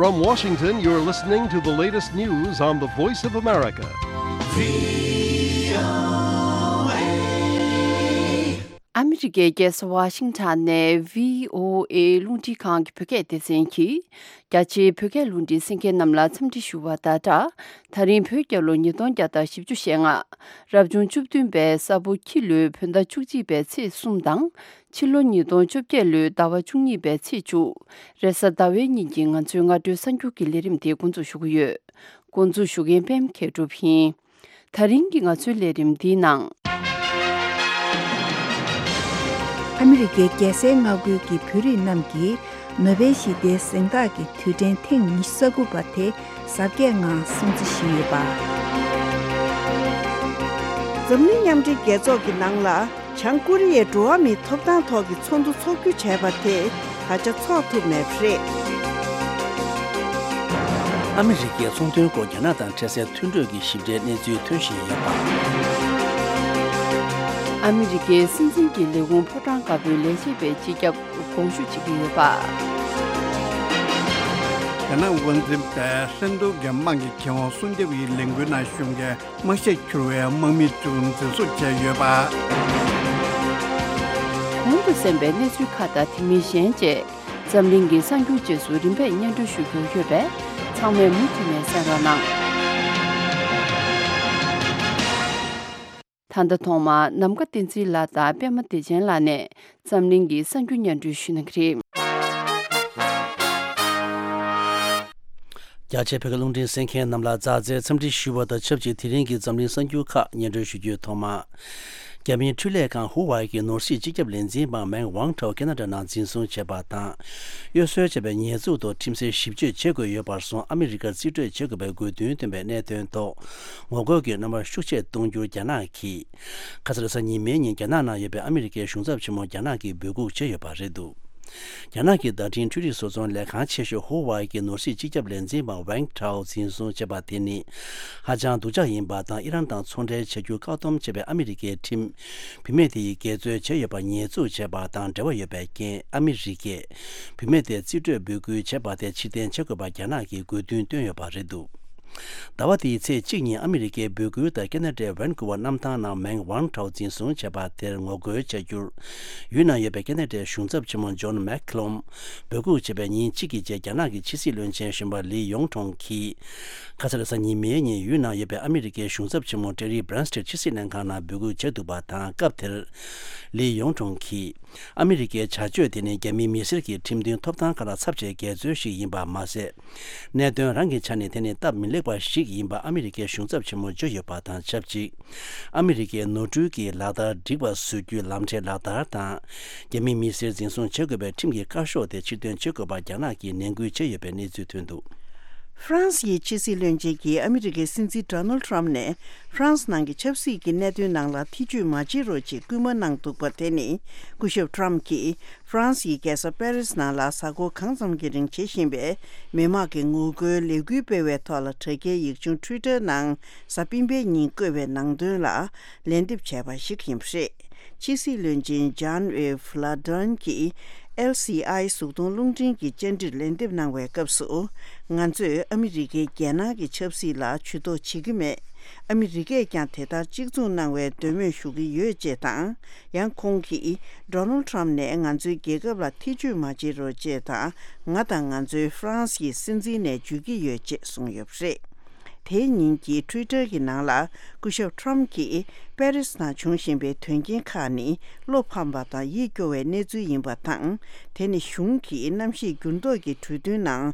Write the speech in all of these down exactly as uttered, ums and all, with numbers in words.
From Washington, you're listening to the latest news on the Voice of America. ཨ་མི་རི་ཀའི་རྒྱལ་ས་ཝ་ཤིང་ཊོན་ནས་བྷི་ཨོ་ཨེ་རླུང་འཕྲིན་ཁང་གི་བོད་སྐད་སྡེ་ཚན་གྱིས། རྒྱ་ཆེའི་བོད་སྐད་རླུང་འཕྲིན་གསན་མཁན་རྣམས་ལ་འཚམས་འདྲི་ཞུ་བ་དང་སྦྲགས། ད་རིང་བོད་རྒྱལ་ལོ་ཉིས་སྟོང་བརྒྱ་དང་བཞི་བཅུ་ཞེ་ལྔ། རབ་བྱུང་བཅུ་བདུན་པའི་ས་ཕོ་ཁྱི་ལོའི་བོད་ཟླ་བཅུ་གཅིག་པའི་ཚེས་གསུམ་དང་། ཕྱི་ལོ་ཉིས་སྟོང་བཅོ་བརྒྱད་ལོའི་ཟླ་བ་བཅུ་གཉིས་པའི་ཚེས་བཅུ། རེས་གཟའ་ཟླ་བའི་ཉིན་གྱི་ང་ཚོའི་སྔ་དྲོའི་གསར་འགྱུར་གྱི་ལས་རིམ་དེ་འགོ་འཛུགས་ཞུ་གི་ཡོད། འགོ་འཛུགས་ཞུ་མཁན་པད་མ་མཁས་གྲུབ་ཡིན། ད་རིང་གི་ང་ཚོའི་ལས་རིམ་འདིའི་ནང་། ཨ་མི་རི་ཀའི་རྒྱལ་སའི་མངའ་ཁུལ་གྱི་བོད་རིགས་རྣམས་ཀྱིས་ནོ་བེལ་ཞི་བདེའི་གཟེངས་རྟགས་ཀྱི་དུས་དྲན་ཐེངས་ཉི་ཤུ་རྩ་དགུ་པ་དེ་གཟབ་རྒྱས་ངང་སྲུང་བརྩི་ཞུས་ཡོད་པ། འཛམ་གླིང་མཉམ་འབྲེལ་རྒྱལ་ཚོགས་ཀྱི་ནང་ལ། བྱང་ཀོ་རི་ཡས་འགྲོ་བ་མིའི་ཐོབ་ཐང་ཐོག་གི་ཚོགས་འདུ་འཚོགས་རྒྱུ་བྱས་པ་དེ་ད་ཆ་འཚོགས་ཐུབ་མེད་པ་རེད། ཨ་མི་རི་ཀའི་ཚོང་དོན་སྐོར་རྒྱ་ནག་དང་འཕྲད་སའི་མཐུན་གྲོས་ཀྱི་ཞིབ་ཕྲའི་གནས་ཚུལ་ཐོན་བཞིན་ཡོད་པ། ཨ་མི་རི་ཀའི་སྲིད་འཛིན་གྱི་ལས་ཁུངས་ཕོ་བྲང་དཀར་པོའི་ལས་བྱེད་པའི་སྤྱི་ཁྱབ་དགོངས་ཞུ་བྱེད་ཀྱི་ཡོད་པ། རྒྱ་ནག་དབང་འཛིན་པས་ཧྲན་ཏུང་གི་དམག་གི་ཁེ་དབང་སྲུང་སྐྱོབ་ཀྱི་ལས་འགུལ་ནང་ཞུགས་མཁན། དམག་ཤེད་འཁྱུར་བའི་དམག་མི་བཅུ་འཛིན་བཟུང་བྱས་ཡོད་པ། གོང་དུ་གསན་པའི་གནས་ཚུལ་ཁག་དང་དེ་མིན་གཞན་བཅས་འཛམ་གླིང་གི་གསར་འགྱུར་རྗེས་སུ་རིམ་པས་སྙན་སྒྲོན་ཞུ་རྒྱུ་ཡོད་པས་ཚང་མས་མུ་མཐུད་ནས་གསན་རོགས་གནང་། ད་ལྟ་ཐོག་མར་ནམ་མཁའ་བསྟན་འཛིན་ལགས་དང་པད་མ་བདེ་ཆེན་ལགས་ནས་འཛམ་གླིང་གི་གསར་འགྱུར་སྙན་སྒྲོན་ཞུ་གནང་གི་རེད། རྒྱ་ཆེའི་བོད་སྐད་རླུང་འཕྲིན་གསན་མཁན་རྣམས་ལ་མཛའ་བརྩེའི་འཚམས་འདྲི་ཞུ་བ་དང་ཆབས་ཅིག་དེ་རིང་གི་འཛམ་གླིང་གསར་འགྱུར་ཁག་སྙན་སྒྲོན་ཞུ་རྒྱུའི་ཐོག་མ། རྒྱ་མིའི་འཕྲུལ་ལས་ཁང་ཧུ་ཝའེ་གི་ནོར་སྲིད་སྤྱི་ཁྱབ་ལས་འཛིན་པ་མེང་ཝང་ཁྲའོ་ཁེ་ན་ཌ་ནང་འཛིན་བཟུང་བྱས་པ་དང་། གཡོ་ཟོལ་བྱས་པའི་ཉེས་འཛུགས་ཐོག་ཁྲིམས་སའི་ཞིབ་དཔྱོད་བྱེད་དགོས་ཡོད་པར་སོང་ཨ་མི་རི་ཀར་རྩིས་སྤྲོད་བྱེད་དགོས་པའི་དགོས་འདུན་བཏོན་པའི་གནད་དོན་ཐོག་ངོ་རྒོལ་གྱི་རྣམ་པ་ཤུགས་ཆེ་གཏོང་རྒྱུར་རྒྱ་ནག་གིས། ཁ་ས་རེས་གཟའ་ཉི་མའི་ཉིན་རྒྱ་ནག་ནང་ཡོད་པའི་ཨ་མི་རི་ཀའི་གཞུང་ཚབ་ཆེན་མོ་རྒྱ་ནག་གིས་འབོད་འགུག་བྱས་ཡོད་པ་རེད་འདུག་རྒྱ་ནག་གི་བརྡ་འཕྲིན་འཕྲུལ་རིག་བཟོ་ཚོང་ལས་ཁང་ཆེ་ཤོས་ཧུ་ཝའེ་གི་ནོར་སྲིད་སྤྱི་ཁྱབ་ལས་འཛིན་པ་ཝེང་ཁྲའོ་འཛིན་བཟུང་བྱས་པ་དེ་ནི་ཧ་ཅང་སྡུག་ཅག་ཡིན་པ་དང་ཨི་རན་དང་ཚོང་འབྲེལ་བྱ་རྒྱུ་བཀག་སྡོམ་བྱས་པའི་ཨ་མི་རི་ཀའི་ཁྲིམས། བུད་མེད་དེ་ཡིས་འགལ་འཛོལ་བྱས་ཡོད་པར་ཉེས་འཛུགས་བྱས་པ་དང་འབྲེལ་བ་ཡོད་པའི་རྐྱེན་ཨ་མི་རི་ཀས་བུད་མེད་དེ་རྩིས་སྤྲོད་འབོད་སྐུལ་བྱས་པ་དེ་ཕྱིར་འཐེན་བྱེད་དགོས་པར་རྒྱ་ནག་གིས་དགོས་འདུན་བཏོན་ཡོད་པ་རེད་འདུག་ཟླ་བ་འདིའི་ཚེས་གཅིག་ཉིན་ཨ་མི་རི་ཀའི་འབོད་སྐུལ་ལྟར་ཁེ་ན་ཌའི་ཝན་ཀུ་ཝར་གནམ་ཐང་ནང་མེང་ཝང་ཁྲའོ་འཛིན་བཟུང་བྱས་པ་དེར་ངོ་རྒོལ་བྱ་རྒྱུར། ཡུལ་ནང་ཡོད་པའི་ཁེ་ན་ཌའི་གཞུང་ཚབ་ཆེན་མོ་ཇོན་མེག་ཁི་ལོམ་འབོད་འགུག་བྱས་པའི་ཉིན་གཅིག་གི་རྗེས་རྒྱ་ནག་གི་ཕྱི་སྲིད་བློན་ཆེན་གཞོན་པ་ལི་ཡོང་ཁྲོང་གིས། ཁ་ས་རེས་གཟའ་ཉི་མའི་ཉིན་ཡུལ་ནང་ཡོད་པའི་ཨ་མི་རི་ཀའི་གཞུང་ཚབ་ཆེན་མོ་ཀྲེ་རི་བྷི་རན་སི་ཊི་ཕྱི་སྲིད་ལྷན་ཁང་ནང་འབོད་འགུག་བྱས་འདུག་པ་དང་སྐབས་དེར། ལི་ཡོང་ཁྲོང་གིས། ཨ་མི་རི་ཀའི་བྱ་སྤྱོད་དེ་ནི་རྒྱ་མིའི་མི་སེར་གྱི་ཁྲིམས་མཐུན་ཐོབ་ཐང་ཁག་ལ་ཚབས་ཆེའི་འགལ་འཛོལ་ཞིག་ཡིན་པ་མ་ཟད། གནད་དོན་རང་གི་ཆ་ནས་དེ་ནི་སྟབས་མི་ལེགས་པ་ཞིག་ཡིན་པ་ཨ་མི་རི་ཀའི་གཞུང་ཚབ་ཆེན་མོས་བརྗོད་ཡོད་པ་དང་ཆབས་ཅིག་ཨ་མི་རི་ཀའི་ནོར་འཁྲུལ་གྱི་ལག་བསྟར་འགྲིག་པ་བཟོ་རྒྱུའི་ལམ་ཁྲལ་ལག་བསྟར་དང་། རྒྱ་མིའི་མི་སེར་འཛིན་བཟུང་བྱེད་དགོས་པའི་ཁྲིམས་ཀྱི་བཀའ་ཤོག་དེ་ཕྱིར་འདོན་བྱེད་དགོས་པར་རྒྱ་ནག་གིས་ནན་སྐུལ་བྱས་ཡོད་པའི་གནས་ཚུལ་ཐོན་འདུག་ཧྥ་རན་སི་ཡི་ཕྱི་སྲིད་བློན་ཆེན་གྱིས་ཨ་མི་རི་ཀའི་སྲིད་འཛིན་ཌོ་ནལ་ཁྲམ་ནས་ཧྥ་རན་སི་ནང་གི་ཆབ་སྲིད་ཀྱི་གནད་དོན་ནང་ལ་ཐེ་བྱུས་མ་བྱེད་རོགས་ཅེས་སྐུལ་མ་གནང་འདུག་པ་དེ་ནི་སྐུ་ཞབས་ཁྲམ་གྱིས་ཧྥ་རན་སིའི་རྒྱལ་ས་པེ་རིས་ནང་ལ་གཟའ་འཁོར་གང་ཙམ་གྱི་རིང་བྱེད་བཞིན་པའི་མི་དམངས་ཀྱི་ངོ་རྒོལ་ལས་འགུལ་སྤེལ་བའི་ཐོག་ལ་དྲ་རྒྱའི་ཡིག་ཆུང་ཊུའི་ཊར་ནང་གཟའ་སྤེན་པའི་ཉིན་བཀོད་པའི་ནང་དོན་ལ་ལན་འདེབས་བྱས་པ་ཞིག་ཡིན་པ་རེད། ཕྱི་སྲིད་བློན་ཆེན་ཇཱན་ཨེབ་ལ་ཌོན་གྱིས་ཨེལ་སི་ཨའི་གཟུགས་མཐོང་རླུང་འཕྲིན་གྱི་བཅར་འདྲིར་ལན་འདེབས་གནང་བའི་སྐབས་སུ། ང་ཚོས་ཨ་མི་རི་ཀའི་རྒྱལ་ནང་གི་ཆབ་སྲིད་ལ་ཇུས་གཏོགས་བྱེད་ཀྱི་མེད། ཨ་མི་རི་ཀས་ཀྱང་དེ་ལྟར་གཅིག་མཚུངས་གནང་བའི་འདོད་མོས་ཞུ་གི་ཡོད་ཅེས་དང་། ཡང་ཁོང་གིས་ཌོ་ནལ་ཁྲམ་ནས་ང་ཚོའི་རྒྱལ་ཁབ་ལ་ཐེ་བྱུས་མ་བྱེད་རོགས་ཅེས་དང་། ང་དང་ང་ཚོའི་ཧྥ་རན་སི་ཡི་སྲིད་འཛིན་ནས་བརྗོད་ཀྱི་ཡོད་ཅེས་གསུངས་ཡོད་པ་རེད། དེའི་ཉིན་གྱི་ཊུའི་ཊར་གྱི་ནང་ལ་སྐུ་ཞབས་ཁྲམ་གྱིས་པེ་རིས་ནང་བྱུང་བཞིན་པའི་དོན་རྐྱེན་ཁག་ནི་བློ་ཕམ་པ་དང་ཡིད་སྐྱོ་བའི་གནས་ཚུལ་ཡིན་པ་དང་། དེ་ནི་གཞུང་གིས་གནམ་གཤིས་འགྱུར་ལྡོག་གི་གྲོས་མཐུན་ནང་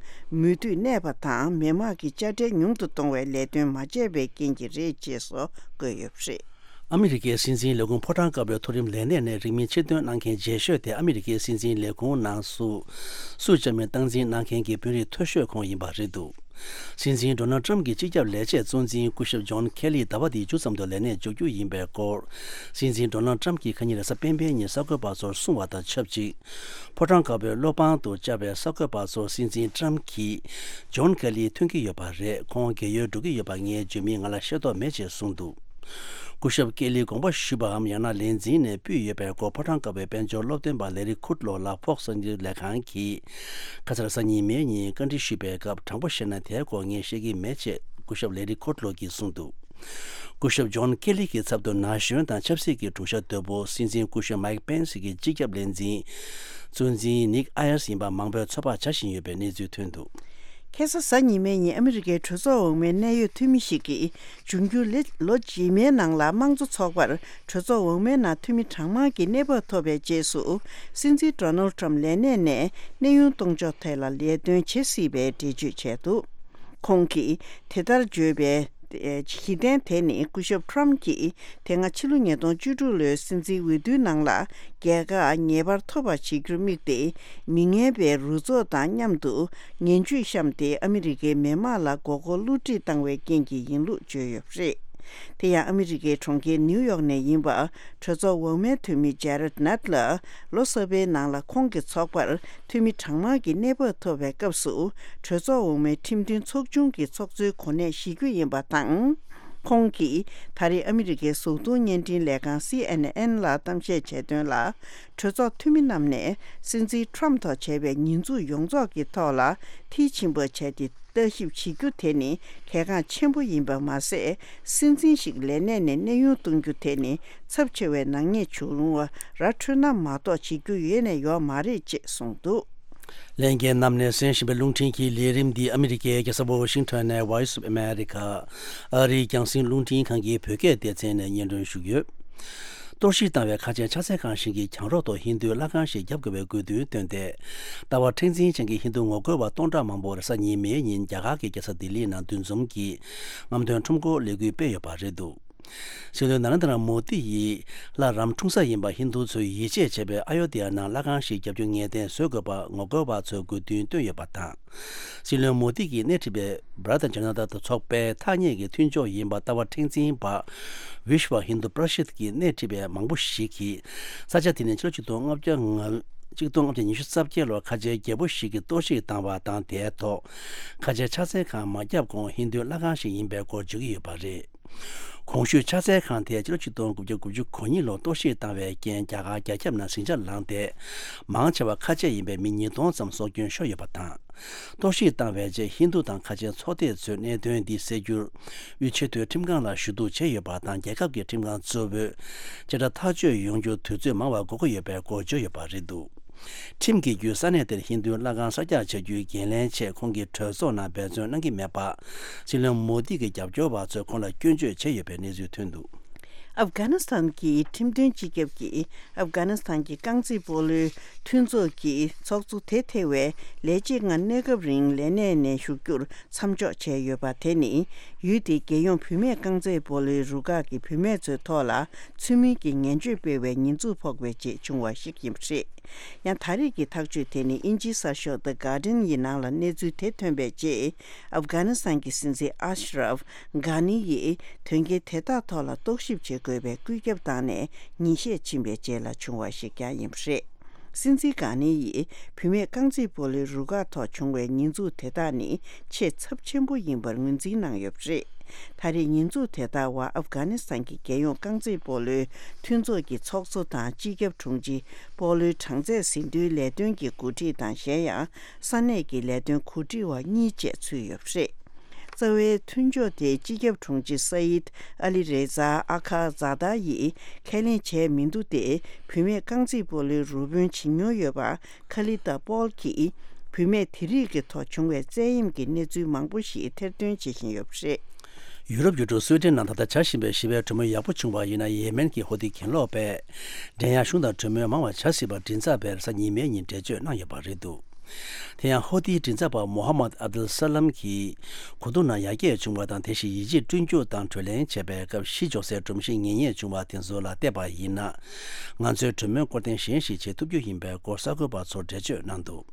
མོས་མཐུན་གནས་པ་དང་མི་དམངས་ཀྱི་དཔྱ་ཁྲལ་ཉུང་དུ་གཏོང་བའི་ལས་དོན་མ་བྱས་པའི་རྐྱེན་གྱིས་རེད་ཅེས་སོགས་བཀོད་ཡོད་པ་རེད། ཨ་མི་རི་ཀའི་སྲིད་འཛིན་ལས་ཁུངས་ཕོ་བྲང་དཀར་པོའི་མཐོ་རིམ་ལས་སྣེ་ནས་རིང་མིན་ཕྱིར་འདོན་གནང་མཁན་རྗེས་ཤོས་དེ་ཨ་མི་རི་ཀའི་སྲིད་འཛིན་ལས་ཁུངས་ནང་སུ་སུ་བཅའ་མིན་སྟངས་འཛིན་གནང་མཁན་གྱི་དཔོན་རིགས་མཐོ་ཤོས་ཁོང་ཡིན་པ་རེད་འདུག་སྲིད་འཛིན་ཌོ་ནལ་ཁྲམ་གྱི་སྤྱི་ཁྱབ་ལས་བྱེད་གཙོ་འཛིན་སྐུ་ཞབས་ཇོན་ཁེ་ལི་ཟླ་བ་འདིའི་མཇུག་ཙམ་དུ་ལས་གནས་འཇོག་རྒྱུ་ཡིན་པའི་སྐོར། སྲིད་འཛིན་ཌོ་ནལ་ཁྲམ་གྱིས་ཁ་ཉིན་རེས་གཟའ་སྤེན་པའི་ཉིན་གསར་འགོད་པ་ཚོར་གསུངས་པ་དང་ཆབས་ཅིག་ཕོ་བྲང་དཀར་པོའི་སློབ་ཁང་དུ་བཅར་བའི་གསར་འགོད་པ་ཚོར་སྲིད་འཛིན་ཁྲམ་གྱིས་ཇོན་ཁེ་ལི་ཐོན་གྱི་ཡོད་པ་རེད། ཁོང་རྒས་ཡོལ་འགྲོ་གི་ཡོད་པ་ངས་བརྗོད་མིན་ང་ལ་ཤེས་རྟོགས་མེད་ཅེས་གསུངས་འདུག་སྐུ་ཞབས་ཀེ་ལིས་དགོངས་པ་ཞུས་པའམ་ཡང་ན་ལས་འཛིན་ནས་ཕུལ་ཡོད་པའི་སྐོར་ཕོ་བྲང་ཀ་བའི་དཔལ་འབྱོར་སློབ་སྟོན་པ་ལེ་རི་ཁུཌ་ལོ་ལ་ཕོགས་གསར་འགྱུར་ལས་ཁང་གིས་ཁ་སང་གཟའ་ཉི་མའི་ཉིན་བཀའ་འདྲི་ཞུས་པའི་སྐབས། དྲང་པོ་བཤད་ན་དེའི་སྐོར་ངས་བཤད་ཀྱི་མེད་ཅེས་སྐུ་ཞབས་ལེ་རི་ཁུཌ་ལོ་གིས་གསུངས་འདུག་སྐུ་ཞབས་ཇོན་ཀེ་ལི་གི་ཚབ་ཏུ་ན་གཞོན་དང་ཆབ་སྲིད་ཀྱི་དྲུང་ཤག་དོད་པོ་སྲིད་འཛིན་སྐུ་ཞབས་མའིག་པེན་སི་གི་སྤྱི་ཁྱབ་ལས་འཛིན་གཙོ་འཛིན་ནིག་ཨ་ཡར་སི་ཡིན་པ་མང་པོས་ཚོད་དཔག་བྱ་བཞིན་ཡོད་པའི་གནས་ཚུལ་ཐོན་འདུག་ཁ་སང་གཟའ་ཉི་མའི་ཉིན་ཨ་མི་རི་ཀའི་གྲོས་ཚོགས་འོག་མའི་གནད་ཡོད་འཐུས་མི་ཞིག་གིས། འབྱུང་འགྱུར་ལོ་ལོ་རྗེས་མའི་ནང་ལ་དམངས་གཙོ་ཚོགས་པར་གྲོས་ཚོགས་འོག་མའི་ནང་འཐུས་མི་གྲངས་མང་གི་གནས་བབ་ཐོབ་པའི་རྗེས་སུ། སྲིད་འཛིན་ཌོ་ནལ་ཊམ་ལས་གནས་ནས་གནས་དབྱུང་གཏོང་ཕྱོགས་ཐད་ལ་ལས་དོན་བྱེད་སྲིད་པའི་འགྲེལ་བརྗོད་བྱས་འདུག་ཁོང་གིས་དེ་ལྟར་བརྗོད་པའི་གཞི་རྟེན་དེ་ནི། སྐུ་ཞབས་ཊམ་གྱིས་དེ་སྔ་ཕྱི་ལོ་ཉིས་སྟོང་བཅུ་དྲུག་ལོའི་སྲིད་འཛིན་འོས་བསྡུའི་ནང་ལ། རྒྱལ་ཁ་ངེས་པར་ཐོབ་པ་བྱེད་རྒྱུར་དམིགས་ཏེ། མི་ངན་པའི་རུ་ཚོགས་དང་མཉམ་དུ་ངན་ཇུས་བཤམས་ཏེ། ཨ་མི་རི་ཀའི་མི་དམངས་ལ་མགོ་སྐོར་བསླུ་བྲིད་བཏང་བའི་རྐྱེན་གྱིས་ཡིན་ལུགས་བརྗོད་ཡོད་པ་རེད། དེ་ཡང་ཨ་མི་རི་ཀའི་གྲོང་ཁྱེར་ནིའུ་ཡོག་ནས་ཡིན་པ། གྲོས་ཚོགས་འོག་མའི་འཐུས་མི་ཇེ་རེད་ནད་ལ། ལོ་གསར་པའི་ནང་ལ་ཁོང་གི་ཚོགས་པར་འཐུས་མི་གྲངས་མང་གི་གནས་བབ་ཐོབ་པའི་སྐབས་སུ། གྲོས་ཚོགས་འོག་མའི་ཁྲིམས་མཐུན་ཚོགས་ཆུང་གི་ཚོགས་གཙོའི་གོ་གནས་བཞེས་རྒྱུ་ཡིན་པ་དང་། ཁོང་གིས་ད་རེས་ཨ་མི་རི་ཀའི་གཟུགས་མཐོང་བརྙན་འཕྲིན་ལས་ཁང་སི་ཨེན་ཨེན་ལ་གཏམ་བཤད་བྱས་དོན་ལ། གྲོས་ཚོགས་འཐུས་མི་རྣམས་ནས་སྲིད་འཛིན་ཊམ་ཐོག་བྱས་པའི་ཉེས་འཛུགས་ཡོངས་རྫོགས་ཀྱི་ཐོག་ལ་མཐིལ་ཕྱིན་པ་བྱས་ཏེ། ལྟ་ཞིབ་བྱེད་རྒྱུ་དེ་ནི་གལ་འགངས་ཆེན་པོ་ཡིན་པ་མ་ཟད། སྲིད་འཛིན་ཞིག་ལས་གནས་ནས་གནས་དབྱུང་གཏོང་རྒྱུ་དེ་ནི་ཚབས་ཆེ་བའི་ནག་ཉེས་བྱུང་བ་ར་འཕྲོད་ན་མ་གཏོགས་བྱེད་རྒྱུ་ཡོད་ནས་ཡོད་མ་རེད་ཅེས་གསུངས་འདུག་ལྷན་རྒྱས་རྣམས་ནས་གསན་བཞིན་པའི་རླུང་འཕྲིན་གྱི་ལས་རིམ་འདི་ཨ་མི་རི་ཀའི་རྒྱལ་ས་ཝ་ཤིང་ཊོན་ནས་Voice of America ཨ་རིའི་རྒྱང་སྲིང་རླུང་འཕྲིན་ཁང་གི་བོད་སྐད་སྡེ་ཚན་ནས་སྙན་སྒྲོན་ཞུ་གི་ཡོད། གཏོར་བཤིག་བཏང་བའི་ཁ་ཆེ་ཕྱག་འཚལ་ཁང་ཞིག་གི་གྱང་རོ་ཐོག་ཧིན་རྡུའི་ལྷ་ཁང་ཞིག་བརྒྱབ་དགོས་པའི་དགོས་འདུན་བཏོན་ཏེ། ལྟ་བ་མཁྲེགས་འཛིན་ཅན་གྱི་ཧིན་རྡུ་ངོ་རྒོལ་བ་སྟོང་ཕྲག་མང་པོར་གཟའ་ཉི་མའི་ཉིན་རྒྱ་གར་གྱི་རྒྱལ་ས་ལྡི་ལི་ནང་འདུ་འཛོམས་ཀྱིས་རྔམ་སྟོན་ཁྲོམ་སྐོར་ལས་འགུལ་སྤེལ་ཡོད་པ་རེད་འདུག་སྲིད་བློན་ན་རེན་དྲ་མོ་དི་ཡིས་ལྷ་རམ་འཁྲུངས་ས་ཡིན་པ་ཧིན་རྡུ་ཚོས་ཡིད་ཆེས་བྱེད་པའི་ཨ་ཡོ་དྷི་ཡ་ནང་ལྷ་ཁང་ཞིག་བརྒྱབ་རྒྱུ་ངེས་གཏན་བཟོ་དགོས་པ་ངོ་རྒོལ་བ་ཚོས་དགོས་འདུན་བཏོན་ཡོད་པ་དང་། སྲིད་བློན་མོ་དི་གིས་སྣེ་ཁྲིད་པའི་བྷ་ར་ཏ་ཇ་ན་ཏ་ཚོགས་པའི་ཐག་ཉེ་གི་མཐུན་ཕྱོགས་ཡིན་པ་ལྟ་བ་མཁྲེགས་འཛིན་པ་Vishwa Hindu Parishad གིས་སྣེ་ཁྲིད་པའི་མང་པོ་ཞིག་གིས་ས་ཆ་དེ་ནི་ཕྱི་ལོ་ཆིག་སྟོང་ལྔ་བརྒྱ་ང་ཆིག་སྟོང་ལྔ་བརྒྱ་ཉི་ཤུ་རྩ་བརྒྱད་ལོར་ཁ་ཆེའི་རྒྱལ་པོ་ཞིག་གིས་གཏོར་བཤིག་བཏང་བ་དང་། དེའི་ཐོག་ཁ་ཆེའི་ཕྱག་འཚལ་ཁང་མ་བརྒྱབ་གོང་ཧིན་རྡུའི་ལྷ་ཁང་ཞིག་ཡིན་པའི་སྐོར་བརྗོད་ཀྱི་ཡོད་པ་རེད། གོང་ཞུས་ཕྱག་འཚལ་ཁང་དེ་ཕྱི་ལོ་ཆིག་སྟོང་དགུ་བརྒྱ་དགུ་བཅུ་གོ་གཉིས་ལོར་གཏོར་བཤིག་བཏང་བའི་རྐྱེན་རྒྱ་གར་རྒྱ་ཁྱབ་ནང་ཟིང་ཆ་ལངས་ཏེ། མང་ཆེ་བ་ཁ་ཆེ་ཡིན་པའི་མི་ཉིས་སྟོང་ཙམ་སྲོག་སྐྱོན་ཤོར་ཡོད་པ་དང་། གཏོར་བཤིག་བཏང་བའི་རྗེས་ཧིན་རྡུ་དང་ཁ་ཆེའི་ཚོགས་སྡེ་ཚོས་གནད་དོན་འདི་སེལ་རྒྱུར་དབུས་ཆེས་མཐོའི་ཁྲིམས་ཁང་ལ་ཞུ་གཏུག་བྱས་ཡོད་པ་དང་། རྒྱལ་ཁབ་ཀྱི་ཁྲིམས་ཁང་གཙོ་བོས་བཅད་ཁྲ་ཐག་གཅོད་ཡོང་རྒྱུར་དུས་ཚོད་མང་བ་འགོར་གྱི་ཡོད་པའི་སྐོར་བརྗོད་ཡོད་པ་རེད་འདུག་ཁྲིམས་ཀྱི་བརྒྱུད་ས་གནས་དེར་ཧིན་རྡུའི་ལྷ་ཁང་གསར་རྒྱག་བྱ་རྒྱུའི་འགན་ལེན་ཆེད་ཁོང་གིས་གྲོས་ཚོགས་ནང་འབད་བརྩོན་གནང་གི་མེད་པ། སྲིད་བློན་མོ་དི་གི་རྒྱབ་སྐྱོར་བ་ཚོས་ཁོང་ལ་སྐྱོན་བརྗོད་བྱས་ཡོད་པའི་གནས་ཚུལ་ཐོན་འདུག་ཨབ་གྷ་ནི་སི་ཐན་གྱི་ཁྲིམས་དོན་སྤྱི་ཁྱབ་ཀྱིས་ཨབ་གྷ་ནི་སི་ཐན་གྱི་རྐང་རྩེད་སྤོ་ལོའི་མཐུན་ཚོགས་ཀྱི་ཚོགས་གཙོ་དེ་ཐེ་བའི་ལས་བྱེད་ལྔ་གནས་སྐབས་རིང་ལས་གནས་ནས་ཞུགས་རྒྱུར་མཚམས་འཇོག་བྱས་ཡོད་པ་དེ་ནི། ཡུལ་དེའི་རྒྱལ་ཡོངས་བུད་མེད་རྐང་རྩེད་སྤོ་ལོའི་རུ་ཁག་གིས་བུད་མེད་ཚོའི་ཐོག་ལ་ཚུལ་མིན་གྱི་ངན་བྱུས་སྤེལ་བའི་ཉེས་འཛུགས་ཕོག་པའི་རྗེས་བྱུང་བ་ཞིག་ཡིན་པ་རེད། ཡང་ད་རེས་ཀྱི་ཐག་གཅོད་དེ་ནི་དབྱིན་ཇིའི་གསར་ཤོག་The Guardian ཡི་ནང་ལ་གནས་ཚུལ་དེ་ཐོན་པའི་རྗེས། ཨབ་གྷ་ནི་སི་ཐན་གྱི་སྲིད་འཛིན་ཨ་ཤ་རབ་གྷ་ནི་ཡིས་དོན་རྐྱེན་དེ་དག་ཐོག་ལ་རྟོག་ཞིབ་བྱེད་དགོས་པའི་བཀོད་ཁྱབ་བཏང་ནས་ཉིན་ཤས་ཕྱིན་པའི་རྗེས་ལ་བྱུང་བ་ཞིག་ཀྱང་ཡིན་པ་རེད། སྲིད་འཛིན་གྷ་ནི་ཡིས་བུད་མེད་རྐང་རྩེད་སྤོ་ལོའི་རུ་ཁག་ཐོག་བྱུང་བའི་ཉེས་འཛུགས་དེ་དག་ནི་ཆེས་ཚབས་ཆེན་པོ་ཡིན་པར་ངོས་འཛིན་གནང་ཡོད་པ་རེད། ད་རེས་ཉེས་འཛུགས་དེ་དག་བར་ཨབ་གྷ་ནི་སི་ཐན་གྱི་རྒྱལ་ཡོངས་རྐང་རྩེད་སྤོ་ལོའི་མཐུན་ཚོགས་ཀྱི་ཚོགས་གཙོ་དང་སྤྱི་ཁྱབ་དྲུང་ཆེ། སྤོ་ལོའི་གྲངས་ཚད་ཟིན་ཐོའི་ལས་དོན་གྱི་འགོ་ཁྲིད་དང་། གཞན་ཡང་ས་གནས་ཀྱི་ལས་དོན་འགོ་ཁྲིད་པ་གཉིས་བཅས་ཚུད་ཡོད་པ་རེད། རྩ་བའི་མཐུན་ཕྱོགས་དེའི་སྤྱི་ཁྱབ་དྲུང་ཆེ་སཱ་ཡིད་ཨ་ལི་རེ་ཛཱ་ཨ་ཁ་ཛཱ་ད་ཡིས་ཁས་ལེན་བྱས་མི་འདུག་སྟེ། བུད་མེད་རྐང་རྩེད་སྤོ་ལོའི་རུ་དཔོན་བྱེད་མྱོང་ཡོད་པ་ཁ་ལི་ཏཱ་པོལ་གྱིས་བུད་མེད་དེ་རིགས་ཀྱི་ཐོག་བྱུང་བའི་བཙན་གཡེམ་གྱི་གནས་ཚུལ་མང་པོ་ཞིག་ཐེར་འདོན་བྱེད་བཞིན་ཡོད་པ་རེད། ཡུ་རོབ་ཡུལ་གྲུ་སུའེ་ཏེན་ནང་ད་ལྟ་བྱ་བཞིན་པའི་ཞི་བའི་གྲོས་མོལ་ཡག་པོ་བྱུང་བ་ཡིན་ན། ཡེ་མེན་གྱི་ཧོ་ཐི་གྱེན་ལོག་པས་འགྲན་ཡག་གཞུང་དང་གྲོས་མོལ་མང་བ་བྱ་སྲིད་པར་མགྲིན་ཚབ་པས་གཟའ་ཉི་མའི་ཉིན་འགྲེལ་བརྗོད་གནང་ཡོད་པ་རེད་འདུག་དེ་ཡང་ཧོ་ཐིའི་མགྲིན་ཚབ་པ་མོ་ཧ་མད་ཨབ་དུལ་ས་ལམ་གྱིས་གོ་བསྡུར་ནང་ཡར་རྒྱས་བྱུང་བ་དང་། དེ་བཞིན་ཡིད་ཆེས་བསྐྲུན་རྒྱུ་དང་གྲོས་གླེང་བྱས་པའི་སྐབས་གཞི་འཇོག་སའི་སྒྲོམ་གཞི་ངེས་རྙེད་བྱུང་བ་དེ་ཚོ་ལ་བལྟས་པ་ཡིན་ན། ང་ཚོས་གྲོས་མོལ་སྐོར་ཐེངས་གཞན་ཞིག་བྱེད་ཐུབ་རྒྱུ་ཡིན་པའི་སྐོར་གསར་འགོད་པ་ཚོར་འགྲེལ་བརྗོད་གནང་འདུག་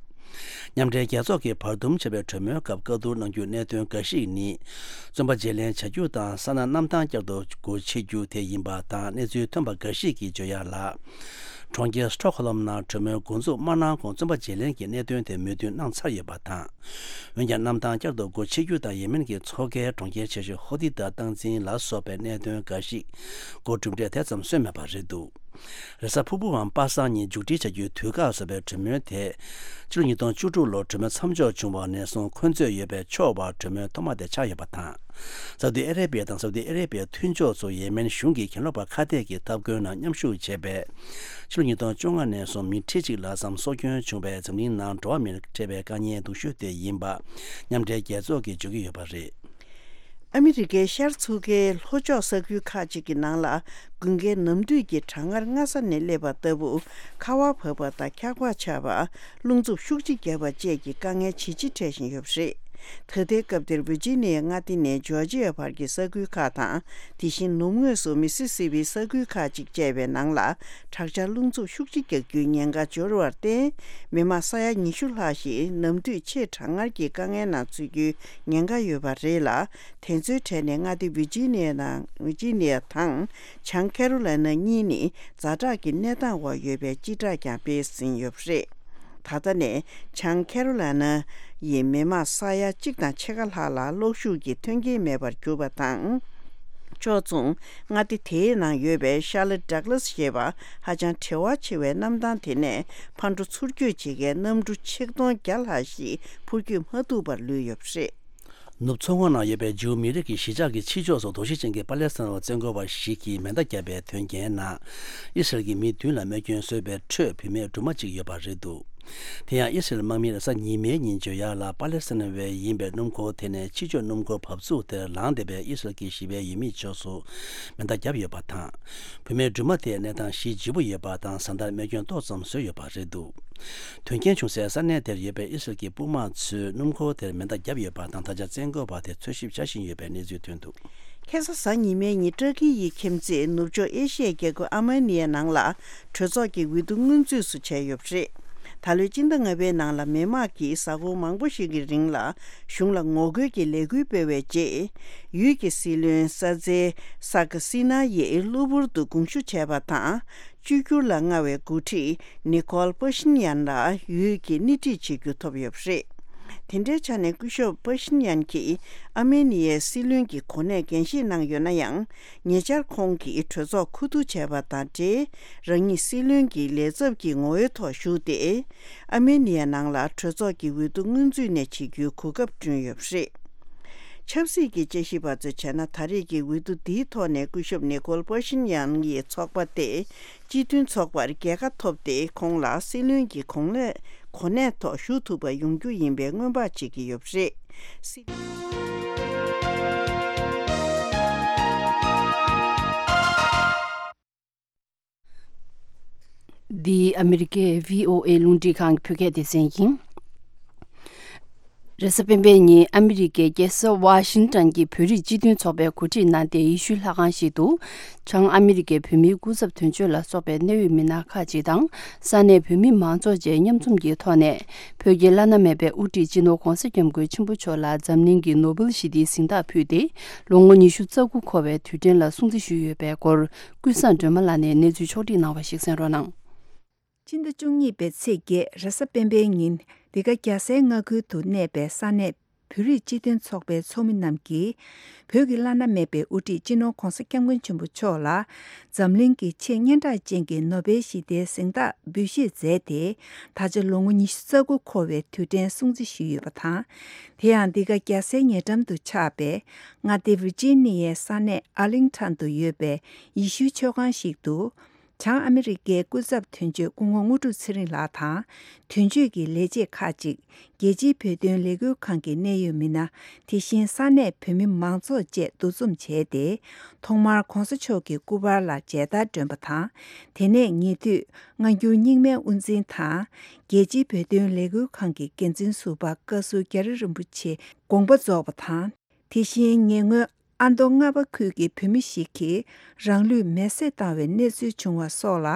མཉམ་འབྲེལ་རྒྱལ་ཚོགས་ཀྱིས་བར་འདུམ་བྱས་པའི་གྲོས་མོལ་སྐབས་བཀའ་བསྡུར་གནང་རྒྱུའི་གནད་དོན་འགའ་ཞིག་ནི། བཙོན་པ་བརྗེ་ལེན་བྱ་རྒྱུ་དང་། ས་ན་གནམ་ཐང་བསྐྱར་དུ་སྒོ་ཕྱེ་རྒྱུ་དེ་ཡིན་པ་དང་། གནས་ཚུལ་ཐོན་པ་འགའ་ཞིག་གིས་བརྗོད་ཡག་ལ། གྲོང་ཁྱེར་སི་ཊོག་ཧོ་ལམ་ནང་གྲོས་མོལ་འགོ་འཛུགས་མ་གནང་གོང་བཙོན་པ་བརྗེ་ལེན་གྱི་གནད་དོན་དེ་མོས་མཐུན་གནང་ཚར་ཡོད་པ་དང་། འོན་ཀྱང་གནམ་ཐང་བསྐྱར་དུ་སྒོ་ཕྱེ་རྒྱུ་དང་ཡེ་མེན་གྱི་མཚོ་ཁའི་གྲོང་ཁྱེར་ཆེ་ཤོས་ཧོ་ཏི་དང་སྟངས་འཛིན་ལ་སོགས་པའི་གནད་དོན་འགའ་ཞིག་སྒོ་གྲུབ་འབྲས་དེ་ཙམ་སོན་མེད་པ་རེད་འདུག་རེས་གཟའ་ཕུར་བུའམ་པ་སངས་ཉིན་མཇུག་སྒྲིལ་བྱ་རྒྱུའི་དུས་བཀག་བཟོ་བའི་གྲོས་མོལ་དེ། ཕྱི་ལོ་ཉིས་སྟོང་བཅུ་དྲུག་ལོར་གྲོས་མོལ་མཚམས་འཇོག་བྱུང་བ་ནས་བཟུང་འཁོན་རྩོད་ཡོད་པའི་ཕྱོགས་བར་གྲོས་མོལ་ཐོག་མ་དེ་ཆགས་ཡོད་པ་དང་། སའུ་ཏི་ཨ་རེ་བྷི་ཡ་དང་སའུ་ཏི་ཨ་རེ་བྷི་ཡའི་མཐུན་ཕྱོགས་ཚོ་ཡེ་མེན་གཞུང་གི་གྱེན་ལོག་པ་ཁ་གཏད་ཀྱི་ཐབས་བཀོད་ནང་མཉམ་ཞུགས་བྱས་པས། ཕྱི་ལོ་ཉིས་སྟོང་བཅོ་ལྔ་ནས་བཟུང་མི་ཁྲི་གཅིག་ལྷག་ཙམ་སྲོག་སྐྱོན་བྱུང་བའི་འཛམ་གླིང་ནང་འགྲོ་བ་མིར་འཕྲད་པའི་དཀའ་ངལ་སྡུག་ཤོས་དེ་ཡིན་པ། མཉམ་འབྲེལ་རྒྱལ་ཚོགས་ཀྱིས་བརྗོད་ཀྱི་ཡོད་པ་རེད། ཨ་མི་རི་ཀའི་ཤར་མཚོ་ཁའི་ལྷོ་ཕྱོགས་ས་ཁུལ་ཁག་ཅིག་གི་ནང་ལ་དགུན་ཁའི་ནམ་དུས་ཀྱི་གྲང་ངར་སྔ་ས་ནས་སླེབས་པ་ལྟ་བུ་ཁ་བ་བབས་པ་དང་འཁྱག་པ་ཆགས་པ། རླུང་འཚུབ་ཤུགས་ཆེ་བརྒྱབ་པ་བཅས་ཀྱི་དཀའ་ངལ་ཇེ་ཆེ་འཕྲད་བཞིན་ཡོད་པ་རེད། ད་ལྟའི་སྐབས་དེར་ཝི་ཇི་ནི་ཡའི་མངའ་སྡེ་ནས་ཇོར་ཇི་ཡ་བར་གྱི་ས་ཁུལ་ཁག་དང་། དེ་བཞིན་ནུབ་ངོས་སུ་མི་སི་སི་པི་ས་ཁུལ་ཁག་ཅིག་བཅས་པའི་ནང་ལ་དྲག་ཆར་རླུང་འཚུབ་ཤུགས་ཆེ་རྒྱག་རྒྱུའི་ཉེན་ཁ་འབྱོར་བར་བརྟེན། མི་མང་ས་ཡ་ཉི་ཤུ་ལྷག་ཞིག་ནམ་དུས་ཆེས་གྲང་ངར་གྱི་དཀའ་ངལ་ནང་ཚུད་རྒྱུའི་ཉེན་ཁ་ཡོད་པ་རེད་ལ། དེ་ཚོའི་གྲས་ནས་མངའ་སྡེ་ཝི་ཇི་ནི་ཡ་དང་ཝི་ཇི་ནི་ཡ་དང་། བྱང་ཁེ་རོ་ལའི་ན་གཉིས་ནི་ཛ་དྲག་གི་གནས་སྟངས་འོག་ཡོད་པའི་སྤྱི་བསྒྲགས་ཀྱང་སྤེལ་ཟིན་ཡོད་པ་རེད། ད་ལྟ་ནས་བྱང་ཁེ་རོ་ལའི་ན་ཡི་མི་མང་ས་ཡ་གཅིག་དང་ཕྱེད་ཀ་ལྷག་ལ་གློག་ཤུགས་ཀྱི་མཐུན་རྐྱེན་མེད་པར་གྱུར་པ་དང་། ཕྱོགས་མཚུངས་མངའ་སྡེ་དེའི་ནང་ཡོད་པའི་ཤར་ལི་ཌག་ལཱ་སི་ཞེས་པ་ཧ་ཅང་བྲེལ་བ་ཆེ་བའི་གནམ་ཐང་དེ་ནས་ཕར་འགྲོ་ཚུར་སྐྱོད་བྱེད་མཁན་གནམ་གྲུ་ཆིག་སྟོང་བརྒྱ་ལྷག་ཞིག་འཕུར་སྐྱོད་མ་ཐུབ་པར་ལུས་ཡོད་པ་རེད། ནུབ་མཚོ་ངོས་ནང་ཡོད་པའི་ཇིའུ་མི་རིགས་ཀྱི་གཞིས་ཆགས་ཀྱི་ཕྱི་ཕྱོགས་སུ་དོགས་གཞི་ཅན་གྱི་པ་ལེ་སི་ཐན་བ་བཙན་རྒོལ་བ་ཞིག་གིས་མེ་མདའ་བརྒྱབ་པའི་དོན་རྐྱེན་ནང་། ཨི་སི་རལ་གྱི་མི་བདུན་ལ་རྨས་སྐྱོན་བཟོས་པའི་ཁྲོད་བུད་མེད་སྦྲུམ་མ་གཅིག་ཡོད་པ་རེད་འདུག་དེ་ཡང་ཨི་སི་རལ་དམག་མིས་རེས་གཟའ་ཉི་མའི་ཉིན་ཇོ་ཡར་ལ་པ་ལེ་སི་ཐན་བའི་ཡིན་པའི་སྣུམ་འཁོར་དེ་ནས་ཕྱི་ཕྱོགས་སྣུམ་འཁོར་བབས་ཚུགས་དེར་ལངས་བསྡད་པའི་ཨི་སི་རལ་གྱི་ཞི་བའི་ཡུལ་མིའི་ཕྱོགས་སུ་མེ་མདའ་བརྒྱབ་ཡོད་པ་དང་། བུད་མེད་སྦྲུམ་མ་དེ་གནས་སྟངས་ཞེ་ལྗིད་པོ་ཡོད་པ་དང་། བཟའ་ཟླར་རྨས་སྐྱོན་ཏོག་ཙམ་བཟོས་ཡོད་པ་རེད་འདུག་དོན་རྐྱེན་བྱུང་སའི་ས་གནས་དེར་ཡོད་པའི་ཨི་སི་རལ་གྱི་དཔུང་དམག་ཚོས་སྣུམ་འཁོར་དེར་མེ་མདའ་བརྒྱབ་ཡོད་པ་དང་། ད་ཆ་བཙན་རྒོལ་བ་དེ་འཚོལ་ཞིབ་བྱ་བཞིན་ཡོད་པའི་གནས་ཚུལ་ཐོན་འདུག་ཁ་སང་གཟའ་ཉི་མའི་ཉིན་ཏུར་ཀི་ཡི་ཁྱིམ་མཚེས་ནུབ་ཕྱོགས་ཨེ་ཤི་ཡའི་རྒྱལ་ཁབ་ཨར་མེ་ནི་ཡའི་ནང་ལ་གྲོས་ཚོགས་ཀྱི་འོས་བསྡུ་སྔོན་ཚུད་སུ་བྱས་ཡོད་པ་རེད། ད་ལོའི་སྤྱི་ཟླ་ལྔ་པའི་ནང་ལ་མི་དམངས་ཀྱིས་གཟའ་འཁོར་མང་པོ་ཞིག་གི་རིང་ལ་གཞུང་ལ་ངོ་རྒོལ་གྱི་ལས་འགུལ་སྤེལ་བའི་རྗེས། ཡུལ་གྱི་སྲིད་བློན་ས་ཛེ་སཱ་ཀ་སི་ན་ཡིས་གློ་བུར་དུ་དགོངས་ཞུ་བྱས་པ་དང་། བཅོས་བསྒྱུར་ལ་མངའ་བའི་འགོ་ཁྲིད་ནི་ཁོལ་པ་ཤིན་ཡན་ལ་ཡུལ་གྱིས་སྣེ་ཁྲིད་བྱེད་རྒྱུ་ཐོབ་ཡོད་པ་རེད། དེ་འདྲའི་ཆ་ནས་སྐུ་ཞབས་པ་ཤིན་ཡན་གྱིས་ཨར་མེ་ནི་ཡའི་སྲིད་བློན་གྱི་གོ་གནས་འགན་བཞེས་གནང་ཡོད་ན་ཡང་། ཉེ་ཆར་ཁོང་གིས་གྲོས་ཚོགས་ཁུ་བསྡུ་བྱས་པ་དང་འབྲེལ། རང་ཉིད་སྲིད་བློན་གྱི་ལས་ཚབ་ཀྱི་ངོ་བོའི་ཐོག་ཞུགས་ཏེ། ཨར་མེ་ནི་ཡའི་ནང་ལ་གྲོས་ཚོགས་ཀྱི་འོས་བསྡུ་སྔོན་ཚུད་ནས་བྱེད་རྒྱུའི་གོ་སྐབས་བསྐྲུན་ཡོད་པ་རེད། ཆབ་སྲིད་ཀྱི་དཔྱད་ཞིབ་པ་ཚོས་བྱས་ན། ད་རེས་ཀྱི་འོས་བསྡུ་འདིའི་ཐོག་ནས་སྐུ་ཞབས་ནི་ཁོལ་པ་ཤིན་ཡང་ཡི་ཚོགས་པ་སྟེ། སྤྱི་མཐུན་ཚོགས་པར་རྒྱལ་ཁ་ཐོབ་སྟེ། ཁོང་ལ་སྲིད་བློན་གྱི་གོང་ལས་གོ་གནས་ཐོག་ཞུགས་ཐུབ་པ་ཡོང་རྒྱུ་ཡིན་པའི་སྔོན་དཔག་བྱེད་ཀྱི་ཡོད་པ་རེད། སྲིད། འདི་ཨ་མི་རི་ཀའི་བྷི་ཨོ་ཨེ་རླུང་འཕྲིན་ཁང་གི་བོད་སྐད་སྡེ་ཚན་ཡིན། རེས་གཟའ་སྤེན་པའི་ཉིན་ཨ་མི་རི་ཀའི་རྒྱལ་ས་ཝ་ཤིང་ཏོན་གྱི་བོད་རིགས་སྤྱི་མཐུན་ཚོགས་པས་གོ་སྒྲིག་གནང་སྟེ། ཡེ་ཤུའི་ལྷ་ཁང་ཞིག་ཏུ་བྱང་ཨ་མི་རི་ཀའི་བོད་མིའི་སྐུ་ཚབ་དོན་གཅོད་ལ་སོགས་པའི་གནད་ཡོད་མི་སྣ་ཁག་ཅིག་དང་། ས་གནས་བོད་མི་མང་ཚོགས་བཅས་མཉམ་འཛོམས་ཀྱི་ཐོག་ནས། བོད་ཀྱི་བླ་ན་མེད་པའི་དབུ་ཁྲིད་སྤྱི་ནོར་༧གོང་ས་༧སྐྱབས་མགོན་ཆེན་པོ་མཆོག་ལ་འཛམ་གླིང་གི་ནོ་བེལ་ཞི་བདེའི་གཟེངས་རྟགས་ཕུལ་ཏེ། ལོ་ངོ་ཉི་ཤུ་རྩ་དགུ་འཁོར་བའི་དུས་དྲན་ལ་སྲུང་བརྩི་ཞུས་ཡོད་པའི་སྐོར། ཀུན་བཟང་སྒྲོལ་མ་ལགས་ནས་གནས་ཚུལ་ཕྱོགས་བསྒྲིགས་གནང་བ་ཞིག་གསན་རོགས་གནང་། ཕྱི་ཟླ་བཅུ་གཉིས་པའི་ཚེས་བརྒྱད་རེས་གཟའ་སྤེན་པའི་ཉིན། འདི་ག་རྒྱལ་སའི་མངའ་ཁུལ་དུ་གནས་པའི་ས་གནས་བོད་རིགས་སྤྱི་མཐུན་ཚོགས་པའི་ཚོགས་མི་རྣམས་ཀྱིས། བོད་ཀྱི་བླ་ན་མེད་པའི་དབུ་ཁྲིད་སྤྱི་ནོར་༧གོང་ས་༧སྐྱབས་མགོན་ཆེན་པོ་མཆོག་ལ། འཛམ་གླིང་གི་ཆེས་སྙན་གྲགས་ཅན་གྱི་ནོ་བེལ་ཞི་བདེའི་གཟེངས་རྟགས་འབུལ་བཞེས་མཛད་དེ། ད་ཆ་ལོ་ངོ་ཉི་ཤུ་རྩ་དགུ་འཁོར་བའི་དུས་དྲན་སྲུང་བརྩི་ཞུས་ཡོད་པ་དང་། དེ་ཡང་འདི་ག་རྒྱལ་སའི་ཉེ་འགྲམ་དུ་ཆགས་པའི་མངའ་སྡེ་ཝི་ཇི་ནི་ཡའི་ས་གནས་ཨར་ལིང་ཊོན་དུ་ཡོད་པའི་ཡེ་ཤུའི་ཆོས་ཁང་ཞིག་ཏུ། བྱང་ཨ་མི་རི་ཀའི་སྐུ་ཚབ་དོན་གཅོད་སྐུ་ངོ་དངོས་གྲུབ་ཚེ་རིང་ལགས་དང་། དོན་གཅོད་ཀྱི་ལས་བྱེད་ཁག་ཅིག་རྒྱལ་སྤྱིའི་བོད་དོན་ལས་འགུལ་ཁང་གི་གནད་ཡོད་མི་སྣ། དེ་བཞིན་ས་གནས་བོད་མི་མང་ཚོགས་བཅས་འདུ་འཛོམས་བྱས་ཏེ། ཐོག་མར་༧གོང་ས་མཆོག་གི་སྐུ་པར་ལ་མཇལ་དར་སྒྲོན་པ་དང་། དེ་ནས་ཉེ་དུས་སྔ་འགྱུར་རྙིང་མའི་དབུ་འཛིན་དང་། རྒྱལ་སྤྱིའི་བོད་དོན་ལས་འགུལ་ཁང་གི་འགན་འཛིན་ཟུར་པ་བཀའ་ཟུར་རྒྱ་རི་རིན་པོ་ཆེ་དགོངས་པ་རྫོགས་པ་དང་། དེ་བཞིན་ཉེ་སྔོན་ཨ་མདོ་རྔ་པ་ཁུལ་གྱི་བོད་མི་ཞིག་གིས་རང་ལུས་མེར་སྲེག་བཏང་བའི་གནས་ཚུལ་བྱུང་བ་སོགས་ལ་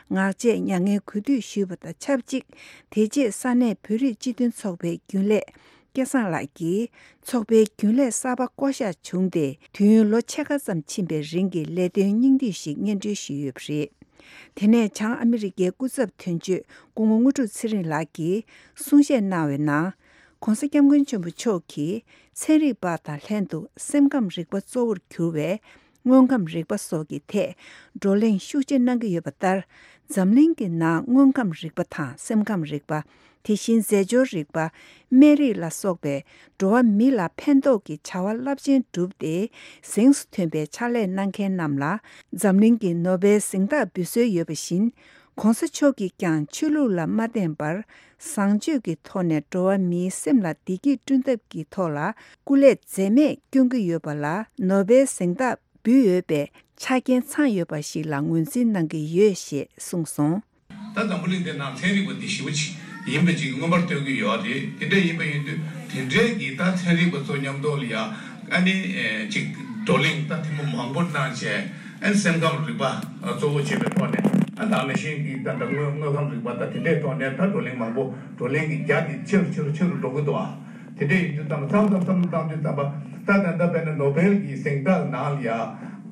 ངག་བཅད་མྱ་ངན་གུས་འདུད་ཞུས་པ་དང་ཆབས་ཅིག་དེ་རྗེས་ས་གནས་བོད་རིགས་སྤྱི་མཐུན་ཚོགས་པའི་རྒྱུན་ལས་སྐལ་བཟང་ལགས་ཀྱིས། ཚོགས་པའི་རྒྱུན་ལས་གསར་པ་བསྐོ་གཞག་བྱུང་སྟེ། དུས་ཡུན་ལོ་ཕྱེད་ཀ་ཙམ་ཕྱིན་པའི་རིང་གི་ལས་དོན་སྙིང་བསྡུས་ཤིག་སྙན་སྒྲོན་ཞུས་ཡོད་པ་རེད། དེ་ནས་བྱང་ཨ་མི་རི་ཀའི་སྐུ་ཚབ་དོན་གཅོད་སྐུ་ངོ་དངོས་གྲུབ་ཚེ་རིང་ལགས་ཀྱིས་གསུང་བཤད་གནང་བའི་ནང་། ྋགོང་ས་ྋསྐྱབས་མགོན་ཆེན་པོ་མཆོག་གིས་ཚན་རིག་པ་དང་ལྷན་དུ་སེམས་ཁམས་རིག་པ་གཙོ་བོར་གྱུར་བའི་དངོས་ཁམས་རིག་པ་སོགས་ཀྱི་ཐད་བགྲོ་གླེང་ཤུགས་ཆེ་གནང་གི་ཡོད་པ་ལྟར། འཛམ་གླིང་གི་ནང་དངོས་ཁམས་རིག་པ་དང་སེམས་ཁམས་རིག་པ། དེ་བཞིན་རྫས་སྦྱོར་རིག་པ། སྨན་རིགས་ལ་སོགས་པའི་འགྲོ་བ་མི་ལ་ཕན་ཐོགས་ཀྱི་བྱ་བ་རླབས་ཆེན་བསྒྲུབས་ཏེ་གཟེངས་སུ་ཐོན་པའི་ཕྱག་ལས་གནང་མཁན་རྣམས་ལ་འཛམ་གླིང་གི་ནོ་བེལ་གཟེངས་རྟགས་འབུལ་སྲོལ་ཡོད་པ་བཞིན། ྋགོང་ས་མཆོག་གིས་ཀྱང་ཆོས་ལུགས་ལ་མ་བརྟེན་པར་བཟང་སྤྱོད་ཀྱི་ཐོག་ནས་འགྲོ་བ་མིའི་སེམས་ལ་བདེ་སྐྱིད་བསྐྲུན་ཐབས་ཀྱི་ཐོག་ལ་སྐུ་ལས་འཛད་མེད་སྐྱོན་གྱི་ཡོད་པ་ལ་ནོ་བེལ་གཟེངས་རྟགས་འབུལ་འོས་པའི་ཆ་རྐྱེན་ཚང་ཡོད་པ་ཞིག་ལ་ངོས་འཛིན་གནང་གི་ཡོད་ཞེས་གསུངས་སོང་། ད་འཛམ་བུ་གླིང་འདི་ནང་ཚན་རིག་པ་འདི་ཞེ་པོ་ཅིག་ཡིན་པ་ཅིག་མངོན་པར་སྟོན་གྱི་ཡོད་རེད། དེ་འདྲ་ཡིན་པ་ཡིན་དུས་དེ་འདྲའི་གི་ད་ཚན་རིག་པ་ཚོ་མཉམ་དུ་ལ་ཡ་ཨ་ནི་ཅིག་བགྲོ་གླེང་ད་ཐེངས་མ་མང་པོ་གནང་བྱས། ཨ་ནི་སེམས་ཁམས་རིག་པ་གཙོ་བོ་བྱས་པའི་ཐོག་ནས། ཨ་ད་ནང་བཞིན་གྱི་ད་ད་དངོས་དངོས་ཁམས་རིག་པ་ད་དེ་འདྲའི་ཐོག་ནས་ད་བགྲོ་གླེང་མང་པོ། བགྲོ་གླེང་གི་རྒྱ་དེ་ཆེ་རུ་ཆེ་རུ་ཆེ་རུ་འགྲོ་གི་འདུག་ཨ། དེ་འདྲ་ཡིན་དུས་ཙམ་པ་མཚམས་མཚམས་མཚམས་མཚམས་དུས་ཙམ་པ་ད་ད་ད་དཔེར་ན་ནོ་བེལ་གྱི་གཟེངས་རྟགས་ནང་ལ་ཡ་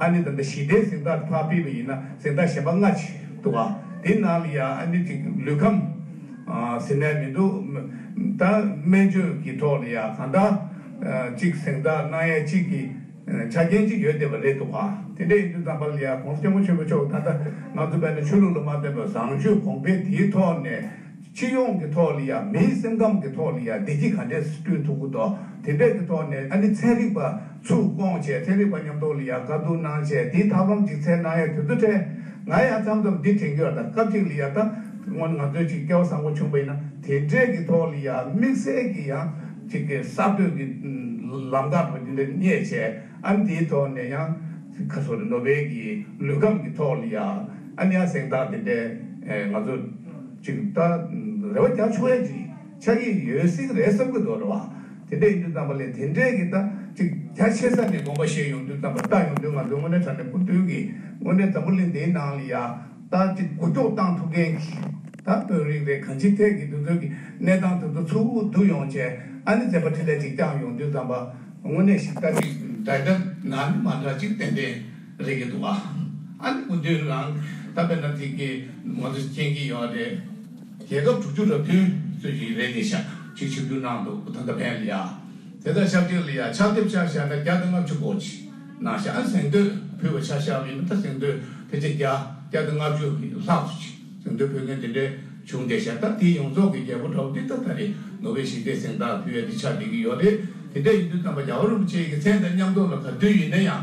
ཨ་ནི་ད་ད་ཞི་བདེའི་གཟེངས་རྟགས་ཕར་ཕུད་པ་ཡིན་ན་གཟེངས་རྟགས་གཞན་པ་ལྔ་ཅིག་འདུག་ཨ། དེ་ནང་ལ་ཡ་ཨ་ནི་ཅིག་ལུས་ཁམས་ཟེར་ནས་མི་འདུག་ད་སྨན་བཅོས་ཀྱི་ཐོག་ལ་ཡ་གང་ལྟར་ཅིག་གཟེངས་རྟགས་གནང་ཡས་ཅིག་གི་ཆ་རྐྱེན་ཅིག་ཡོད་བསྡད་པ་རེད་འདུག་ག། དེ་འདྲ་ཡིན་དུས་ཙམ་པ་ལ་ཡ་ྋགོང་ས་ྋསྐྱབས་མགོན་ཆེན་པོ་མཆོག་ད་ལྟ་ང་ཚོ་དཔེར་ན་ཆོས་ལུགས་ལ་མ་བརྟེན་པར་བཟང་སྤྱོད་གོང་འཕེལ་དེའི་ཐོག་ནས་སྤྱི་ཡོངས་ཀྱི་ཐོག་ལ་ཡ་མིའི་སེམས་ཁམས་ཀྱི་ཐོག་ལ་ཡ་བདེ་སྐྱིད་ག་འདྲས་སེ་བསྐྲུན་ཐུབ་ཀྱི་འདུག། དེ་འདྲས་ཀྱི་ཐོག་ནས་ཨ་ནི་ཚན་རིག་པ་ཚུར་བསྐོངས་བྱས། ཚན་རིག་པ་མཉམ་དུ་ལ་ཡ་བཀའ་བསྡུར་གནང་བྱས། དེའི་ཐབས་ལམ་ཅིག་འཚོལ་གནང་ཡ་དུས་ཚོད་འཕྲད། ང་ཡང་མཚམས་མཚམས་འདི་དྲན་གྱི་ཡོད། ད་སྐབས་ཅིག་ལ་ཡ་ད་སྔོན་ང་ཚོས་ཅིག་སྐལ་བ་བཟང་པོ་བྱུང་པ་ཡིན་ན་དེ་འདྲས་ཀྱི་ཐོག་ལ་ཡ་དམིགས་བསལ་གྱི་ཡང་ཅིག་གི་གསར་གཏོད་ཀྱི་ལམ་ཁ་བ་འདི་འདྲ་རྙེད་བྱས། ཨ་ནི་དེའི་ཐོག་ནས་ཡང་ཁ་སོ་རེ་ནོ་བེལ་གྱི་ལུས་ཁམས་ཀྱི་ཐོག་ལ་ཡ་ཨ་ནི་ཡང་གཟེངས་རྟགས་དེ་འདྲའི་ང་ཚོ་ཅིག་ད་རེ་བ་རྒྱག་ཆོག་ཡ་ཅིག་ཆགས་ཀྱི་ཡོད་སྲིད་ཀྱི་རེད་བསམ་གྱི་འདུག་རེད་བ། དེ་འདྲ་ཡིན་དུས་ཙམ་པ་ལས་དེ་འདྲའི་གི་ད་ཅིག་རྒྱ་ཆེ་ས་ནས་དགོངས་པ་བཞེས་ཡོང་དུས་ཙམ་པ་ལྟ་ཡོང་དུས་ང་ཚོའི་དངོས་གནས་དྲང་གནས་སྐུ་མདུན་གྱི་དངོས་གནས་འཛམ་བུ་གླིང་འདིའི་ནང་ལ་ཡ་ད་ཅིག་འགུལ་སྐྱོད་བཏང་ཐུབ་མཁན་གྱི་ད་དཔོན་རིགས་རེད། གང་ཅིའི་ཐད་ཀྱི་དེ་ཚོ་གི་གནས་སྟངས་དེ་ཚོ་ཚུར་བསྡུ་ཡོང་བྱས། ཨ་ནི་མཛད་པ་འཕྲིན་ལས་ཅིག་བསྐྱངས་ཡོང་དུས་ཙམ་པ་དངོས་གནས་ཤིག་ད་ཅིག་འདྲ་འདྲ་ན་ནི་མ་འདྲ་ཅིག་ཏན་ཏན་རེད་ཀྱི་འདུག་ཨ། ཨ་ནི་སྐུ་མདུན་རང་ད་དཔེར་ན་དེ་གི་ང་ཚོ་མཁྱེན་གྱི་ཡོད་རེད། རྒྱལ་ཁབ་དྲུག་ཅུ་རེ་བདུན་ཚོད་ཀྱི་རེད་དེ་ཤག་ཅིག་ཆིབས་བསྒྱུར་གནང་འདུག་ད་ལྟ་ཕན་ལ་ཡ། དེ་དང་ཆབས་ཅིག་ལ་ཡ་ཕྱག་དེབ་ཆ་བཞག་ན་བརྒྱ་དང་ལྔ་བཅུ་གོ་གཅིག་གནང་ཤག་ཨ་གཟེངས་བསྟོད་ཕུལ་བ་ཆ་བཞག་པ་ཡིན་ན་ད་གཟེངས་བསྟོད་ཕལ་ཆེར་བརྒྱ་བརྒྱ་དང་ལྔ་བཅུ་ལྷག་ཙམ་ཅིག་གཟེངས་བསྟོད་ཕུལ་མཁན་དེ་འདྲའི་བྱུང་བསྡད་ཤག་ད་དེ་ཡོངས་རྫོགས་ཀྱི་རྒྱལ་པོ་འདྲ་བོ་འདི་ད་ད་རེས་ནོ་བེལ་ཞི་བདེའི་གཟེངས་རྟགས་ཕུལ་ཡ་འདི་ཆགས་བསྡད་ཀྱི་ཡོད་རེད། དེ་འདྲ་ཡིན་དུས་ཙམ་པ་རྒྱལ་བ་རིན་པོ་ཆེ་གི་མཚན་དང་མཉམ་དུ་ལ་ག་དུས་ཡིན་ན་ཡང་།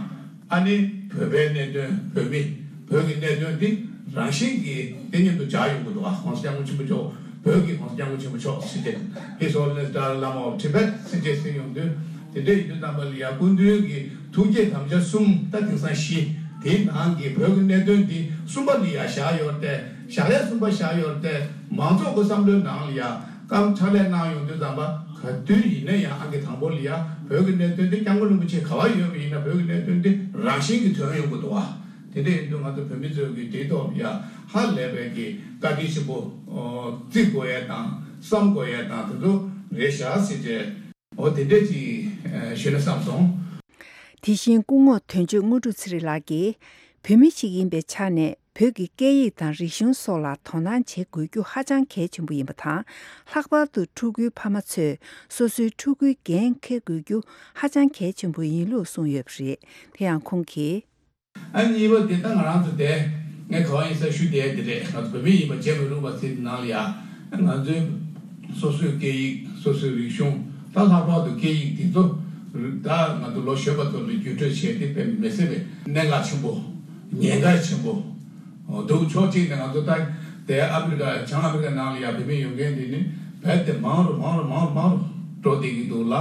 ཨ་ནི་བོད་པའི་གནད་དོན། བོད་མི། བོད་ཀྱི་གནད་དོན་འདི་རང་བཞིན་གྱིས་དེ་ཉིད་དུ་འཇགས་ཡོང་གི་འདུག་ག ྋགོང་ས་ྋསྐྱབས་མགོན་ཆེན་པོ་མཆོག་བོད་ཀྱི་ྋགོང་ས་ྋསྐྱབས་མགོན་ཆེན་པོ་མཆོག་ཟེར་ཏེ། His Holiness Dalai Lama of Tibet ཟེར་ཏེ་ཟེར་ཡོང་དུས། དེ་འདྲ་ཡིན་དུས་ཙམ་པ་ལ་ཡ་སྐུ་མདུན་གྱི་ཐུགས་བསྐྱེད་དམ་བཅའ་གསུམ་ད་དེང་སང་བཞི། དེའི་ནང་གི་བོད་ཀྱི་གནད་དོན་འདི་གསུམ་པ་ལ་ཡ་བཞག་ཡོད་དེ། བཞག་ཡ་གསུམ་པ་བཞག་ཡོད་དེ། མང་ཚོགས་ཀྱི་བསམ་བློའི་ནང་ལ་ཡ་སྐབས་ཕྱག་ལས་གནང་ཡོང་དུས་ཙམ་པ་ག་དུས་ཡིན་ན་ཡང་ཨང་ཀི་དང་པོ་ལ་ཡ་བོད་ཀྱི་གནད་དོན་འདི་སྐྱབས་མགོན་རིན་པོ་ཆེ་ག་བ་ཡོད་པ་ཡིན་ན་བོད་ཀྱི་གནད་དོན་འདི་རང་བཞིན་གྱིས་ཐོན་ཡོང་གི་འདུག་བ། དེ་འདྲ་ཡིན་དུས་ང་ཚོ་བོད་མི་ཚོས་ཀྱི་དེའི་ཐོག་ལ་ཡ་ཧ་ལས་པའི་གི་བཀའ་དྲིན་ཆེན་པོ་བརྩི་དགོས་ཡས་དང་བསམ་དགོས་ཡས་དང་དེ་ཚོ་རེད་ཤག་ཟེར་ཏེ། འོ་དེ་འདྲས་ཅིག་ཞུས་ན་བསམ་སོང་། དེ་བཞིན་སྐུ་ངོ་དོན་གཅོད་དངོས་གྲུབ་ཚེ་རིང་ལགས་ཀྱིས། བོད་མི་ཞིག་ཡིན་པའི་ཆ་ནས་བོད་ཀྱི་སྐད་ཡིག་དང་རིག་གཞུང་སོགས་ལ་དོ་སྣང་བྱེད་དགོས་རྒྱུ་ཧ་ཅང་གལ་ཆེན་པོ་ཡིན་པ་དང་། ལྷག་པར་དུ་ཕྲུ་གུའི་ཕ་མ་ཚོས་སོ་སོའི་ཕྲུ་གུའི་འགན་འཁྱེར་དགོས་རྒྱུ་ཧ་ཅང་གལ་ཆེན་པོ་ཡིན་ལུགས་གསུངས་ཡོད་པ་རེད། དེ་ཡང་ཁོང་གིས། ཨ་གཉིས་པ་དེ་ད་ང་རང་ཚོ་དེ་ངས་ག་བ་ཡིན་ས་ཞུ་བསྡད་དེ་རེད། ང་ཚོ་བོད་མི་ཡིན་པ་བརྗེད་མི་རུང་བ་ཟེར་ནང་ལ་ཡ། ང་ཚོའི་སོ་སོའི་སྐད་ཡིག་སོ་སོའི་རིག་གཞུང་ད་ལྷག་པར་དུ་སྐད་ཡིག་དེ་ཚོ་ད་ང་ཚོ་ལོ་གཞོན་པ་ཚོ་ལ་བརྒྱུད་སྤྲོད་བྱས་ཏེ་དཔེ་མི་སྲིད་པའི་གནད་འགག་ཆེན་པོ་ཉེན་ཁ་ཆེན་པོ་འདུག་ཕྱོགས་གཅིག་ནས་ང་ཚོ་ད་དེ་ཨ་མི་རི་ཀ་བྱང་ཨ་མི་རི་ཀ་ནང་ལ་ཡ་བོད་མི་ཡོད་མཁན་དེ་ནི་རྦད་དེ་མང་རུ་མང་རུ་མང་རུ་མང་རུ་འགྲོ་བསྡད་ཀྱི་འདུག་ལ།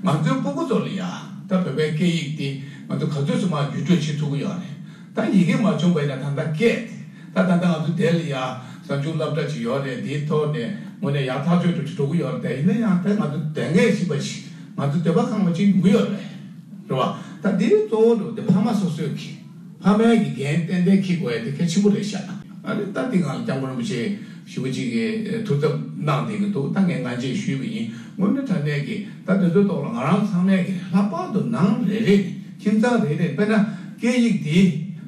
ང་ཚོའི་སྤུ་གུ་ཚོ་ལ་ཡ་ད་བོད་པའི་སྐད་ཡིག་དེ་ང་ཚོ་ག་ཚོད་ཙམ་མ་བརྒྱུད་སྤྲོད་བྱེད་ཐུབ་ཀྱི་ཡོད་རེད། ད་ཡི་གེ་མ་བྱུང་བ་ཡིན་ན་ད་ལྟ་སྐད་དེ་ད་ད་ལྟ་ང་ཚོ་དེ་ལ་ཡ་གསར་འགྱུར་སློབ་གྲྭ་ཅིག་ཡོད་རེད། དེའི་ཐོག་ནས་དངོས་གནས་ཡག་ཐག་ཆོད་འགྲོ་ཅིག་འགྲོ་གི་ཡོད་རེད། དེ་ཡིན་ན་ཡང་ད་ང་ཚོ་དོན་གནད་ཞིག་པ་ཞིག་ང་ཚོ་འདོད་པ་ཁེངས་པ་ཅིག་ཡོང་གི་ཡོད་རེད། རེད་བ། ད་འདི་གཙོ་བོ་འགྲོ་དེ་ཕ་མ་སོ་སོའི་གི་ཕ་མའི་གི་འགན་ཏན་ཏན་འཁྱེར་དགོས་ཡ་དེ་གལ་ཆེན་པོ་རེད་ཤག་ཨ་ནི་ད་འདི་སྒང་ལ་སྐྱབས་མགོན་རིན་པོ་ཆེ་ཞེ་པོ་ཅིག་གིས་ཐུགས་འཚབ་གནང་བསྡད་ཀྱི་འདུག་ད་ངས་སྔ་རྗེས་ཞུས་པ་ཡིན། དངོས་གནས་དྲང་གནས་ཀྱི་ད་དེ་ཚོའི་ཐོག་ལ་ང་རང་ཚང་མས་ཀྱི་ལྷག་པར་དུ་ནང་རེ་རེ་ནས་ཁྱིམ་ཚང་རེ་རེ་དཔེར་ན་སྐད་ཡིག་འདི་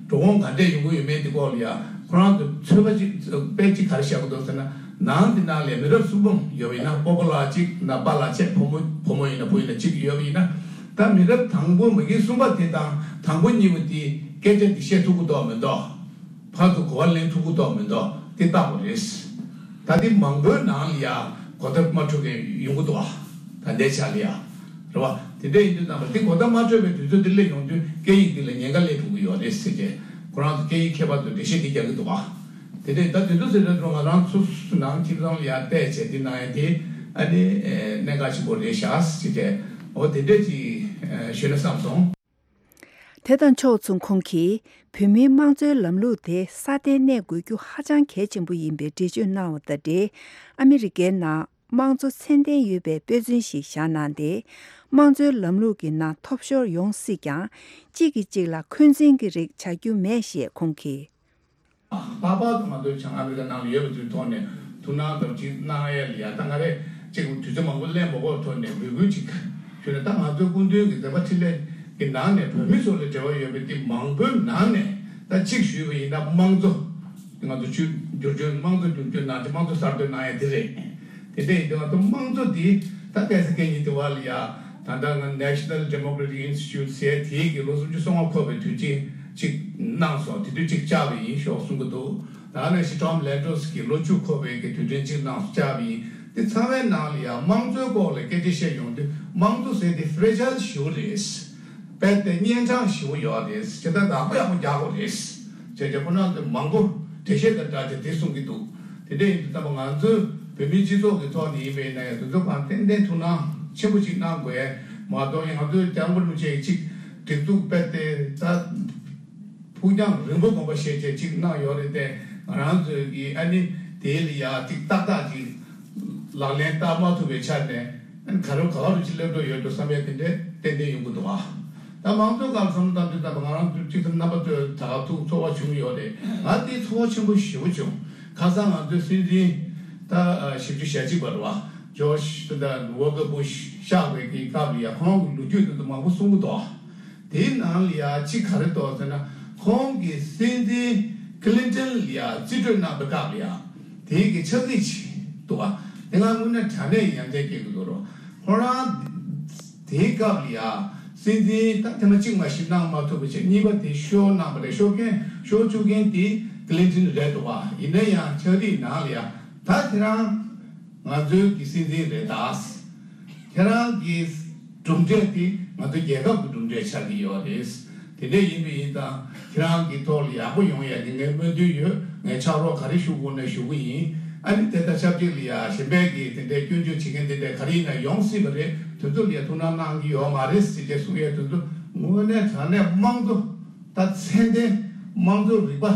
འགྲོ་འོང་ག་འདྲས་ཡོང་གི་ཡོད་མེད་འདི་སྐོར་ལ་ཡ་ ཁོ་རང་ཚོ་ཚོད་དཔག་ཅིག་དཔེ་ཅིག་ག་རེ་བཞག་གི་འདུག་ཟེར་ན། ནང་དེ་ནང་ལ་མི་རབས་གསུམ་པ་ཡོད་པ་ཡིན་ན། སྤོ་བོ་ལགས་གཅིག་ན་པཱ་ལགས་བྱས། བུ་མོ་བུ་མོ་ཡིན་ན་བུ་ཡིན་ན་གཅིག་ཡོད་པ་ཡིན་ན། ད་མི་རབས་དང་པོ་མ་གི་གསུམ་པ་དེ་དང་དང་པོ་གཉིས་པ་དེ་སྐད་ཆ་དེ་བཤད་ཐུབ་ཀྱི་འདུག་མི་འདུག་ཕར་ཚུར་གོ་བ་ལེན་ཐུབ་ཀྱི་འདུག་མི་འདུག་དེ་བལྟ་དགོས་རེད། ད་དེ་མང་པོའི་ནང་ལ་ཡ་གོ་བརྡ་མ་འཕྲོད་མཁན་ཡོང་གི་འདུག་ཨ། ད་ལྟའི་ཆ་ལ་ཡ། རེད་བ། དེ་འདྲ་ཡིན་དུས་ཙམ་པ་དེ་གོ་བརྡ་མ་འཕྲོད་པའི་དུས་ཚོད་དེ་སླེབས་ཡོང་དུས་སྐད་ཡིག་འདི་ལ་ཉེན་ཁ་སླེབས་ཐུབ་ཀྱི་ཡོད་རེད་ཟེར་ཏེ། ཁོ་རང་ཚོ་སྐད་ཡིག་མཁས་པ་ཚོས་འགྲེལ་བཤད་འདི་རྒྱག་གི་འདུག་བ། དེ་འདྲ་ད་དེ་ཚོ་ཟེར་དུས་ང་རང་ཚོ་ནང་ཁྱིམ་ཚང་ལ་ཡར་བལྟས་བྱས་འདི་གནང་ཡ་དེ་ཨ་ནི་གནད་འགག་ཆེན་པོ་རེད་ཤག་ཟེར་ཏེ། འོ་དེ་འདྲ་ཅིག་ཞུས་ན་བསམ་སོང་། དེ་དང་ཕྱོགས་མཚུངས་ཁོང་གིས་བོད་མིའི་དམངས་གཙོའི་ལམ་ལུགས་དེ་སྲ་བརྟན་གནས་དགོས་རྒྱུ་ཧ་ཅང་གལ་ཆེན་པོ་ཡིན་པའི་འགྲེལ་བརྗོད་གནང་བ་དང་འབྲེལ། ཨ་མི་རི་ཀའི་ནང་དམངས་གཙོ་ཚད་ལྡན་ཡོད་པའི་དཔེ་མཚོན་ཞིག་བཞག་གནང་སྟེ། དམངས་གཙོའི་ལམ་ལུགས་ཀྱི་ནང་ཐོབ་ཤོར་ཡོང་སྲིད་ཀྱང་། གཅིག་གིས་གཅིག་ལ་འཁོན་འཛིན་གྱི་རིགས་བྱ་རྒྱུ་མེད་ཞེས་ཁོང་གིས། ལྷག་པར་དུ་ང་ཚོའི་བྱང་ཨ་མི་རི་ཀ་ནང་ལ་ཡོད་པ་ཚོའི་ཐོག་ནས་ཐུགས་སྣང་དང་གཅིག་གནང་ཡ་ལ་ཡ། ད་ང་རེ་གཅིག་དུས་ཚོད་མང་པོ་ལེན་མ་དགོས་ཐོག་ནས་འབོད་སྐུལ་གཅིག་ཞུས་ན། ད་ང་ཚོའི་སྐུ་མདུན་གྱི་མཛད་པ་འཕྲིན་ལས་ཀྱི་ནང་ནས་བོད་མི་ཚོ་ལ་འབྲེལ་བ་ཡོད་པའི་དེ་མང་པོའི་ནང་ནས་ད་གཅིག་ཞུས་པ་ཡིན་ན། དམངས་གཙོ་ང་ཚོ་བཅོས་བསྒྱུར་བཅོས་དམངས་གཙོ་བསྒྱུར་བཅོས་གནང་རྗེས་དམངས་གཙོ་གསར་གཏོད་གནང་ཡ་དེ་རེད། དེ་འདྲ་ཡིན་དུས་ང་ཚོ་དམངས་གཙོ་འདི་ད་སྐད་ཆ་སྐད་ཉིན་དེ་བ་ལ་ཡ། ད་ལྟ་ང་National Democratic Institute ཟེར་དེའི་གི་ལོ་སུམ་ཅུ་སོ་ལྔ་འཁོར་བའི་དུས་ཆེན་གཅིག་གནང་སོང་། དེ་དུས་གཅིག་བཅར་བ་ཡིན་ཤོག་གསུང་གི་འདུག་ད་ནང་བཞིན་Tom Lantos གི་ལོ་བཅུ་འཁོར་བའི་གི་དུས་དྲན་གཅིག་གནང་སོང་། བཅར་བ་ཡིན། དེ་ཚང་མའི་ནང་ལ་ཡ་དམངས་གཙོའི་སྐོར་ལ་སྐད་ཆ་བཤད་ཡོང་དུས་དམངས་གཙོ་ཟེར་དེ་fragile ཞེ་པོ་རེད། རྦད་དེ་གཉན་འཕྲང་ཞེ་པོ་ཡོད་རེད། བྱས་ཙང་ཡག་པོ་ཡག་པོ་རྒྱག་དགོས་རེད། བྱས་ཙང་ཁོ་རང་ཚོས་མང་པོ་འགྲེལ་བཤད་དང་སྦྲགས་ཏེ་དེ་གསུང་གི་འདུག་དེ་འདྲ་ཡིན་དུས་ཙམ་པ་ང་ཚོའི་བོད་མིའི་སྤྱི་ཚོགས་ཀྱི་ཐོག་ནས་ཡིན་པ་ཡིན་ན་ཡང་དེ་ཚོ་གང་ཏན་ཏན་ཐུགས་སྣང་ཆེན་པོ་ཅིག་གནང་དགོས་མ་གཏོགས། ང་ཚོའི་སྐྱབས་མགོན་རིན་པོ་ཆེ་གཅིག་སྒྲིག་འཛུགས་སྤེལ་ཏེ་ད་ཕུགས་རྒྱང་རིང་པོ་དགོངས་པ་བཞེས་བྱས་ཅིག་གནང་ཡོད་རེད་དེ། ང་རང་ཚོས་ཀྱི་ཨ་ནི་དེ་ལ་ཡ་ཅིག་ཏག་ཏག་ཅིག་ལག་ལེན་བསྟར་མ་ཐུབ་པའི་ཆ་ནས་ཨ་ནི་ག་རེ་ག་བ་རུ་ཅིག་སླེབས་འགྲོ་ཡོད་འགྲོ་བསམ་པའི་དེ་འདྲ་ཏན་ཏན་ཡོང་གི་འདུག་ཨ། ད་དམངས་གཙོའི་སྐོར་བསམ་བློ་བཏང་དུས་ཙམ་པ་ང་རང་ཚོ་གཅིག་ཙམ་རྣམ་པ་ཚོས་ད་ག་ཐུག་ཚོར་བ་བྱུང་ཡོད་རེད། ང་དེ་ཚོར་བ་ཆེན་པོ་ཞེ་པོ་བྱུང་། ཁ་སང་ང་ཚོའི་སྲིད་འཛིན་ད་བཞི་བཅུ་ཞེ་གཅིག་པ་རེད་བ། George ད་Walker Bush གཤེགས་པའི་གི་སྐབས་ལ་ཡ་ཁོང་གི་ལོ་རྒྱུས་དེ་ཚོ་མང་པོ་གསུང་གི་འདུག་དེའི་ནང་ལ་ཡ་གཅིག་ག་རེ་འདུག་ཟེར་ན། ཁོང་གི་སྲིད་འཛིན་Clinton ལ་ཡ་རྩིས་སྤྲོད་གནང་བའི་སྐབས་ལ་ཡ་དེའི་གི་ཕྱག་བྲིས་ཅིག་འདུག་བ། དེ་ང་དངོས་གནས་དྲང་གནས་ཡ་མཚན་སྐྱེ་གི་འདུག་རོ། ཁོ་རང་དེའི་སྐབས་ལ་ཡ་སྲིད་འཛིན་ད་ཐེངས་མ་གཅིག་མ་གཞི་གནང་མ་ཐུབ་པ་བྱས། གཉིས་པ་དེ་ཤོར་གནང་བ་རེད། ཤོར་མཁན་ཤོར་བཅུག་མཁན་དེ་Clinton རེད་འདུག་བ། ཡིན་ན་ཡང་ཕྱག་བྲིས་ནང་ལ་ཡ་ད་ཁྱེད་རང་ང་ཚོའི་གི་སྲིད་འཛིན་རེད་ད། ཁྱེད་རང་གི་གྲུབ་འབྲས་དེ་ང་ཚོ་རྒྱལ་ཁབ་ཀྱི་གྲུབ་འབྲས་ཆགས་ཀྱི་ཡོད་རེད། དེ་འདྲ་ཡིན་པ་ཡིན་ཙང་ཁྱེད་རང་གི་ཐོག་ལ་ཡག་པོ་ཡོང་ཡ་གི་ངའི་སྨོན་འདུན་ཡོད། ངས་ཕྱག་རོགས་ག་རེ་ཞུ་དགོས་ན་ཞུ་གི་ཡིན། ཨ་ནི་དེ་དང་ཆབས་ཅིག་ལ་ཡ་གཞན་པའི་གི་དེ་འདྲའི་སྐྱོན་བརྗོད་བྱེད་མཁན་དེ་འདྲ་ག་རེ་ཡིན་ན་ཡོང་སྲིད་པ་རེད། དེ་ཚོ་ལ་ཡ་ཐུགས་སྣང་གནང་གི་ཡོད་མ་རེད་ཟེར་ཏེ་གསུང་ཡ་དེ་ཚོ་དངོས་གནས་དྲང་གནས་དམངས་གཙོ་ད་ཚད་ལྡན་དམངས་གཙོ་རིག་པ་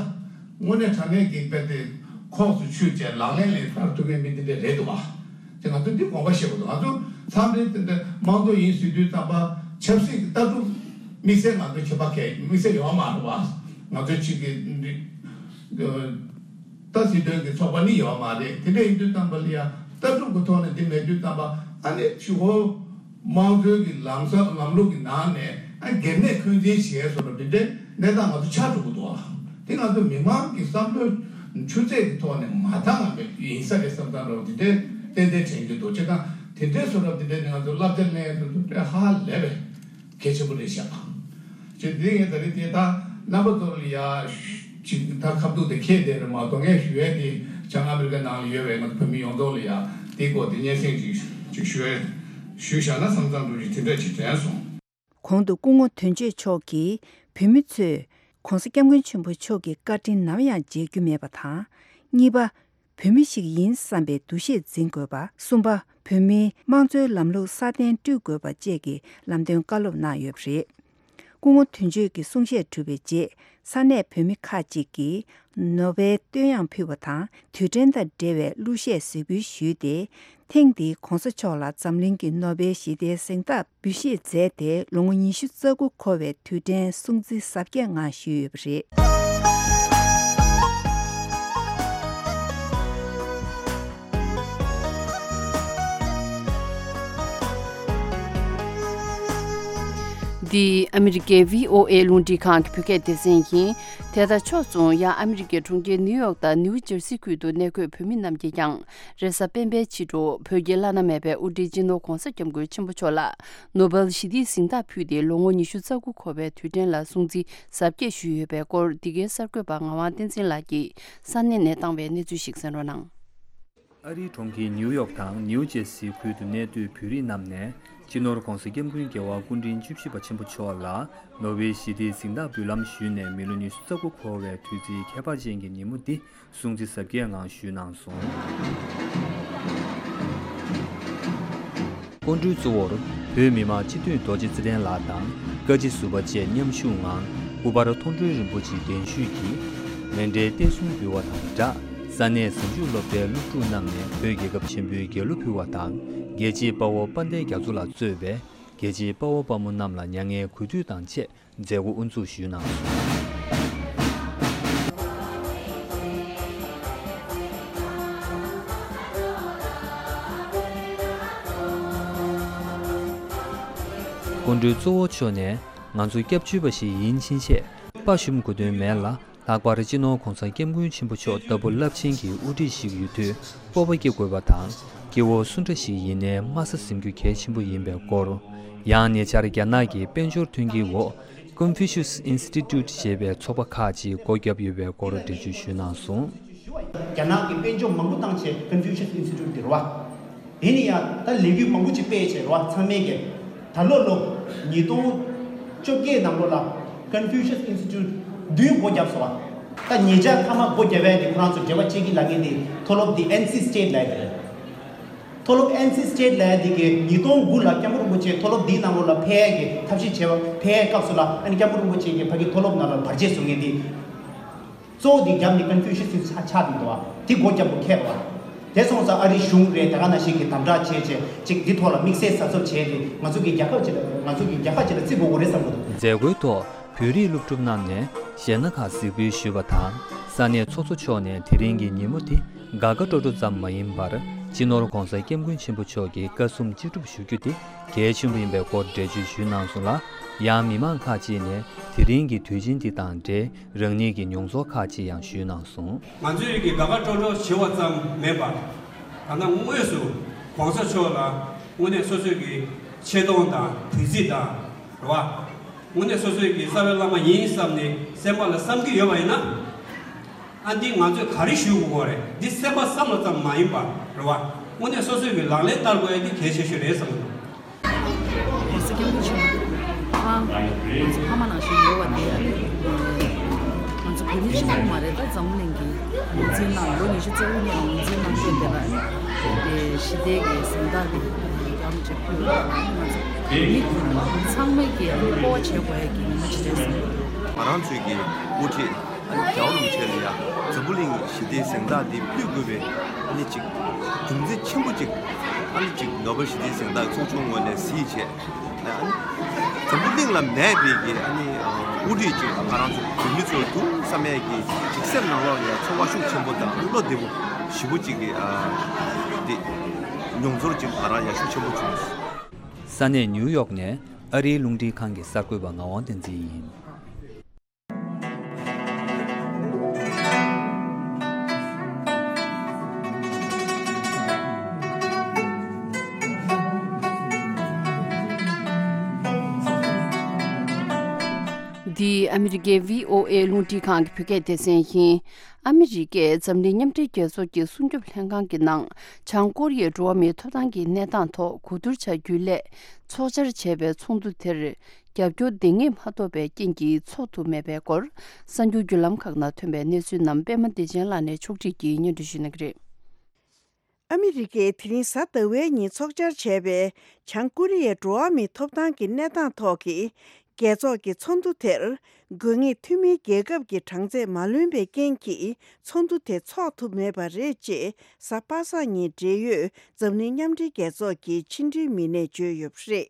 དངོས་གནས་དྲང་གནས་ཀྱི་དཔེ་དེ་ཁོངས་སུ་ཆུད་བྱས་ལག་ལེན་ལ་བསྟར་ཐུབ་མཁན་མི་དེ་འདྲ་རེད་འདུག་བ། ཅེས་ང་ཚོ་འདི་དགོངས་པ་བཞེས་དགོས་འདུག་ང་ཚོ་མཚམས་རེ་དེ་འདྲ་དམངས་གཙོ་ཡིན་ཟེར་དུས་ཙམ་པ་ཆབ་སྲིད་ཀྱི་ལྟ་གྲུབ་དམིགས་བསལ་ང་ཚོ་ཁྱད་པར་གང་དམིགས་བསལ་ཡོད་མ་རེད་བ། ང་ཚོ་གཅིག་གི་ད་སྲིད་དོན་གྱི་ཚོགས་པ་ནི་ཡོད་མ་རེད། དེ་འདྲ་ཡིན་དུས་ཙམ་པ་ལ་ཡང་ལྟ་གྲུབ་ཀྱི་ཐོག་ནས་འདི་མེད་དུས་ཙམ་པ་ཨ་ནི་གཞུག་གུ་དམངས་གཙོའི་གི་ལམ་སང་ལམ་ལུགས་ཀྱི་ནང་ནས་ཨ་སྒེར་ནས་འཁོན་འཛིན་བྱས་སོང་ན་དེ་འདྲའི་གནས་སྟངས་ང་ཚོ་ཆགས་འགྲོ་གི་འདུག་ཨ། དེ་ང་ཚོ་མི་མང་གི་བསམ་བློའི་ཆུ་ཚད་ཀྱི་ཐོག་ནས་མ་འདང་བ་ཡིན་ས་རེད་བསམ་བསམ་འདྲ་བོ་དེ་འདྲའི་ཏན་ཏན་དྲན་གྱི་འདུག་བྱས་ཙང་དེ་འདྲའི་བཟོ་འདྲ་དེ་འདྲའི་ང་ཚོ་བསླབ་བྱ་ལེན་ཡ་དེ་ཚོ་དཔེ་ཧ་ལས་པའི་གལ་ཆེན་པོ་རེད་ཤག་ཅེས་དེ་ངས་ད་རེས་དེ་ད་རྣམ་པ་ཚོ་ལ་ཡ་ཅིག་ད་ཁ་ཐུག་དེ་ཁྱེད་དེ་རེད་མ་གཏོགས། ངས་ཞུ་ཡས་དེ་བྱང་ཨ་མི་རི་ཀ་ནང་ལ་ཡོད་པའི་ང་ཚོ་བོད་མི་ཡོངས་རྫོགས་ལ་ཡ་དེའི་སྐོར་དེ་སྙན་སེང་ཅིག་ཅིག་ཞུ་ཡས་ཞུས་བཞག་ན་བསམ་བསམ་འདྲ་ཅིག་དེ་འདྲ་ཅིག་དྲན་སོང་། གོང་དུ་སྐུ་ངོ་དོན་གཅོད་མཆོག་གིས་བོད་མི་ཚོས་༸གོང་ས་༸སྐྱབས་མགོན་ཆེན་པོ་མཆོག་གི་བཀའ་དྲིན་ནམ་ཡང་བརྗེད་རྒྱུ་མེད་པ་དང་། གཉིས་པ། བོད་མི་ཞིག་ཡིན་བསམ་པའི་འདུ་ཤེས་འཛིན་དགོས་པ། གསུམ་པ། བོད་མིའི་དམངས་གཙོའི་ལམ་ལུགས་སྲ་བརྟན་བསྐྲུན་དགོས་པ་བཅས་ཀྱི་ལམ་སྟོན་བཀའ་སློབ་གནང་ཡོད་པ་རེད། སྐུ་ངོ་དོན་གཅོད་ཀྱི་གསུང་བཤད་གྲུབ་པའི་རྗེས། ས་གནས་བོད་མི་ཁག་ཅིག་གིས་ནོ་བེལ་བསྟོད་དབྱངས་ཕུལ་བ་དང་། དུས་དྲན་དང་འབྲེལ་བའི་གླུ་གཞས་གཟིགས་འབུལ་ཞུས་ཏེ། ཐེངས་འདིའི་༸གོང་ས་མཆོག་ལ་འཛམ་གླིང་གི་ནོ་བེལ་ཞི་བདེའི་གཟེངས་རྟགས་འབུལ་བཞེས་མཛད་དེ། ལོ་ངོ་ཉི་ཤུ་རྩ་དགུ་འཁོར་བའི་དུས་དྲན་སྲུང་བརྩི་གཟབ་རྒྱས་ངང་ཞུས་ཡོད་པ་རེད། འདི་ཨ་མི་རི་ཀའི་བྷི་ཨོ་ཨེ་རླུང་འཕྲིན་ཁང་གི་བོད་སྐད་སྡེ་ཚན་ཡིན། དེ་དང་ཕྱོགས་མཚུངས་ཡང་ཨ་མི་རི་ཀའི་གྲོང་ཁྱེར་ནིའུ་ཡོག་དང་ནིའུ་ཇར་སི་ཁུལ་དུ་གནས་འཁོད་བོད་མི་རྣམས་ཀྱིས་ཀྱང་རེས་གཟའ་སྤེན་པའི་ཕྱི་དྲོ་བོད་ཀྱི་བླ་ན་མེད་པའི་དབུ་ཁྲིད་སྤྱི་ནོར་༧གོང་ས་༧སྐྱབས་མགོན་ཆེན་པོ་མཆོག་ལ་ནོ་བེལ་ཞི་བདེའི་གཟེངས་རྟགས་ཕུལ་ཏེ་ལོ་ངོ་ཉི་ཤུ་རྩ་དགུ་འཁོར་བའི་དུས་དྲན་ལ་སྲུང་བརྩི་གཟབ་རྒྱས་ཞུས་ཡོད་པའི་སྐོར་འདི་གའི་གསར་འགོད་པ་ངག་དབང་བསྟན་འཛིན་ལགས་ཀྱིས་ས་གནས་ནས་བཏང་བའི་གནས་ཚུལ་ཞིག་གསན་རོགས་གནང་། ཨ་རིའི་གྲོང་ཁྱེར་ནིའུ་ཡོག་དང་ནིའུ་ཇེར་སི་ཁུལ་དུ་གནས་སྡོད་བོད་རིགས་རྣམས་ནས་སྤྱི་ནོར་༧གོང་ས་༧སྐྱབས་མགོན་རྒྱལ་བ་སྐུ་ཕྲེང་བཅུ་བཞི་པ་ཆེན་པོ་མཆོག་ལ་ནོ་བེལ་ཞི་བདེའི་གཟེངས་རྟགས་འབུལ་ལམ་ཞུས་ནས་མི་ལོ་ཉི་ཤུ་རྩ་དགུ་འཁོར་བའི་དུས་ཚིགས་ཁྱད་པར་ཅན་གྱི་ཉིན་མོ་འདི་སྲུང་བརྩི་གཟབ་རྒྱས་ངང་ཞུས་གནང་སོང་། སྐུ་མགྲོན་གཙོ་བོར་བོད་མི་མང་སྤྱི་འཐུས་རྡོ་རྗེ་ཚེ་བརྟན་ལགས་དང་བཀའ་སྤྱི་ཟུར་པ་བཅས་མཉམ་ཞུགས་ངང་སྐུ་པར་མཐོང་གྲོལ་རིན་པོ་ཆེའི་གདན་ཞུས་ཀྱིས་མཎྜལ་གཏེར་སྲུང་འབུལ་བ་དང་སྦྲགས། ས་གནས་གཟིམ་ཆུང་སློབ་གྲྭའི་སློབ་ཕྲུག་རྣམས་ནས་བོད་རྒྱལ་ཁབ་ཆེན་པོའི་རྒྱལ་གླུ་ཕུལ་བ་དང་། རྒྱལ་གཅེས་དཔའ་བོ་དཔལ་ལྡན་རྒྱ་མཚོ་ལགས་གཙོས་པའི་རྒྱལ་གཅེས་དཔའ་བོ་དཔའ་མོ་རྣམས་ལ་མྱ་ངན་གུས་འདུད་དང་བཅས་མཛད་སྒོ་དབུ་འཛུགས་ཞུས་གནང་སོང་། སྐུ་མགྲོན་གཙོ་བོ་མཆོག་ནས་ང་ཚོ་སྐྱབས་བཅོལ་བ་ཞིག་ཡིན་ཕྱིན་ཆད་དཔའ་ཞུམ་དགོས་དོན་མེད་ལ། ལྷག་པར་སྤྱི་ནོར་༧གོང་ས་༧སྐྱབས་མགོན་ཆེན་པོ་མཆོག་ལྟ་བུ་རླབས་ཆེན་གྱི་དབུ་ཁྲིད་ཞིག་ཡོད་དུས་སྤོབས་པ་སྐྱེ་དགོས་པ་དང་། སྐྱེ་བོ་སུ་འདྲ་ཞིག་ཡིན་ནའི་དམའ་ས་ཟིན་རྒྱུ་གལ་ཆེན་པོ་ཡིན་པའི་སྐོར། ཡང་ཉེ་ཆར་རྒྱ་ནག་གི་དཔལ་འབྱོར་མཐུན་རྐྱེན་འོག་Confucius Institute ཞེས་པའི་ཚོགས་པ་ཁག་ཅིག་སྒོ་བརྒྱབ་ཡོད་པའི་སྐོར་འགྲེལ་བརྗོད་ཞུས་གནང་སོང་། རྒྱ་ནག་གི་དཔལ་འབྱོར་མང་པོ་བཏང་བྱས་Confucius Institute དེ་རེད་བ། དེ་ནི་ཡང་ད་ལས་འགུལ་མང་པོ་ཅིག་སྤེལ་བྱས་རེད་བ། ཚང་མས་ཀྱི་ད་ལོ་ལོ་ཉིས་སྟོང་བཅོ་བརྒྱད་ནང་ལོ་ལ་Confucius Institute བདུན་སྒོ་བརྒྱབ་སོང་བ། ད་ཉེ་ཆར་མཐའ་མ་སྒོ་བརྒྱབ་ཡས་དེ་ཁོ་རང་ཚོ་འབྲེལ་བ་བྱེད་ཀྱི་ལབ་མཁན་དེ་མཐོ་སློབ་དེ་ཨེན་སི་སི་ཊེཊ་ལབ་ཡས་དེ་རེད། མཐོ་སློབ་ཨེན་སི་སི་ཊེཊ་ལབ་ཡས་དེ་གི་ཉིས་སྟོང་དགུ་ལ་སྐྱབས་མགོན་རིན་པོ་ཆེ་མཐོ་སློབ་དེའི་ནང་ལོ་ལ་ཕེབས་ཡས་ཀྱི་ཐབས་ཤེས་བྱས་པ་ཕེབས་ཡས་སྐབས་སུ་ལ་ཨ་ནི་སྐྱབས་མགོན་རིན་པོ་ཆེ་གིས་ཕ་གི་མཐོ་སློབ་ནང་ལ་བར་ཆད་བཟོ་མཁན་དེ། གཙོ་བོ་དེ་རྒྱབ་ནས་Confucius་ཆགས་ཆགས་འདུག་བ། དེ་སྒོ་རྒྱབ་དགོས་ཁེལ་བ། དེ་སོང་ཙང་ཨ་རིའི་གཞུང་རེད། ད་ག་ནང་བཞིན་གྱི་དམ་དྲག་བྱས་བྱས་ཅིག་འདི་ཐོག་ལ་དམིགས་བསལ་གཟབ་གཟབ་བྱས་ཏེ་ང་ཚོ་གི་རྒྱལ་ཁབ་ཅིག་ལ་ང་ཚོ་གི་རྒྱལ་ཁབ་ཅིག་ལ་བརྩི་དགོས་དགོས་རེད་བསམ་གྱི་འདུག། མཛད་སྒོའི་ཐོག་བོད་རིགས་སློབ་ཕྲུག་རྣམས་ནས་གཞས་སྣ་ཁག་གཟིགས་འབུལ་ཞུས་པ་དང་། ས་གནས་ཚོགས་གཙོ་མཆོག་ནས་དེ་རིང་གི་ཉིན་མོ་འདི་དགའ་དགའ་སྤྲོ་སྤྲོ་ཙམ་མ་ཡིན་པར་སྤྱི་ནོར་༧གོང་ས་༧སྐྱབས་མགོན་ཆེན་པོ་མཆོག་གི་བཀའ་གསུང་ཅི་སྒྲུབ་ཞུ་རྒྱུ་དེ་གལ་ཆེན་པོ་ཡིན་པའི་སྐོར་འགྲེལ་བརྗོད་ཞུས་གནང་སོང་ལ། ཡང་མི་མང་ཁག་ཅིག་ནས་དེ་རིང་གི་དུས་ཆེན་འདི་དང་འབྲེལ་རང་ཉིད་ཀྱི་མྱོང་ཚོར་ཁག་ཅིག་ཡང་ཞུས་གནང་སོང་། ང་ཚོས་ཀྱི་དགའ་དགའ་སྤྲོ་སྤྲོ་བྱེད་པ་ཙམ་མིན་པར། ད་ལྟ་དངོས་སུ་༧གོང་ས་མཆོག་ལ་དངོས་གནས་སོ་སོས་ཀྱི་ཆེ་མཐོང་དང་གུས་བརྩི་དང་རེད་བ། དངོས་གནས་སོ་སོས་ཀྱི་རྩ་བའི་བླ་མ་ཡིན་བསམ་ནས་སེམས་པ་ལ་བསམ་གྱི་ཡོད་པ་ཡིན་ན། ཨ་འདི་ང་ཚོས་ག་རེ་ཞུ་དགོས་རེད། འདི་སེམས་པ་བསམ་བློ་ཙམ་མ་ཡིན་པར་རེད་བ། དངོས་གནས་སོ་སོས་ཀྱི་ལག་ལེན་བསྟར་དགོས་ཡ་འདི་གལ་ཆེ་ཤོས་རེད་བསམ་གྱི་འདུག། གོང་ས་སྐྱབས་མགོན་ཆེན་པོ་ཨ་ང་ཚོ་ཕ་མ་ནང་བཞིན་ཡོད་པ་དེ་ཨ་ནི་ང་ཚོ་བོད་མི་གཅིག་པུ་མ་རེད། ད་འཛམ་བུ་གླིང་གི་ངོས་འཛིན་གནང་། ལོ་ཉི་ཤུ་རྩ་དགུ་ནས་ངོས་འཛིན་གནང་སྟེ་བསྡད་པ་ཨ་ནི་ཞི་བདེ་གི་གཟེངས་རྟགས་དེ་ཡང་ཅིག་ཕུལ་བ་ཨ་ནི་ང་ཚོ་བོད་མི་ཚང་མས་ཀྱི་ཨ་ནི་སྤོབས་པ་བྱེད་དགོས་ཡ་གི་ཉིན་མོ་ཅིག་རེད་བསམ་གྱི་འདུག། ང་རང་ཚོའི་གི་དབུ་ཁྲིད། ཨ་ནི་རྒྱལ་བ་རིན་པོ་ཆེ་ལ་ཡ་འཛམ་བུ་གླིང་ཞི་བདེའི་གཟེངས་རྟགས་འདི་ཕུལ་དགོས་པའི་ཨ་ནི་ཅིག་རྒྱུ་མཚན་ཆེན་པོ་ཅིག་ཨ་ནི་ཅིག་ནོ་བེལ་ཞི་བདེའི་གཟེངས་རྟགས་ཚོགས་ཆུང་ངོས་ནས་གཟིགས་བྱས། ཨ་ནི་འཛམ་བུ་གླིང་ལ་མེད་པའི་གི་ཨ་ནི་དབུ་ཁྲིད་ཅིག་ང་རང་ཚོ་བོད་མི་ཚོ་འདུག་བསམ་ཡས་ཀྱི་ཅིག་སེམས་ནང་ལོགས་ལ་ཡ་ཚོར་བ་ཤུགས་ཆེན་པོ་དང་བློ་བདེ་པོ་ཞེ་པོ་ཅིག་གི་ཨ་འདི་མྱོང་ཚོར་ཅིག་ང་རང་ཡ་ཤུགས་ཆེན་པོ་བྱུང་། ས་གནས་ནིའུ་ཡོག་ནས་ཨ་རིའི་རླུང་འཕྲིན་ཁང་གི་གསར་འགོད་པ་ངག་དབང་བསྟན་འཛིན་ཡིན། འདི་ཨ་མི་རི་ཀའི་བྷི་ཨོ་ཨེ་རླུང་འཕྲིན་ཁང་གི་བོད་སྐད་སྡེ་ཚན་ཡིན། ཨ་མི་རི་ཀས་འཛམ་གླིང་མཉམ་འབྲེལ་རྒྱལ་ཚོགས་ཀྱི་སྲུང་སྐྱོབ་ལྷན་ཁང་གི་ནང་བྱང་ཀོ་རི་ཡའི་འགྲོ་བ་མིའི་ཐོབ་ཐང་གི་གནས་སྟངས་ཐོག་གོ་བསྡུར་བྱ་རྒྱུའི་སླད་ཚོགས་བཅར་བྱས་པའི་ཚོགས་འདུ་དེར། རྒྱབ་སྐྱོར་འདང་ངེས་མ་ཐོབ་པའི་རྐྱེན་གྱིས་འཚོགས་ཐུབ་མེད་པའི་སྐོར། གསར་འགྱུར་བརྒྱུད་ལམ་ཁག་ནང་ཐོན་པའི་གནས་ཚུལ་རྣམས་པད་མ་བདེ་ཆེན་ལགས་ནས་ཕྱོགས་སྒྲིག་གིས་སྙན་སྒྲོན་ཞུ་གནང་གི་རེད། ཨ་མི་རི་ཀས་དེ་རིང་གཟའ་ཟླ་བའི་ཉིན་ཚོགས་བཅར་བྱས་པའི་བྱང་ཀོ་རི་ཡའི་འགྲོ་བ་མིའི་ཐོབ་ཐང་གི་གནས་སྟངས་ཐོག་གི་རྒྱལ་ཚོགས་ཀྱི་ཚོགས་འདུ་དེར། དགོས་ངེས་འཐུས་མིའི་རྒྱལ་ཁབ་ཀྱི་གྲངས་ཚད་མ་ལོན་པའི་རྐྱེན་གྱིས་ཚོགས་འདུ་དེ་འཚོགས་ཐུབ་མེད་པ་རེད་ཅེས་གཟའ་པ་སངས་ཉིན་འབྲེལ་ཡོད་འཛམ་གླིང་མཉམ་འབྲེལ་རྒྱལ་ཚོགས་ཀྱི་ཕྱི་འབྲེལ་མི་སྣས་བརྗོད་ཡོད་པ་རེད།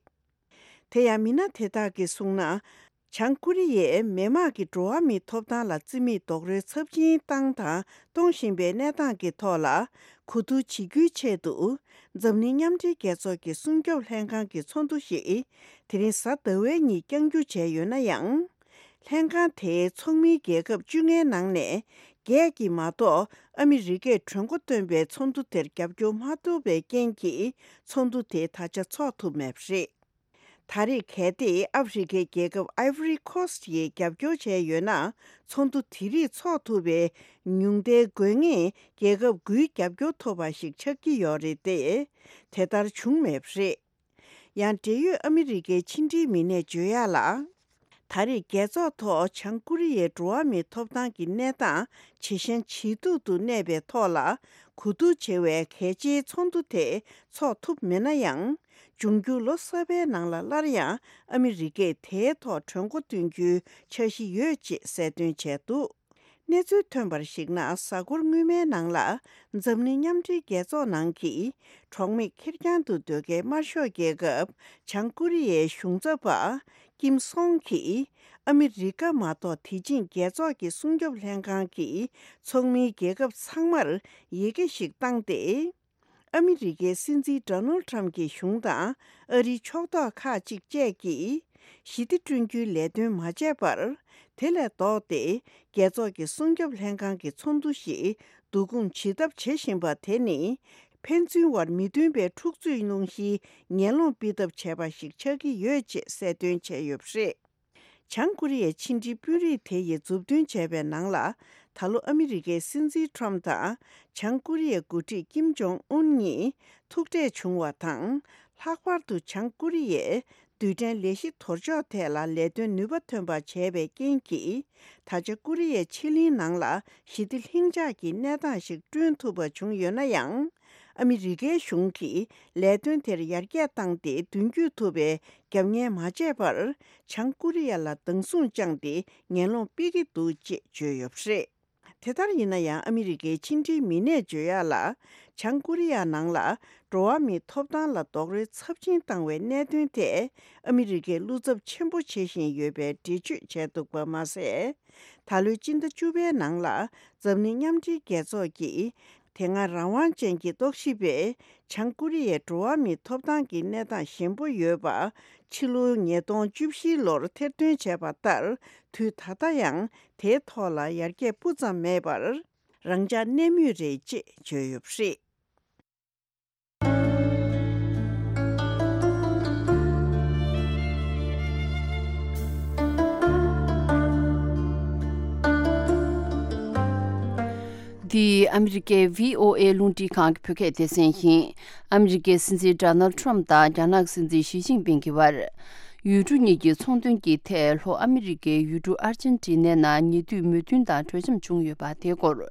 དེ་ཡང་མི་སྣ་དེ་དག་གིས་གསུངས་ན། བྱང་ཀོ་རི་ཡས་མི་དམངས་ཀྱི་འགྲོ་བ་མིའི་ཐོབ་ཐང་ལ་བརྩི་མེད་རྡོག་རོལ་ཚབས་ཆེན་བཏང་དང་གཏོང་བཞིན་པའི་གནས་སྟངས་ཀྱི་ཐོག་ལ་གོ་བསྡུར་བྱེད་རྒྱུའི་ཆེད་དུ། འཛམ་གླིང་མཉམ་འབྲེལ་རྒྱལ་ཚོགས་ཀྱི་སྲུང་སྐྱོབ་ལྷན་ཁང་གི་ཚོགས་འདུ་ཞིག་དེ་རིང་གཟའ་ཟླ་བའི་ཉིན་བསྐྱང་རྒྱུ་བྱས་ཡོད་ན་ཡང་། ལྷན་ཁང་དེའི་ཚོགས་མིའི་རྒྱལ་ཁབ་བཅོ་ལྔའི་ནང་ནས་བརྒྱད་ཀྱིས་མ་གཏོགས་ཨ་མི་རི་ཀས་གྲོས་འགོ་བཏོན་པའི་ཚོགས་འདུ་དེར་རྒྱབ་སྐྱོར་མ་ཐུབ་པའི་རྐྱེན་གྱིས། ཚོགས་འདུ་དེ་ད་ཆ་འཚོགས་ཐུབ་མེད་པ་རེད། ད་རེས་གལ་ཏེ་ཨ་ཧྥེ་རི་ཁའི་རྒྱལ་ཁབ་Ivory Coast་ཡིས་རྒྱབ་སྐྱོར་བྱས་ཡོད་ན། ཚོགས་འདུ་དེ་རིགས་འཚོགས་ཐུབ་པའི་ཉུང་མཐའི་དགོས་ངེས་རྒྱལ་ཁབ་དགུའི་རྒྱབ་སྐྱོར་ཐོབ་པ་ཞིག་ཆགས་ཀྱི་ཡོད་རེད་དེ། དེ་ལྟར་བྱུང་མེད་པ་རེད། ཡང་འབྲེལ་ཡོད་ཨ་མི་རི་ཀའི་ཕྱི་འབྲེལ་མི་སྣས་བརྗོད་ཡག་ལ། ད་རེས་རྒྱལ་ཚོགས་ཐོག་བྱང་ཀོ་རི་ཡའི་འགྲོ་བ་མིའི་ཐོབ་ཐང་གི་གནས་སྟངས་ཇེ་ཞན་ཇེ་སྡུག་ཏུ་གནས་པའི་ཐོག་ལ། གོ་བསྡུར་བྱེད་པའི་གལ་ཆེའི་ཚོགས་འདུ་དེ་འཚོགས་ཐུབ་མེད་ན་ཡང་། འབྱུང་འགྱུར་ལོ་གསར་པའི་ནང་ལ་སླར་ཡང་ཨ་མི་རི་ཀས་དེའི་ཐོག་གྲོས་འགོ་བཏོན་རྒྱུའི་འཆར་གཞི་ཡོད་ཅེས་གསལ་སྟོན་བྱས་འདུག་གནས་ཚུལ་ཐོན་པར་གཞིགས་ན། གཟའ་འཁོར་སྔོན་མའི་ནང་ལ་འཛམ་གླིང་མཉམ་འབྲེལ་རྒྱལ་ཚོགས་ནང་གི་གྲོགས་མེད་ཁེར་རྐྱང་དུ་སྡོད་མཁན་དམར་ཤོག་རྒྱལ་ཁབ་བྱང་ཀོ་རི་ཡའི་གཞུང་ཚབ་པ་ཀིམ་སོང་གིས། ཨ་མི་རི་ཀ་མ་གཏོགས་དེ་བཞིན་རྒྱལ་ཚོགས་ཀྱི་སྲུང་སྐྱོབ་ལྷན་ཁང་གི་ཚོགས་མིའི་རྒྱལ་ཁབ་ཚང་མར་ཡི་གེ་ཞིག་བཏང་སྟེ། ཨ་མི་རི་ཀའི་སྲིད་འཛིན་ཌོ་ནལ་ཊམ་གྱི་གཞུང་དང་ཨ་རིའི་ཕྱོགས་གཏོགས་ཁག་ཅིག་བཅས་ཀྱིས། ཞི་བདེ་བསྐྲུན་རྒྱུའི་ལས་དོན་མ་བྱས་པར། དེ་ལས་ལྡོག་སྟེ། རྒྱལ་ཚོགས་ཀྱི་སྲུང་སྐྱོབ་ལྷན་ཁང་གི་ཚོགས་འདུ་ཞིག་བསྡུ་སྐོང་བྱེད་ཐབས་བྱེད་བཞིན་པ་དེ་ནི། ཕན་ཚུན་བར་མི་མཐུན་པའི་འཁྲུག་རྩོད་སློང་གཞིའི་ངན་སློང་སྤེལ་ཐབས་བྱས་པ་ཞིག་ཆགས་ཀྱི་ཡོད་ཅེས་གསལ་སྟོན་བྱས་ཡོད་པ་རེད། བྱང་ཀོ་རི་ཡའི་ཕྱི་འབྲེལ་དཔོན་རིགས་དེ་ཡིས་མཛུབ་སྟོན་བྱས་པའི་ནང་ལ། ད་ལོ་ཨ་མི་རི་ཀའི་སྲིད་འཛིན་ཊམ་དང་། བྱང་ཀོ་རི་ཡའི་འགོ་ཁྲིད་ཀིམ་ཇོང་ཨུན་གཉིས་ཐུག་འཕྲད་བྱུང་བ་དང་། ལྷག་པར་དུ་བྱང་ཀོ་རི་ཡས་རྡུལ་ཕྲན་ལས་གཞི་དོར་ཕྱོགས་ཐད་ལ་ལས་དོན་ནུས་པ་ཐོན་པ་བྱས་པའི་རྐྱེན་གྱིས། ད་ཆ་ཀོ་རི་ཡའི་ཕྱེད་གླིང་ནང་ལ་ཞི་བདེ་ལྷིང་འཇགས་ཀྱི་གནས་སྟངས་ཤིག་བསྐྲུན་ཐུབ་པ་བྱུང་ཡོད་ན་ཡང་། ཨ་མི་རི་ཀའི་གཞུང་གིས་ལས་དོན་དེར་ཡར་རྒྱས་བཏང་སྟེ། མདུན་སྐྱོད་ཐུབ་པའི་རྒྱབ་གཉེར་མ་བྱས་པར། བྱང་ཀོ་རི་ཡ་ལ་སྡང་ཟུག་བཅངས་ཏེ་ངན་སློང་སྤེལ་གྱི་འདུག་ཅེས་བརྗོད་ཡོད་པ་རེད། དེ་ལྟར་ཡིན་ན་ཡང་། ཨ་མི་རི་ཀའི་ཕྱི་འབྲེལ་མི་སྣས་བརྗོད་ཡག་ལ། བྱང་ཀོ་རི་ཡ་ནང་ལ་འགྲོ་བ་མིའི་ཐོབ་ཐང་ལ་རྡོག་རོལ་ཚབས་ཆེན་བཏང་བའི་གནད་དོན་དེ། ཨ་མི་རི་ཀས་བློ་འཚབ་ཆེན་པོ་བྱེད་བཞིན་ཡོད་པའི་འགྲེལ་བརྗོད་བྱས་འདུག་པ་མ་ཟད། ད་ལོའི་སྤྱི་ཟླ་བཅུ་པའི་ནང་ལ། འཛམ་གླིང་མཉམ་འབྲེལ་རྒྱལ་ཚོགས་ཀྱིས། དེ་སྔ་རང་དབང་ཅན་གྱི་རྟོག་ཞིབ་པས། བྱང་ཀོ་རི་ཡའི་འགྲོ་བ་མིའི་ཐོབ་ཐང་གི་གནས་སྟངས་ཞན་པོ་ཡོད་པ། ཕྱི་ལོ་ཉིས་སྟོང་བཅུ་བཞི་ལོར་ཐེར་འདོན་བྱས་པ་ལྟར། དུས་ད་ལྟ་ཡང་དེའི་ཐོག་ལ་ཡར་རྒྱས་སྤུ་ཙམ་མེད་པར། རང་འཇགས་གནས་མུས་རེད་ཅེས་བརྗོད་ཡོད་པ་རེད། འདི་ཨ་མི་རི་ཀའི་བྷི་ཨོ་ཨེ་རླུང་འཕྲིན་ཁང་གི་བོད་སྐད་སྡེ་ཚན་ཡིན། ཨ་མི་རི་ཀའི་སྲིད་འཛིན་ཌོ་ནལ་ཊམ་དང་རྒྱ་ནག་གི་སྲིད་འཛིན་ཞི་ཅིན་ཕིང་གི་བར། ཡུལ་གྲུ་གཉིས་ཀྱི་ཚོང་དོན་གྱི་ཐད། ལྷོ་ཨ་མི་རི་ཀའི་ཡུལ་གྲུ་ཨར་ཅན་ཊི་ནའི་ནང་ཉེ་དུས་མོས་མཐུན་དང་གྲོས་འཆམ་བྱུང་ཡོད་པ་དེའི་སྐོར།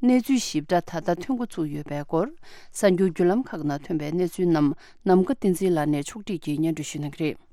གནས་ཚུལ་ཞིབ་ཕྲ་ད་ལྟ་ཐོན་འགོ་ཚུགས་ཡོད་པའི་སྐོར། གསར་འགྱུར་བརྒྱུད་ལམ་ཁག་ནང་ཐོན་པའི་གནས་ཚུལ་རྣམས་ནམ་མཁའ་བསྟན་འཛིན་ལགས་ནས་ཕྱོགས་སྒྲིག་གིས་སྙན་སྒྲོན་ཞུ་གནང་གི་རེད།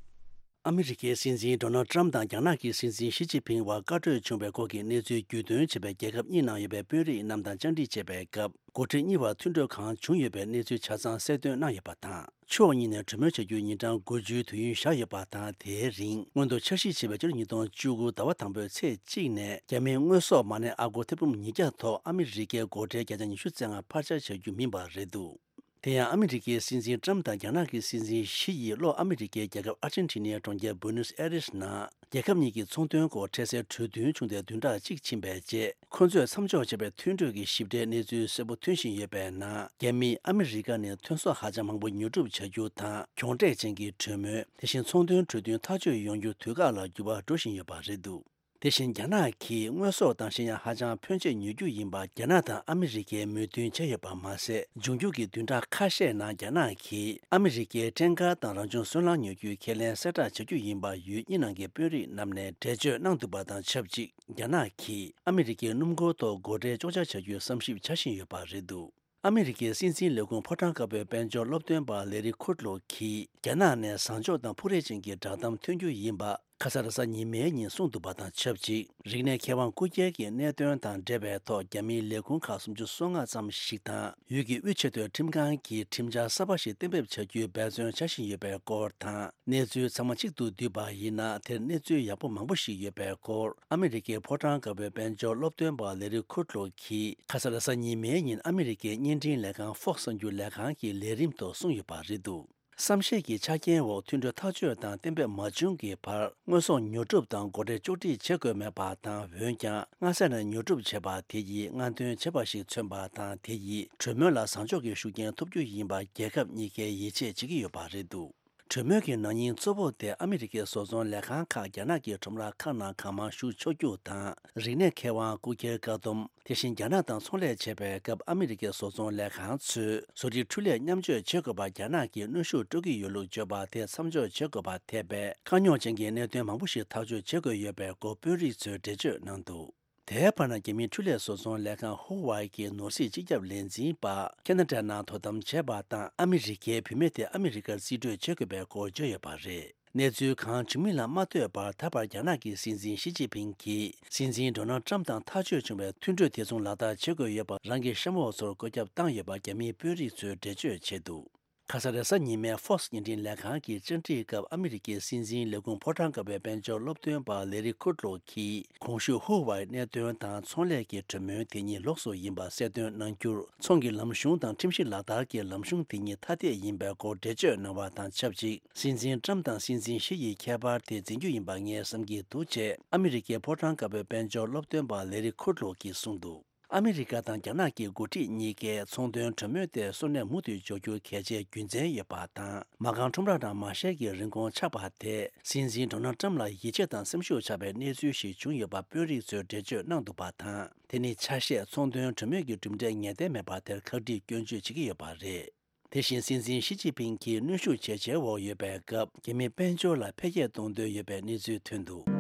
ཨ་མི་རི་ཀའི་སྲིད་འཛིན་ཌོ་ནལ་ཊམ་དང་རྒྱ་ནག་གི་སྲིད་འཛིན་ཞི་ཅིན་ཕིང་བར་བཀའ་གྲོས་བྱུང་བའི་སྐོར་གྱི་གནས་ཚུལ་བརྒྱུད་འདོན་བྱས་པའི་རྒྱལ་ཁབ་གཉིས་ནང་ཡོད་པའི་དཔོན་རིགས་རྣམས་དང་བཅར་འདྲི་བྱས་པའི་སྐབས། འགོ་ཁྲིད་གཉིས་བར་མཐུན་གྲོས་གང་བྱུང་ཡོད་པའི་གནས་ཚུལ་ཆ་ཚང་གསལ་སྟོན་གནང་ཡོད་པ་དང་། ཕྱོགས་གཉིས་ནས་གྲོས་མོལ་བྱ་རྒྱུའི་ཉིན་གྲངས་དགུ་བཅུའི་དུས་ཡུན་བཞག་ཡོད་པ་དང་། དེའི་རིང་སྔོན་དུ་འཆར་གཞི་བྱས་པའི་ཕྱི་ལོ་ཉིས་སྟོང་བཅུ་དགུ་ཟླ་བ་དང་པོའི་ཚེས་གཅིག་ནས་རྒྱ་མིའི་དངོས་ཟོག་མ་གནས་ཨ་སྒོར་ཐེར་འབུམ་ཉིས་བརྒྱ་ཐོག་ཨ་མི་རི་ཀའི་སྒོ་ཁྲལ་བརྒྱ་ཆ་ཉི་ཤུ་རྩ་ལྔ་ཕར་ཆག་བྱ་རྒྱུ་མིན་པ་རེད་འདུག་དེ་ཡང་ཨ་མི་རི་ཀའི་སྲིད་འཛིན་ཀྲམ་དང་རྒྱ་ནག་གི་སྲིད་འཛིན་ཞི་ཡིས་ལྷོ་ཨ་མི་རི་ཀའི་རྒྱལ་ཁབ་ཨར་ཅན་ཊི་ནའི་གྲོང་ཁྱེར་བུ་ནུས་ཨེ་རིས་ནང་རྒྱལ་ཁབ་གཉིས་ཀྱི་ཚོང་དོན་སྐོར་འཕྲལ་སེལ་གྲོས་མཐུན་བྱུང་སྟེ་བདུན་ཕྲག་གཅིག་ཕྱིན་པའི་རྗེས། ཁོ་ཚོས་མཚམས་འཇོག་བྱས་པའི་མཐུན་གྲོས་ཀྱི་ཞིབ་ཕྲའི་གནས་ཚུལ་གསལ་པོ་ཐོན་བཞིན་ཡོད་པའི་ནང་། རྒྱ་མིས་ཨ་མི་རི་ཀ་ནས་ཐོན་ཟོག་ཧ་ཅང་མང་པོ་ཉོ་སྒྲུབ་བྱ་རྒྱུ་དང་། གྱོང་སྤྲད་ཅན་གྱི་གྲོས་མོལ། དེ་བཞིན་ཚོང་དོན་གྲོས་མཐུན་ཐག་གཅོད་ཡོང་རྒྱུ་དུས་བཀག་ལ་འགྱུར་བ་འགྲོ་བཞིན་ཡོད་པ་རེད་འདུག་དེ་བཞིན་རྒྱ་ནག་གིས་དངོས་ཟོག་དང་ཤེས་ཡོན་ཧ་ཅང་ཕོན་ཆེ་ཉོ་རྒྱུ་ཡིན་པ་རྒྱ་ནག་དང་ཨ་མི་རི་ཀས་མོས་མཐུན་བྱས་ཡོད་པ་མ་ཟད། འབྱུང་འགྱུར་གྱི་བདུན་ཕྲག་ཁ་ཤས་ནང་རྒྱ་ནག་གིས་ཨ་མི་རི་ཀའི་ཊེང་ཀར་དང་རང་བྱུང་སོལ་རླངས་ཉོ་རྒྱུའི་ཁས་ལེན་གསལ་བསྒྲགས་བྱ་རྒྱུ་ཡིན་པ་ཡུལ་གཉིས་ནང་གི་དཔོན་རིགས་རྣམས་ནས་འགྲེལ་བརྗོད་གནང་འདུག་པ་དང་ཆབས་ཅིག་རྒྱ་ནག་གིས་ཨ་མི་རི་ཀའི་སྣུམ་འཁོར་ཐོག་སྒོ་ཁྲལ་གཅོག་ཆ་བྱ་རྒྱུའི་བསམ་ཞིབ་བྱ་བཞིན་ཡོད་པ་རེད་འདུག་ཨ་མི་རི་ཀའི་སྲིད་འཛིན་ལས་ཁུངས་ཕོ་བྲང་དཀར་པོའི་དཔལ་འབྱོར་སློབ་སྟོན་པ་ལེ་རི་ཁུར་ལོ་གིས་རྒྱ་ནག་ནས་བཟང་ཕྱོགས་དང་ཕུགས་རེ་ཅན་གྱི་བསྒྲགས་གཏམ་ཐོན་རྒྱུ་ཡིན་པ། ཁ་ས་རེས་གཟའ་ཉི་མའི་ཉིན་གསུངས་འདུག་པ་དང་ཆབས་ཅིག་རིག་གནས་མཁས་དབང་སྐུ་སྒེར་གྱི་གནད་དོན་དང་འབྲེལ་བའི་ཐོག་རྒྱ་མིའི་ལས་ཁུངས་ཁག་སུམ་ཅུ་སོ་ལྔ་ཙམ་ཞིག་དང་། ཡུལ་གྱི་དབུས་ཆེས་མཐོའི་ཁྲིམས་ཁང་གིས་ཁྲིམས་འཆར་གསར་པ་ཞིག་གཏན་འབེབས་བྱ་རྒྱུའི་འབད་བརྩོན་བྱ་བཞིན་ཡོད་པའི་སྐོར་དང་། གནས་ཚུལ་ཚང་མ་གཅིག་ཏུ་བསྡུས་པ་ཡིན་ན། དེར་གནས་ཚུལ་ཡག་པོ་མང་པོ་ཞིག་ཡོད་པའི་སྐོར། ཨ་མི་རི་ཀའི་ཕོ་བྲང་དཀར་པོའི་དཔལ་འབྱོར་སློབ་སྟོན་པ་ལེ་རི་ཁུད་ལོ་གིས་ཁ་ས་རེས་གཟའ་ཉི་མའི་ཉིན་ཨ་མི་རི་ཀའི་བརྙན་འཕྲིན་ལས་ཁང་Fox་གསར་འགྱུར་ལས་ཁང་གི་ལས་རིམ་དུ་གསུངས་ཡོད་པ་རེད་འདུག་བསམ་ཤེས་ཀྱི་ཆ་རྐྱེན་འོག་མཐུན་གྲོས་ཐག་གཅོད་དང་གཏན་འབེབས་མ་བྱུང་གི་བར་དངོས་ཟོག་ཉོ་སྒྲུབ་དང་སྒོ་ཁྲལ་གཅོག་འཕྲི་བྱེད་དགོས་མེད་པ་དང་། འོན་ཀྱང་སྔ་ས་ནས་ཉོ་སྒྲུབ་བྱས་པ་དེ་ཡིས་སྔ་འདོན་བྱས་པ་ཞིག་མཚོན་པ་དང་། དེ་ཡིས་གྲོས་མོལ་ལ་བཟང་ཕྱོགས་ཀྱི་ཤུགས་རྐྱེན་ཐོབ་རྒྱུ་ཡིན་པ་རྒྱལ་ཁབ་གཉིས་ཀས་ཡིད་ཆེས་བྱེད་ཀྱི་ཡོད་པ་རེད་འདུག་གྲོས་མོལ་གྱི་ནང་ཉིན་གཙོ་བོ་དེ་ཨ་མི་རི་ཀའི་བཟོ་ཚོང་ལས་ཁང་ཁག་རྒྱ་ནག་གི་ཁྲོམ་ར་ཁག་ནང་གང་མང་ཞུགས་ཆོག་རྒྱུ་དང་། རིག་གནས་མཁས་དབང་སྐུ་སྒེར་བཀག་སྡོམ། དེ་བཞིན་རྒྱ་ནག་དང་ཚོང་ལས་བྱེད་པའི་སྐབས་ཨ་མི་རི་ཀའི་བཟོ་ཚོང་ལས་ཁང་ཚོས་བཟོ་སྒྲིག་འཕྲུལ་ལས་མཉམ་སྤྱོད་བྱེད་དགོས་པར་རྒྱ་ནག་གིས་གནོན་ཤུགས་སྤྲོད་ཀྱི་ཡོད་ལུགས་བརྗོད་པ་དེ་མཚམས་འཇོག་བྱེད་དགོས་པ་ཐེ་བའི་དཀའ་རྙོག་ཅན་གྱི་གནད་དོན་མང་པོ་ཞིག་ཐག་གཅོད་བྱེད་དགོས་ཡོད་པའི་སྐོར་དཔོན་རིགས་ཚོས་འགྲེལ་བརྗོད་གནང་འདུག་དེའི་བར་ན་རྒྱ་མིའི་འཕྲུལ་ལས་བཟོ་ཚོང་ལས་ཁང་ཧུ་ཝའེ་གི་ནོར་སྲིད་སྤྱི་ཁྱབ་ལས་འཛིན་པ་ཁེ་ན་ཌ་ནང་དོ་དམ་བྱས་པ་དང་། ཨ་མི་རི་ཀའི་བུད་མེད་དེ་ཨ་མི་རི་ཀར་རྩིས་སྤྲོད་བྱེད་དགོས་པའི་སྐོར་བརྗོད་ཡོད་པ་རེད། གནས་ཚུལ་གང་བྱུང་མིན་ལ་མ་ལྟོས་པར། ད་བར་རྒྱ་ནག་གི་སྲིད་འཛིན་ཞི་ཅིན་ཕིང་གིས་སྲིད་འཛིན་ཌོ་ནལ་ཏྲམ་དང་ཐག་གཅོད་བྱུང་བའི་མཐུན་གྲོས་དེ་མཚུངས་ལག་བསྟར་བྱེད་དགོས་ཡོད་པ་རང་གི་གཤམ་འོག་ཚོར་བཀོད་ཁྱབ་བཏང་ཡོད་པ་རྒྱ་མིའི་དཔོན་རིགས་ཚོས་འགྲེལ་བརྗོད་བྱས་འདུག་ཁ་ས་རེས་གཟའ་ཉི་མའི་Fox་བརྙན་འཕྲིན་ལས་ཁང་གི་བཅར་འདྲིའི་སྐབས་ཨ་མི་རི་ཀའི་སྲིད་འཛིན་ལས་ཁུངས་ཕོ་བྲང་དཀར་པོའི་དཔལ་འབྱོར་སློབ་སྟོན་པ་ལེ་རི་ཁུད་ལོ་གིས་གོང་ཞུས་ཧུ་ཝའེ་གནད་དོན་དང་ཚོང་ལས་ཀྱི་གྲོས་མོལ་དེ་གཉིས་ལོགས་སུ་ཡིན་པ་གསལ་སྟོན་གནང་རྒྱུར། ཚོང་གི་ལམ་གཞུང་དང་ཁྲིམས་གཞི་ལག་བསྟར་གྱི་ལམ་གཞུང་དེ་གཉིས་ཐ་དད་ཡིན་པའི་སྐོར་འགྲེལ་བརྗོད་གནང་བ་དང་ཆབས་ཅིག་སྲིད་འཛིན་ཏྲམ་དང་སྲིད་འཛིན་ཞི་ཡི་ཁྱད་པར་དེ་འཛིན་རྒྱུ་ཡིན་པ་ངས་བསམ་གྱི་འདུག་ཅེས་ཨ་མི་རི་ཀའི་ཕོ་བྲང་དཀར་པོའི་དཔལ་འབྱོར་སློབ་སྟོན་པ་ལེ་རི་ཁུད་ལོ་གིས་གསུངས་འདུག་ཨ་མི་རི་ཀ་དང་རྒྱ་ནག་གི་འགོ་ཁྲིད་གཉིས་ཀས་ཚོང་དོན་གྲོས་མོལ་དེ་སོར་གནས་མུ་མཐུད་འཇོག་རྒྱུ་གལ་ཆེའི་རྒྱུ་མཚན་ཡོད་པ་དང་། མ་རྐང་ཁྲོམ་ར་ནང་མ་ཤེལ་གྱི་རིན་གོང་ཆག་པ་དེ་སྲིད་འཛིན་ཌོ་ནལ་ཏྲམ་ལ་ཡིད་ཆེས་དང་སེམས་ཤུགས་ཆག་པའི་གནས་ཚུལ་ཞིག་བྱུང་ཡོད་པ་དཔོན་རིགས་ཚོས་འགྲེལ་བརྗོད་གནང་འདུག་པ་དང་། དེ་ནི་ཆ་ཤས་ཚོང་དོན་གྲོས་མོལ་གྱི་གྲུབ་འབྲས་ངེས་གཏན་མེད་པ་དེར་ཁག་དཀྲིས་སྐྱོན་བརྗོད་བྱེད་ཀྱི་ཡོད་པ་རེད། དེ་བཞིན་སྲིད་འཛིན་ཞི་ཅིན་ཕིང་གིས་གནོན་ཤུགས་ཇེ་ཆེའི་འོག་ཡོད་པའི་སྐབས། རྒྱ་མིའི་དཔལ་འབྱོར་ལ་འཕེལ་རྒྱས་གཏོང་འདོད་ཡོད་པའི་གནས་ཚུལ་ཐོན་འདུག་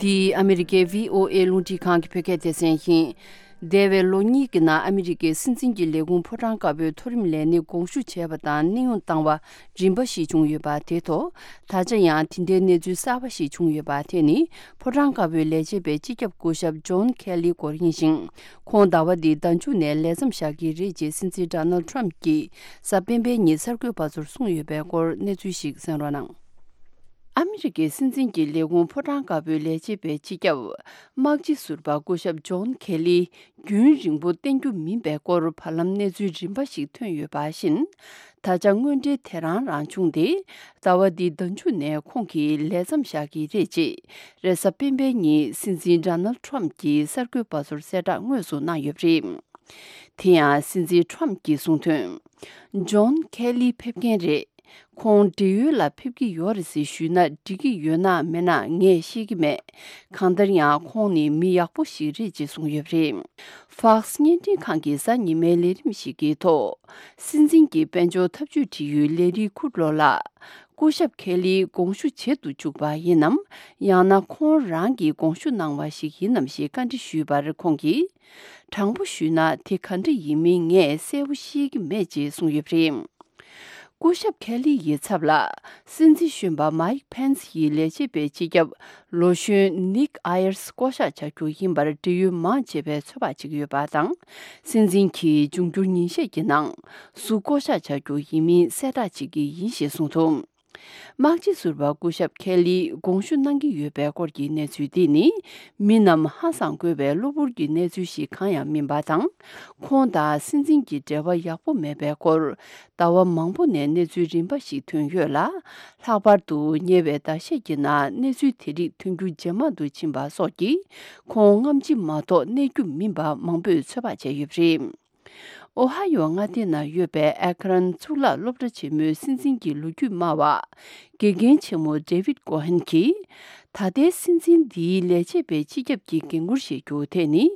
འདི་ཨ་མི་རི་ཀའི་བྷི་ཨོ་ཨེ་རླུང་འཕྲིན་ཁང་གི་བོད་སྐད་སྡེ་ཚན་ཡིན། འདས་པའི་ལོ་གཉིས་ཀྱི་ནང་ཨ་མི་རི་ཀའི་སྲིད་འཛིན་གྱི་ལས་ཁུངས་ཕོ་བྲང་དཀར་པོའི་མཐོ་རིམ་ལས་སྣེ་དགོངས་ཞུ་བྱས་པ་དང་གནས་དབྱུང་བཏང་བ་རིམ་པ་ཞིག་བྱུང་ཡོད་པ་དེ་ཐོག་ད་ཆ་ཡང་དེ་འདྲའི་གནས་ཚུལ་གསར་པ་ཞིག་བྱུང་ཡོད་པ་དེ་ནི་ཕོ་བྲང་དཀར་པོའི་ལས་བྱེད་པའི་སྤྱི་ཁྱབ་སྐུ་ཞབས་ཇོན་ཁེ་ལི་སྐོར་ཡིན་ཞིང་། ཁོང་ཟླ་བ་འདིའི་ཟླ་མཇུག་ནས་ལས་མཚམས་བཞག་གི་རེད་ཅེས་སྲིད་འཛིན་ཌོ་ནལ་ཏྲམ་གྱིས་གཟའ་སྤེན་པའི་ཉིན་གསར་འགོད་པ་ཚོར་གསུངས་ཡོད་པའི་སྐོར་གནས་ཚུལ་ཞིག་གསན་རོགས་གནང་། ཨ་མི་རི་ཀའི་སྲིད་འཛིན་གྱི་ལས་ཁུངས་ཕོ་བྲང་དཀར་པོའི་ལས་བྱེད་པའི་སྤྱི་ཁྱབ་དམག་སྤྱི་ཟུར་པ་སྐུ་ཞབས་ཇོན་ཁེ་ལི་རྒྱུན་རིང་པོ་བསྟེན་རྒྱུ་མིན་པའི་སྐོར་བར་ལམ་གནས་ཚུལ་རིམ་པ་ཞིག་ཐོན་ཡོད་པ་བཞིན། ད་ཆ་དངོས་འབྲེལ་དེ་རང་རང་བྱུང་སྟེ། ཟླ་བ་འདིའི་ཟླ་མཇུག་ནས་ཁོང་གིས་ལས་མཚམས་བཞག་གི་རེད་ཅེས་རེས་གཟའ་སྤེན་པའི་ཉིན་སྲིད་འཛིན་ཌོ་ནལ་ཏྲམ་གྱིས་གསར་འགོད་པ་ཚོར་གསལ་བསྒྲགས་དངོས་སུ་གནང་ཡོད་པ་རེད། དེ་ཡང་སྲིད་འཛིན་ཏྲམ་གྱིས་གསུངས་དོན། ཇོན་ཁེ་ལི་ཕེབས་མཁན་རེད། ཁོང་བགྲེས་ཡོལ་ལ་ཕེབས་ཀྱི་ཡོད་རེད་ཟེར་ཞུས་ན་འགྲིག་གི་ཡོད་ན་མེད་ན་ངས་ཤེས་ཀྱི་མེད། གང་ལྟར་ཡང་ཁོང་ནི་མི་ཡག་པོ་ཞིག་རེད་ཅེས་གསུངས་ཡོད་པ་རེད། Fox་བརྙན་འཕྲིན་ཁང་གི་གཟའ་ཉི་མའི་ལས་རིམ་ཞིག་གི་ཐོག་སྲིད་འཛིན་གྱི་དཔལ་འབྱོར་འཐབ་ཇུས་དྲི་ཡུལ་ལེ་རི་ཁུར་ལོ་ལགས། སྐུ་ཞབས་ཁེ་ལིའི་དགོངས་ཞུ་བྱེད་དུ་བཅུག་པ་ཡིན་ནམ། ཡང་ན་ཁོང་རང་གིས་དགོངས་ཞུ་གནང་བ་ཞིག་ཡིན་ནམ་ཞེས་བཀའ་འདྲི་ཞུས་པར་ཁོང་གིས། དྲང་པོ་ཞུས་ན་དེ་ག་འདྲ་ཡིན་མིན་ངས་གསལ་པོ་ཤེས་ཀྱི་མེད་ཅེས་གསུངས་ཡོད་པ་རེད། སྐུ་ཞབས་ཁེ་ལི་ཡི་ཚབ་ལ། སྲིད་འཛིན་གཞོན་པ་མའིག་ཕེན་སི་ཡི་ལས་བྱེད་པའི་སྤྱི་ཁྱབ་ལོ་གཞོན་ནིག་ཨ་ཡར་སི་བསྐོ་གཞག་བྱ་རྒྱུ་ཡིན་པར་འབྲེལ་ཡོད་མང་ཆེ་བས་ཚོད་དཔག་བྱེད་ཀྱི་ཡོད་པ་དང་། སྲིད་འཛིན་གྱིས་འབྱུང་འགྱུར་ཉིན་ཤས་ཀྱི་ནང་སུ་བསྐོ་གཞག་བྱ་རྒྱུ་ཡིན་མིན་གསལ་བསྒྲགས་བྱེད་ཀྱི་ཡིན་ཞེས་གསུངས་འདུག་དམག་སྤྱི་ཟུར་པ་སྐུ་ཞབས་ཁེ་ལིས་དགོངས་ཞུ་གནང་གི་ཡོད་པའི་སྐོར་གྱི་གནས་ཚུལ་འདི་ནི། མི་རྣམས་ཧང་སངས་དགོས་པའི་གློ་བུར་གྱི་གནས་ཚུལ་ཞིག་གང་ཡང་མིན་པ་དང་། ཁོང་དང་སྲིད་འཛིན་གྱི་འབྲེལ་བ་ཡག་པོ་མེད་པའི་སྐོར། ཟླ་བ་མང་པོ་ནས་གནས་ཚུལ་རིམ་པ་ཞིག་ཐོན་ཡོད་ལ། ལྷག་པར་དུ་ཉེ་བའི་ཟླ་ཤས་ཀྱི་ནང་གནས་ཚུལ་དེ་རིགས་ཐོན་རྒྱུ་ཇེ་མང་དུ་ཕྱིན་པ་སོགས་ཀྱིས། ཁོང་སྔ་ཕྱི་མ་གཏོགས་གནས་རྒྱུ་མིན་པ་མང་པོས་ཚོད་དཔག་བྱས་ཡོད་པ་རེད། ཨོ་ཧ་ཡོ་མངའ་སྡེ་ནང་ཡོད་པའི་ཨེ་ཁ་རན་གཙུག་ལག་སློབ་གྲྭ་ཆེན་མོའི་སྲིད་འཛིན་གྱི་ལོ་རྒྱུས་སྨྲ་བ། དགེ་རྒན་ཆེན་མོ་ཌེ་ཝིད་ཀོ་ཧན་གྱིས། ད་ལྟའི་སྲིད་འཛིན་འདིའི་ལས་བྱེད་པའི་སྤྱི་ཁྱབ་ཀྱི་འགན་འཁུར་བཞེས་རྒྱུ་དེ་ནི།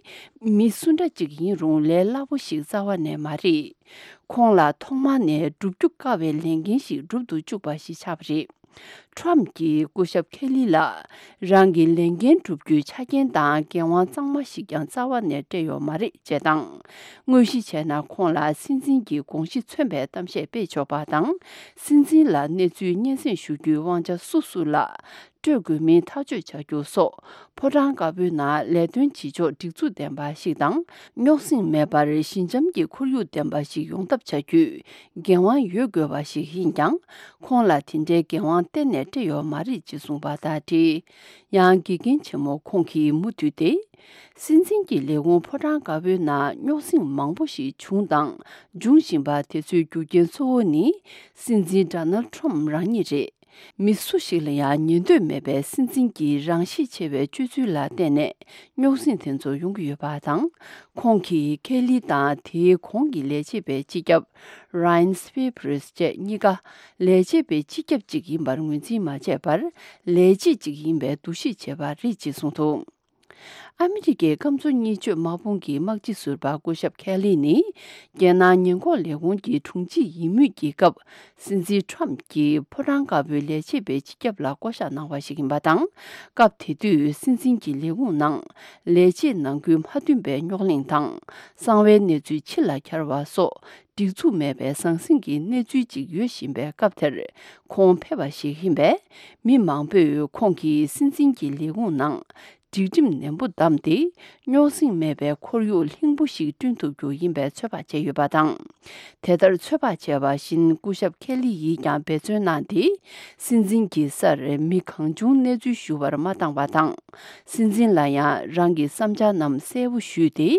མི་སུ་འདྲ་གཅིག་ཡིན་རུང་ལས་སླ་པོ་ཞིག་རྩ་བ་ནས་མ་རེད། ཁོང་ལ་ཐོག་མ་ནས་བསྒྲུབ་རྒྱུ་དཀའ་བའི་ལས་འགན་ཞིག་སྒྲུབ་ཏུ་བཅུག་པ་ཞིག་ཆགས་པ་རེད། ཁྲོམ་གྱིས་སྐུ་ཞབས་ཁེ་ལི་ལ་རང་གི་ལས་འགན་བསྒྲུབ་རྒྱུའི་ཆ་རྐྱེན་དང་འགན་དབང་གཙང་མ་ཞིག་ཀྱང་རྩ་བ་ནས་སྤྲད་ཡོད་མ་རེད་ཅེས་དང་། དངོས་གཞི་བྱས་ན་ཁོང་ལ་སྲིད་འཛིན་གྱི་དགོངས་གཞི་མཚོན་པའི་གཏམ་བཤད་སྤེལ་ཆོག་པ་དང་། སྲིད་འཛིན་ལ་གནས་ཚུལ་སྙན་སེང་ཞུ་རྒྱུའི་དབང་ཆ་སུ་སུ་ལ་སྤྲོད་དགོས་མིན་ཐག་གཅོད་བྱ་རྒྱུ་སོགས་ཕོ་བྲང་དཀར་པོའི་ནང་ལས་དོན་བྱེད་ཕྱོགས་སྒྲིག་འཛུགས་ལྡན་པ་ཞིག་དང་། རྙོག་ཟིང་མེད་པར་ཞི་འཇམ་གྱི་ཁོར་ཡུག་ལྡན་པ་ཞིག་ཡོང་ཐབས་བྱ་རྒྱུའི་འགན་དབང་ཡོད་དགོས་པ་ཞིག་ཡིན་ཀྱང་། ཁོང་ལ་དེ་འདྲའི་འགན་དབང་གཏན་ནས་སྤྲད་ཡོད་མ་རེད་ཅེས་གསུངས་པ་དང་འབྲེལ། ཡང་དགེ་རྒན་ཆེན་མོ་ཁོང་གིས་མུ་མཐུད་དེ། སྲིད་འཛིན་གྱི་ལས་ཁུངས་ཕོ་བྲང་དཀར་པོའི་ནང་རྙོག་ཟིང་མང་པོ་ཞིག་བྱུང་དང་འབྱུང་བཞིན་པ་དེ་ཚོའི་རྒྱུ་རྐྱེན་གཙོ་བོ་ནི་སྲིད་འཛིན་ཌོ་ནལ་ཁྲོམ་རང་ཉིད་རེད། མི་སུ་ཞིག་ལ་ཡང་ཉན་འདོད་མེད་པའི་སྲིད་འཛིན་གྱི་རང་ཤེད་ཆེ་བའི་སྤྱོད་ཚུལ་ལ་བརྟེན་ནས་རྙོག་ཟིང་དེ་ཚོ་ཡོང་གི་ཡོད་པ་དང་། ཁོང་གིས་ཁེ་ལི་དང་དེའི་གོང་གི་ལས་བྱེད་པའི་སྤྱི་ཁྱབ་ར་ཡན་སི་པི་པི་རིས་བཅས་གཉིས་ཀ་ལས་བྱེད་པའི་སྤྱི་ཁྱབ་ཅིག་ཡིན་པར་ངོས་འཛིན་མ་བྱས་པར། ལས་བྱེད་ཅིག་ཡིན་པའི་འདུ་ཤེས་བྱས་པ་རེད་ཅེས་གསུངས་འདུག་ཨ་མི་རི་ཀའི་སྐམ་མཚོ་གཉིས་ཆོད་དམག་དཔུང་གི་དམག་སྤྱི་ཟུར་པ་སྐུ་ཞབས་ཁེ་ལི་ནི། རྒྱལ་ནང་ཉེན་འགོག་ལས་ཁུངས་ཀྱི་དྲུང་ཆེ་ཡིན་མུས་ཀྱི་སྐབས། སྲིད་འཛིན་ཁྲོམ་གྱིས་ཕོ་བྲང་དཀར་པོའི་ལས་བྱེད་པའི་སྤྱི་ཁྱབ་ལ་བསྐོ་གཞག་གནང་བ་ཞིག་ཡིན་པ་དང་། སྐབས་དེ་དུས་སྲིད་འཛིན་གྱི་ལས་ཁུངས་ནང་ལས་བྱེད་ནང་ཁུལ་མ་མཐུན་པའི་རྙོག་གླེང་དང་། གསང་བའི་གནས་ཚུལ་ཕྱི་ལ་འཁྱར་བ་སོགས་སྒྲིག་འཛུགས་མེད་པའི་ཟང་ཟིང་གི་གནས་ཚུལ་ཅིག་ཡོད་བཞིན་པའི་སྐབས་དེར། ཁོང་ཕེབས་པ་ཞིག་ཡིན་པས། མི་མང་པོས་ཁོང་གིས་སྲིད་འཛིན་གྱི་ལས་ཁུངས་ནང་། སྒྲིག་ཁྲིམས་ནན་པོ་བསྡམས་ཏེ། རྙོག་ཟིང་མེད་པའི་ཁོར་ཡུག་ལྷིང་པོ་ཞིག་བསྐྲུན་ཐུབ་རྒྱུ་ཡིན་པའི་ཚོད་དཔག་བྱས་ཡོད་པ་དང་། དེ་ལྟར་ཚོད་དཔག་བྱས་པ་བཞིན་སྐུ་ཞབས་ཁེ་ལི་ཡིས་ཀྱང་འབད་བརྩོན་གནང་སྟེ། སྲིད་འཛིན་གྱི་སར་མི་གང་བྱུང་གནས་ཚུལ་ཞུ་བར་མ་བཏང་བ་དང་། སྲིད་འཛིན་ལ་ཡང་རང་གི་བསམ་འཆར་རྣམས་གསལ་པོ་ཞུས་ཏེ།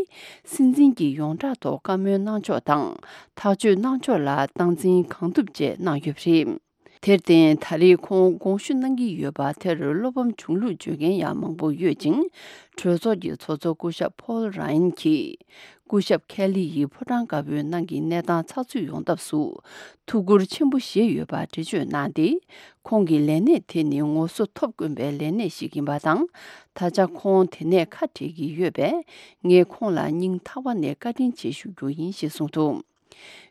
སྲིད་འཛིན་གྱི་ཡོངས་གྲགས་ཐོག་བཀའ་མོལ་གནང་ཕྱོགས་དང་། ཐག་གཅོད་གནང་ཕྱོགས་ལ་སྟངས་འཛིན་གང་ཐུབ་བཅས་གནང་ཡོད་པ་རེད། དེར་བརྟེན། ད་རེས་ཁོང་དགོངས་ཞུ་གནང་གི་ཡོད་པ་དེར་བློ་ཕམ་བྱུང་ལུགས་བརྗོད་མཁན་ཡང་མང་པོ་ཡོད་ཅིང་། གྲོས་ཚོགས་ཀྱི་ཚོགས་གཙོ་སྐུ་ཞབས་ཕོལ་ར་ཡན་གྱིས། སྐུ་ཞབས་ཁེ་ལི་ཡིས་ཕོ་བྲང་དཀར་པོའི་ནང་གི་གནས་སྟངས་ཚགས་ཚུད་ཡོང་ཐབས་སུ་ཐུགས་ཁུར་ཆེན་པོ་བཞེས་ཡོད་པ་འགྲེལ་བརྗོད་གནང་སྟེ། ཁོང་གི་ལས་གནས་དེ་ནི་ངོ་སོ་ཐོབ་དཀོན་པའི་ལས་གནས་ཤིག་ཡིན་པ་དང་། ད་ཆ་ཁོང་དེ་ནས་ཁ་བྲལ་གྱི་ཡོད་པས། ངས་ཁོང་ལ་སྙིང་ཐག་པ་ནས་བཀའ་དྲིན་ཆེ་ཞུ་རྒྱུ་ཡིན་ཞེས་གསུངས་འདུག་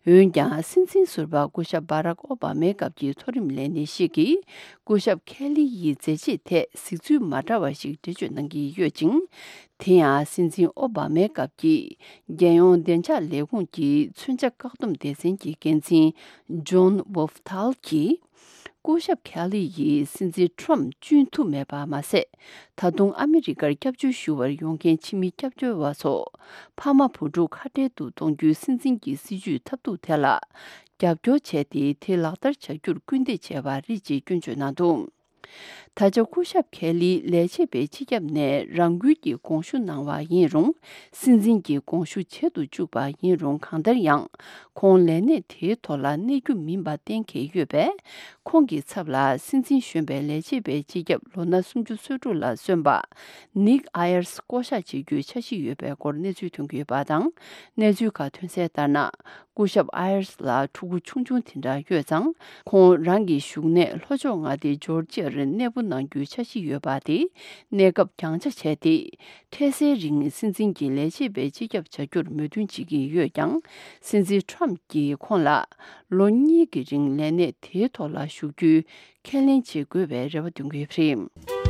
འོན་ཀྱང་། སྲིད་འཛིན་ཟུར་པ་སྐུ་ཞབས་བྷ་རག་ཨོ་བྷ་མའི་སྐབས་ཀྱི་མཐོ་རིམ་ལས་སྣེ་ཞིག་གིས། སྐུ་ཞབས་ཁེ་ལི་ཡི་མཛད་རྗེས་ཐད་གཟིགས་ཚུལ་མ་འདྲ་བ་ཞིག་འགྲེལ་བརྗོད་གནང་གི་ཡོད་ཅིང་། དེ་ཡང་། སྲིད་འཛིན་ཨོ་བྷ་མའི་སྐབས་ཀྱི་རྒྱལ་ཡོངས་བདེ་འཇགས་ལས་ཁུངས་ཀྱི་མཚོན་ཆ་བཀག་སྡོམ་སྡེ་ཚན་གྱི་འགན་འཛིན་ཇོན་ཝོབ་ཐཱལ་གྱིས། སྐུ་ཞབས་ཁེ་ལི་ཡིས་སྲིད་འཛིན་ཁྲོམ་བསྐྲུན་ཐུབ་མེད་པ་མ་ཟད། ད་དུང་ཨ་མི་རི་ཀར་སྐྱབས་བཅོལ་ཞུ་བར་ཡོང་མཁན་ཕྱི་མི་སྐྱབས་བཅོལ་བ་ཚོ། ཕ་མ་བུ་ཕྲུག་ཁ་བྲལ་དུ་གཏོང་རྒྱུའི་སྲིད་འཛིན་གྱི་སྲིད་ཇུས་ཐབས་སྡུག་དེ་ལ། རྒྱབ་སྐྱོར་བྱས་ཏེ། དེ་ལག་བསྟར་བྱ་རྒྱུར་སྐུལ་འདེད་བྱས་པ་རེད་ཅེས་སྐྱོན་བརྗོད་གནང་འདུག་ད་ཆ་སྐུ་ཞབས་ཁེ་ལིས་ལས་བྱེད་པའི་སྤྱི་ཁྱབ་ནས་རང་འཁུལ་གྱིས་དགོངས་ཞུ་གནང་བ་ཡིན་རུང་། སྲིད་འཛིན་གྱིས་དགོངས་ཞུ་བྱེད་དུ་བཅུག་པ་ཡིན་རུང་། གང་ལྟར་ཡང་། ཁོང་ལས་གནས་དེའི་ཐོག་ལ་གནས་རྒྱུ་མིན་པ་གཏན་འཁེལ་ཡོད་པས། ཁོང་གི་ཚབ་ལ་སྲིད་འཛིན་གཞོན་པའི་ལས་བྱེད་པའི་སྤྱི་ཁྱབ་ལོ་ན་སུམ་ཅུ་སོ་དྲུག་ལ་སོན་པ་ནིག་ཨ་ཡར་སི་བསྐོ་གཞག་བྱེད་རྒྱུའི་འཆར་གཞི་ཡོད་པའི་སྐོར་གནས་ཚུལ་ཐོན་གྱི་ཡོད་པ་དང་། གནས་ཚུལ་ཁག་ཐོན་གསལ་ལྟར་ན། སྐུ་ཞབས་ཨ་ཡར་སི་ལ་ཕྲུ་གུ་ཆུང་ཆུང་དེ་འདྲ་ཡོད་ཙང་། ཁོང་རང་གི་བཞུགས་གནས་ལྷོ་ཕྱོགས་མངའ་སྡེ་ཇོར་ཇིར་གནས་སྤོ་གནང་རྒྱུའི་འཆར་གཞི་ཡོད་པ་དེ། གནས་སྐབས་རྒྱང་ཆ་བྱས་ཏེ། འཕྲལ་སེལ་རིང་སྲིད་འཛིན་གྱི་ལས་བྱེད་པའི་སྤྱི་ཁྱབ་བྱ་རྒྱུར་མོས་མཐུན་བྱེད་ཀྱི་ཡོད་ཀྱང་། སྲིད་འཛིན་ཁྲོམ་གྱིས་ཁོང་ལ་ལོ་གཉིས་ཀྱི་རིང་ལས་གནས་དེའི་ཐོག་ལ་བཞུགས་རྒྱུའི་ཁས་ལེན་བྱེད་དགོས་པའི་རེ་བ་འདོན་གྱི་ཡོད་པ་རེད།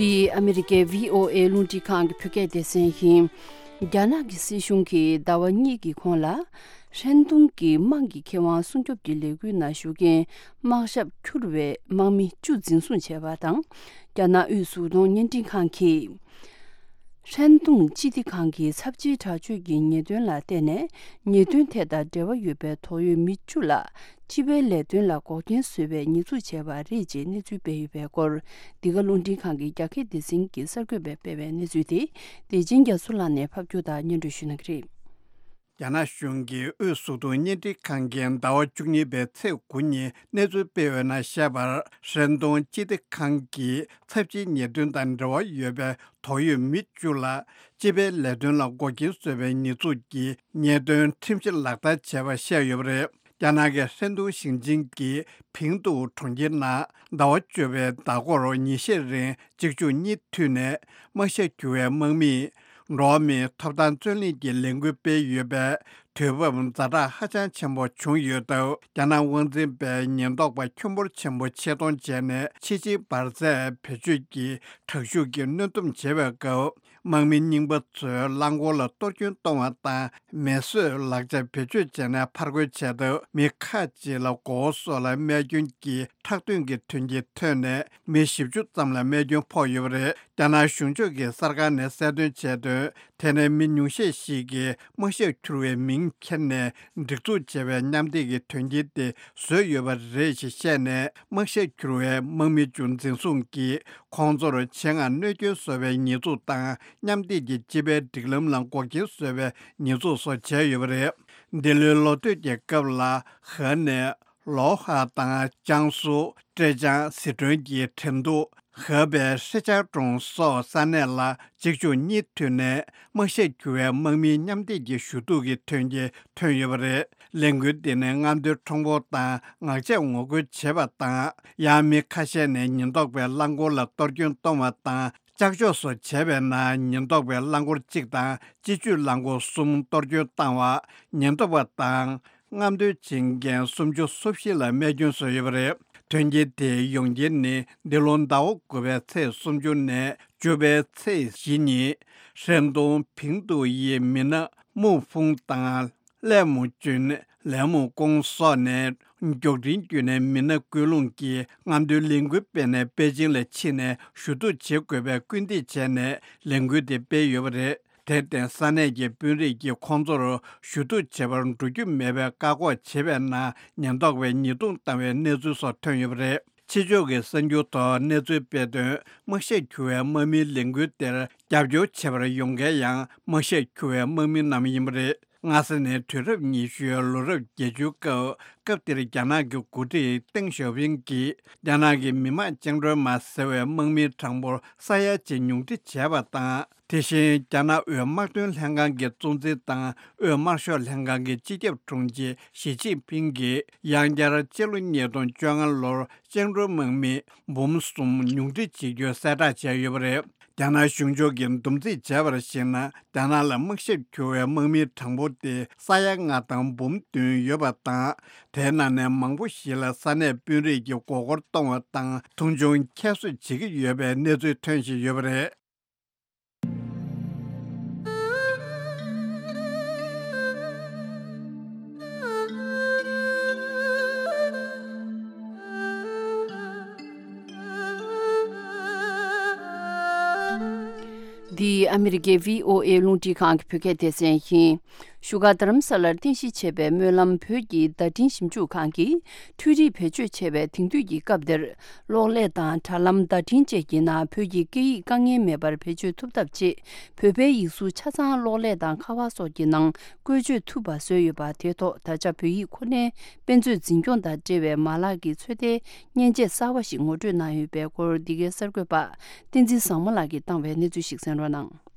འདི་ཨ་མི་རི་ཀའི་བྷི་ཨོ་ཨེ་རླུང་འཕྲིན་ཁང་གི་བོད་སྐད་སྡེ་ཚན་ཡིན། རྒྱ་ནག་གི་སྲིད་གཞུང་གིས་ཟླ་བ་གཉིས་ཀྱི་གོང་ལ། ཧྲན་ཏུང་གི་དམག་གི་ཁེ་དབང་སྲུང་སྐྱོབ་ཀྱི་ལས་འགུལ་ནང་ཞུགས་མཁན་དམག་ཞབས་འཁྱུར་བའི་དམག་མི་བཅུ་འཛིན་བཟུང་བྱས་པ་དང་། རྒྱ་ནག་དབུས་གཟུགས་མཐོང་བརྙན་འཕྲིན་ཁང་གིས། ཧྲན་ཏུང་སྤྱི་བདེ་ཁང་གི་ཚབས་ཆེའི་དྲག་སྤྱོད་ཀྱི་ཉེས་དོན་ལ་བརྟེན་ནས། ཉེས་དོན་དེ་དང་འབྲེལ་བ་ཡོད་པའི་དོགས་ཡོད་མི་བཅུ་ལ། སྤྱི་པའི་ལས་དོན་ལ་འགོག་རྐྱེན་བཟོས་པའི་ཉེས་འཛུགས་བྱས་པ་རེད་ཅེས་གནས་ཚུལ་སྤེལ་ཡོད་པའི་སྐོར། འདི་ག་རླུང་འཕྲིན་ཁང་གི་རྒྱ་སྐད་སྡེ་ཚན་གྱིས་གསར་འགོད་པས་སྤེལ་བའི་གནས་ཚུལ་དེ། བདེ་ཆེན་རྒྱ་མཚོ་ལགས་ནས་ཕབ་སྒྱུར་དང་སྙན་སྒྲོན་ཞུ་གནང་གི་རེད། རྒྱ་ནག་གཞུང་གིས་དབུས་གཟུགས་མཐོང་བརྙན་འཕྲིན་ཁང་གིས་ཟླ་བ་བཅུ་གཉིས་པའི་ཚེས་དགུ་ཉིན་གནས་ཚུལ་སྤེལ་བའི་ནང་བཤད་པར། ཧྲན་ཏུང་སྤྱི་བདེ་ཁང་གིས་ཚབས་ཆེའི་ཉེས་དོན་དང་འབྲེལ་བ་ཡོད་པའི་དོགས་ཡོད་མི་བཅུ་ལ། སྤྱི་པའི་ལས་དོན་ལ་འགོག་རྐྱེན་བཟོས་པའི་ཉེས་འཛུགས་ཀྱི་ཉེས་དོན་ཁྲིམས་གཞི་ལག་བསྟར་བྱས་པ་བཤད་ཡོད་པ་རེད། རྒྱ་ནག་གི་ཧྲན་ཏུང་ཞིང་ཆེན་གྱི་ཕིང་ཏུའུ་གྲོང་ཁྱེར་ནང་ཟླ་བ་བཅུ་པའི་ཟླ་འགོར་ཉིན་ཤས་རིང་གཅིག་མཇུག་གཉིས་མཐུད་ནས་དམག་ཞབས་འགྱུར་བའི་དམག་མིས་འགྲོ་བ་མིའི་ཐོབ་ཐང་རྩོད་ལེན་གྱི་ལས་འགུལ་སྤེལ་ཡོད་པས། དུས་བབ་ཛ་དྲག་ཧ་ཅང་ཆེན་པོ་བྱུང་ཡོད་སྟབས། རྒྱ་ནག་དབང་འཛིན་པས་ཉེན་རྟོག་པ་ཁྱོན་འབོར་ཆེན་པོ་ཆེད་གཏོང་བྱས་ནས་ཕྱི་ཕྱིའི་འབར་རྫས་བེད་སྤྱོད་ཀྱིས་དྲག་ཤུགས་ཀྱིས་གནོན་སྡོམ་བྱེད་པའི་སྐབས། དམག་མི་རྙིང་པ་ཚོས་རླངས་འཁོར་ལ་གཏོར་སྐྱོན་གཏོང་བ་དང་། མེ་གསོད་ལག་ཆ་བེད་སྤྱོད་བྱས་ནས་ཕར་རྒོལ་བྱས་སྟབས། མི་ཁག་ཅིག་ལ་མགོ་བོ་སོགས་ལ་རྨས་སྐྱོན་གྱི་ཁྲག་ཐོན་གྱི་ཐོན་སྐྱེད་ཐོན་ནས། མི་བཞི་བཅུ་ཙམ་ལ་རྨས་སྐྱོན་ཕོག་ཡོད་པ་རེད། རྒྱ་ནག་གཞུང་ཕྱོགས་ཀྱི་གསར་ཁང་ནས་གསལ་སྟོན་བྱས་དོན། དེ་ནས་མི་ཉུང་ཤས་ཤིག་གིས་དམག་ཞབས་འཁྱུར་བའི་མིང་འཁྱེར་ནས་སྒྲིག་འཛུགས་བྱས་པའི་མཉམ་སྡེབ་ཀྱི་དོན་རྐྱེན་དེ་བཟོས་ཡོད་པ་རེད་ཞེས་བཤད་ནས། དམག་ཞབས་འཁྱུར་བའི་དམག་མི་བཅུ་འཛིན་བཟུང་གིས་ཁོང་ཚོར་ཆེད་མངགས་གནོད་སྐྱོན་བཟོ་བའི་ཉེས་འཛུགས་དང་། མཉམ་སྡེབ་ཀྱི་སྤྱི་པའི་སྒྲིག་ལམ་ལ་འགོག་རྐྱེན་བཟོ་བའི་ཉེས་འཛུགས་སོགས་བྱས་ཡོད་པ་རེད། འདི་ལོའི་ལོ་སྟོད་ཀྱི་སྐབས་ལ་ཧེ་ནས། ལོ་ཧ་དང་ཅང་སུ། ཀྲེ་ཅང་། སི་ཁྲོན་གྱི་ཁྲེང་ཏུའུ། ཧེ་པའི་ཧྲེ་ཅང་ཀྲུང་སོགས་ས་གནས་ལ་གཅིག་མཇུག་གཉིས་མཐུད་ནས་དམག་ཞབས་འཁྱུར་བའི་དམག་མིའི་མཉམ་སྡེབ་ཀྱི་ཞུ་གཏུག་གི་ཐོན་སྐྱེད་ཐོན་ཡོད་པ་རེད། ལས་འགུལ་འདི་ནི་རྔམ་སྟོན་ཁྲོམ་སྐོར་དང་ངག་བཅད་ངོ་རྒོལ་བྱེད་པ་དང་། ཡང་མི་ཁ་ཤས་ནས་ཉེན་རྟོག་པའི་རླངས་འཁོར་ལ་གཏོར་སྐྱོན་གཏོང་བ་དང་། ལྕགས་འཇོག་སོགས་བྱས་པའི་ནང་ཉེན་རྟོག་པའི་རླངས་འཁོར་གཅིག་དང་སྤྱི་སྤྱོད་རླངས་འཁོར་གསུམ་གཏོར་སྐྱོན་བཏང་བ། ཉེན་རྟོག་པ་དང་། རྔམ་སྟོན་བྱེད་མཁན་སུམ་ཅུ་སོ་བཞི་ལ་རྨས་སྐྱོན་བཟོས་ཡོད་པ་རེད། དོན་རྐྱེན་དེ་ཡོང་རྐྱེན་ནི། འདི་ལོ་ཟླ་བ་དགུ་པའི་ཚེས་སུམ་ཅུ་ནས་བཅུ་པའི་ཚེས་བཞི་ཉིན། ཧྲན་ཏུང་ཕིང་ཏུའུ་ཡི་མི་སྣ་མུའུ་ཧྥུང་དང་། ལས་མུའུ་ཅུན། ལས་མུའུ་ཀུང་སོགས་ནས་མགྱོགས་འཕྲིན་བརྒྱུད་ནས་མི་སྣ་སྐུལ་སློང་གིས་རྔམ་སྟོན་ལས་འགུལ་སྤེལ་ནས། པེ་ཅིང་ལ་ཕྱིན་ནས་ཞུ་གཏུག་བྱེད་དགོས་པའི་སྐུལ་འདེད་བྱས་ནས་ལས་འགུལ་དེ་སྤེལ་ཡོད་པ་རེད། དེར་བརྟེན། ས་གནས་ཀྱི་དཔོན་རིགས་ཀྱིས་ཁོང་ཚོར་ཞུ་གཏུག་བྱེད་པར་འགྲོ་རྒྱུ་མེད་པའི་བཀག་འགོག་བྱས་པའི་ནང་ཉེན་རྟོག་པས་ཉེས་རྡུང་བཏང་བའི་གནས་ཚུལ་སོགས་ཐོན་ཡོད་པ་རེད། ཕྱི་ཕྱོགས་ཀྱི་གསར་འགྱུར་ཐོག་གནས་ཚུལ་སྤེལ་དོན། དམག་ཞབས་འཁྱུར་བའི་དམག་མིའི་ལས་འགུལ་དེར་རྒྱབ་སྐྱོར་བྱེད་པར་ཡོང་མཁན་ཡང་དམག་ཞབས་འཁྱུར་བའི་དམག་མི་རྣམས་ཡིན་པ་རེད། སྔ་ས་ནས་དུས་རབས་ཉི་ཤུའི་ལོ་རབས་བརྒྱད་ཅུའི་སྐབས། སྐབས་དེར་རྒྱ་ནག་གི་འགོ་ཁྲིད་ཏེང་ཞའོ་ཕིང་གིས་རྒྱ་ནག་གི་མི་དམངས་བཅིངས་འགྲོལ་དམག་ཟེར་བའི་དམག་མིའི་གྲངས་འབོར་ས་ཡ་གཅིག་ཉུང་འཕྲི་བྱས་པ་དང་། དེ་བཞིན་རྒྱ་ནག་དབུས་དམག་དོན་ལྷན་ཁང་གི་གཙོ་འཛིན་དང་། དབུས་དམར་ཤོག་ལྷན་ཁང་གི་སྤྱི་ཁྱབ་དྲུང་ཆེ་ཞི་ཅིན་ཕིང་གིས་ཡང་བསྐྱར་སྤྱི་ལོ་ཉིས་སྟོང་བཅོ་ལྔ་ལོར་བཅིངས་འགྲོལ་དམག་མི་འབུམ་གསུམ་ཉུང་འཕྲི་བྱེད་རྒྱུ་གསལ་བསྒྲགས་བྱས་ཡོད་པ་རེད། རྒྱ་ནག་གཞུང་ཕྱོགས་ཀྱིས་འདུམ་འཛིན་བྱས་པར་གཞིགས་ན། རྒྱ་ནག་ལ་དམག་ཞབས་འཁྱུར་བའི་དམག་མིའི་གྲངས་འབོར་དེ་ས་ཡ་ལྔ་དང་འབུམ་བདུན་ཡོད་པ་དང་། དེའི་ནང་ནས་མང་པོ་ཞིག་ལ་ས་གནས་དཔོན་རིགས་ཀྱིས་མགོ་སྐོར་གཏོང་བ་དང་། མཐོང་ཆུང་ཁྱད་གསོད་བྱེད་ཀྱི་ཡོད་པའི་གནས་ཚུལ་ཐོན་བཞིན་ཡོད་པ་རེད། འདི་ཨ་མི་རི་ཀའི་བྷི་ཨོ་ཨེ་རླུང་འཕྲིན་ཁང་གི་བོད་སྐད་སྡེ་ཚན་ཡིན། བཞུགས་སྒར་རྡ་རམ་ས་ལར་རྟེན་གཞི་བྱས་པའི་སྨོན་ལམ་བོད་ཀྱི་བརྡ་འཕྲིན་ཞིབ་འཇུག་ཁང་གིས་འཕྲུལ་རིག་བེད་སྤྱོད་བྱས་པའི་དེང་དུས་ཀྱི་སྐབས་འདིར། གློག་ཀླད་དང་དྲ་ལམ་བརྡ་འཕྲིན་བཅས་ཀྱི་ནང་བོད་ཀྱི་སྐད་ཡིག་དཀའ་ངལ་མེད་པར་བེད་སྤྱོད་ཐུབ་ཐབས་ཆེད། བོད་པའི་ཡིག་གཟུགས་ཆ་ཚང་གློག་ཀླད་དང་ཁ་པར་སོགས་ཀྱི་ནང་བཀོལ་སྤྱོད་ཐུབ་པ་བཟོས་ཡོད་པ། དེའི་ཐོག་ད་ཆ་བོད་ཡིག་ཁོ་ནའི་དཔེ་མཛོད་འཛིན་སྐྱོང་དང་འབྲེལ་བའི་མ་ལག་གི་ཚོད་ལྟའི་མཉེན་ཆས་གསར་བ་ཞིག་ངོ་སྤྲོད་གནང་ཡོད་པའི་སྐོར། འདི་གའི་གསར་འགོད་པ་བསྟན་འཛིན་བཟང་མོ་ལགས་ཀྱིས་བཏང་བའི་གནས་ཚུལ་ཞིག་གསན་རོགས་གནང་།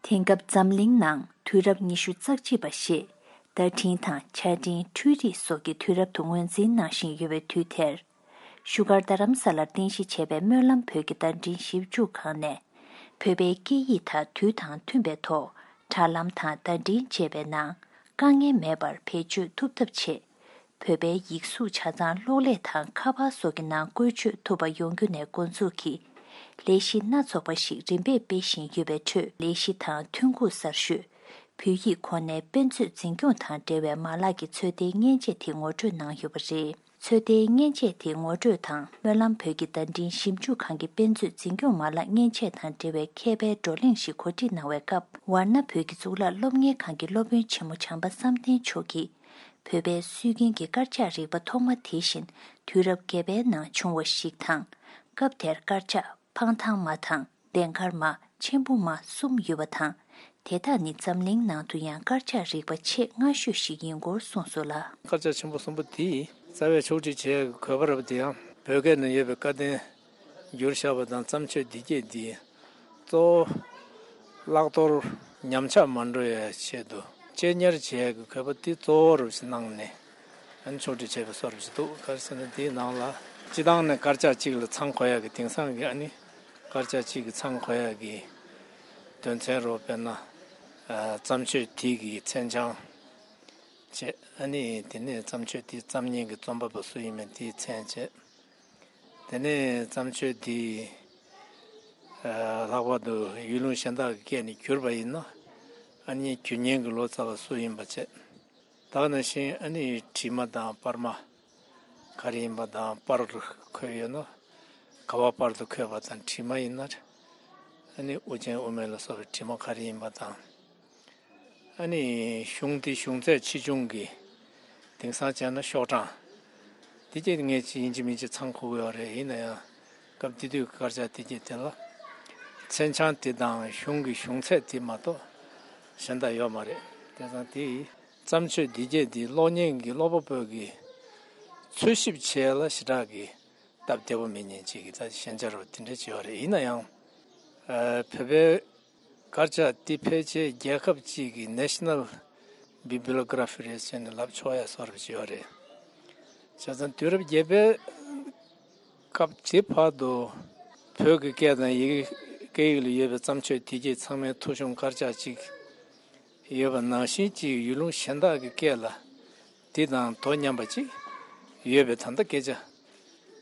དེང་སྐབས་འཛམ་གླིང་ནང་དུས་རབས་ཉི་ཤུ་རྩ་གཅིག་པ་ཞེས་བརྡ་འཕྲིན་དང་ཆ་འཕྲིན། འཕྲུལ་རིག་སོགས་ཀྱི་དུས་རབས་སུ་ངོས་འཛིན་གནང་བཞིན་ཡོད་པའི་དུས་དེར། བཞུགས་སྒར་རྡ་རམ་ས་ལར་རྟེན་གཞི་བྱས་པའི་སྨོན་ལམ་བོད་ཀྱི་བརྡ་འཕྲིན་ཞིབ་འཇུག་ཁང་ནས། བོད་པའི་སྐད་ཡིག་དང་དུས་དང་མཐུན་པའི་ཐོག་དྲ་ལམ་དང་བརྡ་འཕྲིན་བཅས་པའི་ནང་དཀའ་ངལ་མེད་པར་བེད་སྤྱོད་ཐུབ་ཐབས་ཆེད། བོད་པའི་ཡིག་གཟུགས་ཆ་ཚང་གློག་ཀླད་དང་ཁ་པར་སོགས་ཀྱི་ནང་བཀོལ་སྤྱོད་ཐུབ་པ་ཡོང་རྒྱུ་ནས་འགོ་འཛུགས་ཀྱིས། ལས་གཞི་སྣ་ཚོགས་པ་ཞིག་རིམ་པས་སྤེལ་བཞིན་ཡོད་པའི་ཁྲོད། ལས་གཞི་དང་ཐོན་ཁུངས་གསར་ཤོས། བོད་ཡིག་ཁོ་ནའི་དཔེ་མཛོད་འཛིན་སྐྱོང་དང་འབྲེལ་བའི་མ་ལག་གི་ཚོད་ལྟའི་མཉེན་ཆས་དེ་ངོ་སྤྲོད་གནང་ཡོད་པ་རེད། ཚོད་ལྟའི་མཉེན་ཆས་དེ་ངོ་སྤྲོད་དང་སྨོན་ལམ་བོད་ཀྱི་བརྡ་འཕྲིན་ཞིབ་འཇུག་ཁང་གི་དཔེ་མཛོད་འཛིན་སྐྱོང་མ་ལག་མཉེན་ཆས་དང་འབྲེལ་བའི་མཁས་པའི་བགྲོ་གླེང་ཞིག་གོ་སྒྲིག་གནང་བའི་སྐབས། ཝཱ་ཎ་བོད་ཀྱི་གཙུག་ལག་སློབ་གཉེར་ཁང་གི་སློབ་དཔོན་ཆེན་མོ་བྱམས་པ་བསམ་གཏན་མཆོག་གིས། བོད་པའི་སྲོལ་རྒྱུན་གྱི་དཀར་ཆག་རིག་པ་ཐོག་མ་དེ་བཞིན་དུས་རབས་བརྒྱད་པའི་ནང་བྱུང་བ་ཞིག་དང་། སྐབས་དེར་དཀར་ཆག་འཕང་ཐང་མ་དང་ལྡན་དཀར་མ། མཆན་བུ་མ་གསུམ་ཡོད་པ་དང་། དེ་དག་ནི་འཛམ་གླིང་ནང་དུ་ཡང་དཀར་ཆག་རིག་པ་ཆེས་སྔ་ཤོས་ཤིག་ཡིན་སྐོར་གསུངས་སོང་ལ། དཀར་ཆག་ཆེན་པོ་གསུམ་པོ་དེ་རྩ་བའི་ཕྱོགས་སྒྲིག་བྱེད་ཡག་གི་གོ་བ་རབ་དེ་ཡང་བོད་སྐད་ནང་ཡོད་པའི་བཀའ་བསྟན་བསྒྱུར་བཞག་པ་དང་། བརྩམས་ཆོས་འདི་སྐད་འདི་གཙོ་བོ་བརླག་གཏོར་ཉམས་ཆག་མ་འགྲོ་ཡའི་ཆེད་དུ་གཅེས་ཉར་བྱེད་ཡག་གི་གོ་བ་འདི་གཙོ་བོ་རུ་གནང་ནས། ཨ་ནི་ཕྱོགས་སྒྲིག་བྱས་པའི་བཟོ་འདྲ་ཞིག་འདུག་ག་རེ་ཟེར་ན་དེའི་ནང་ལ་སྤྱི་བཏང་ནས་དཀར་ཆག་གཅིག་ལ་ཚང་དགོས་ཡག་གི་དེང་སང་གི་ཨ་ནི་དཀར་ཆག་གཅིག་གི་ཚང་དགོས་ཡག་གི་དོན་ཚན་རོ་དཔེར་ན་ཨ་བརྩམས་ཆོས་དེ་གི་མཚན་བྱང་བྱས། ཨ་ནི་དེ་ནས་བརྩམས་ཆོས་དེ་བརྩམས་མཁན་གྱི་རྩོམ་པ་པོ་སུ་ཡིན་མིན་དེའི་མཚན་བྱས། དེ་ནས་བརྩམས་ཆོས་དེ་ཨ་ལྷག་པར་དུ་ཡུལ་ལུང་གཞན་དག་གི་སྐད་ནས་བསྒྱུར་བ་ཡིན་ན་ཨ་ནི་བསྒྱུར་མཁན་གྱི་ལོ་ཙཱ་བ་སུ་ཡིན་པ་བྱས། ད་ག་ནང་བཞིན་ཨ་ནི་བྲིས་མ་དང་པར་མ་ག་རེ་ཡིན་པ་དང་། པར་འཁོད་ཡོད་ན་ག་པར་པར་དུ་འཁོད་པ་དང་། བྲིས་མ་ཡིན་ན་ཨ་ནི་དབུ་ཅན་དབུ་མེད་ལ་སོགས་པའི་བྲིས་མ་ག་རེ་ཡིན་པ་དང་། ཨ་ནི་གཞུང་དེ་གཞུང་ཚད་ཆེ་ཆུང་གི་དེང་སང་བྱས་ན་ཤོག་གྲངས་དེ་གྱད་ངས་ཅི་ཡིན་གཅིག་མིན་གཅིག་ཚང་དགོས་ཀྱི་ཡོད་རེད། ཡིན་ན་ཡང་སྐབས་དེ་དུས་ཀྱི་དཀར་ཆག་དེ་གྱད་དེ་ལ་མཚན་བྱང་དེ་དང་གཞུང་གི་གཞུང་ཚད་དེ་མ་གཏོགས་གཞན་དག་ཡོད་མ་རེད། དེང་སང་དེ་བརྩམས་ཆོས་འདི་གྱད་འདི་ཀློག་མཁན་གྱི་ཀློག་པ་པོ་གི་འཚོལ་ཞིབ་བྱེད་ཡ་ལ་ཞེ་དྲག་གི་སྟབས་བདེ་པོ་མེད་མཁན་ཅིག་གི་ད་ཞན་ཆ་རུ་དེ་འདྲ་ཅིག་ཡོད་རེད། ཡིན་ན་ཡང་ཨ་བོད་པའི་དཀར་ཆག་འདི་ཕལ་ཆེར་རྒྱལ་ཁབ་ཅིག་གི་National Bibliography རེད་ཟེར་ནས་ལབ་ཆོག་ཡ་བཟོ་འདྲ་ཅིག་ཡོད་རེད། བྱས་ཙང་དུས་རབས་བརྒྱད་པའི་སྐབས་དེ་བར་དུ་བོད་ཀྱི་སྐད་དང་ཡི་གེ་སྐད་ཡིག་ལ་ཡོད་པའི་བརྩམས་ཆོས་དེ་གྱད་ཚང་མའི་ཐོ་གཞུང་དཀར་ཆག་ཅིག་ཡོད་པ་ནང་བཞིན་གཅིག་ཡུལ་ལུང་གཞན་དག་གི་སྐད་ལ་དེ་དང་དོ་མཉམ་པ་ཅིག་ཡོད་པའི་ད་ལྟ་སྐད་ཆ་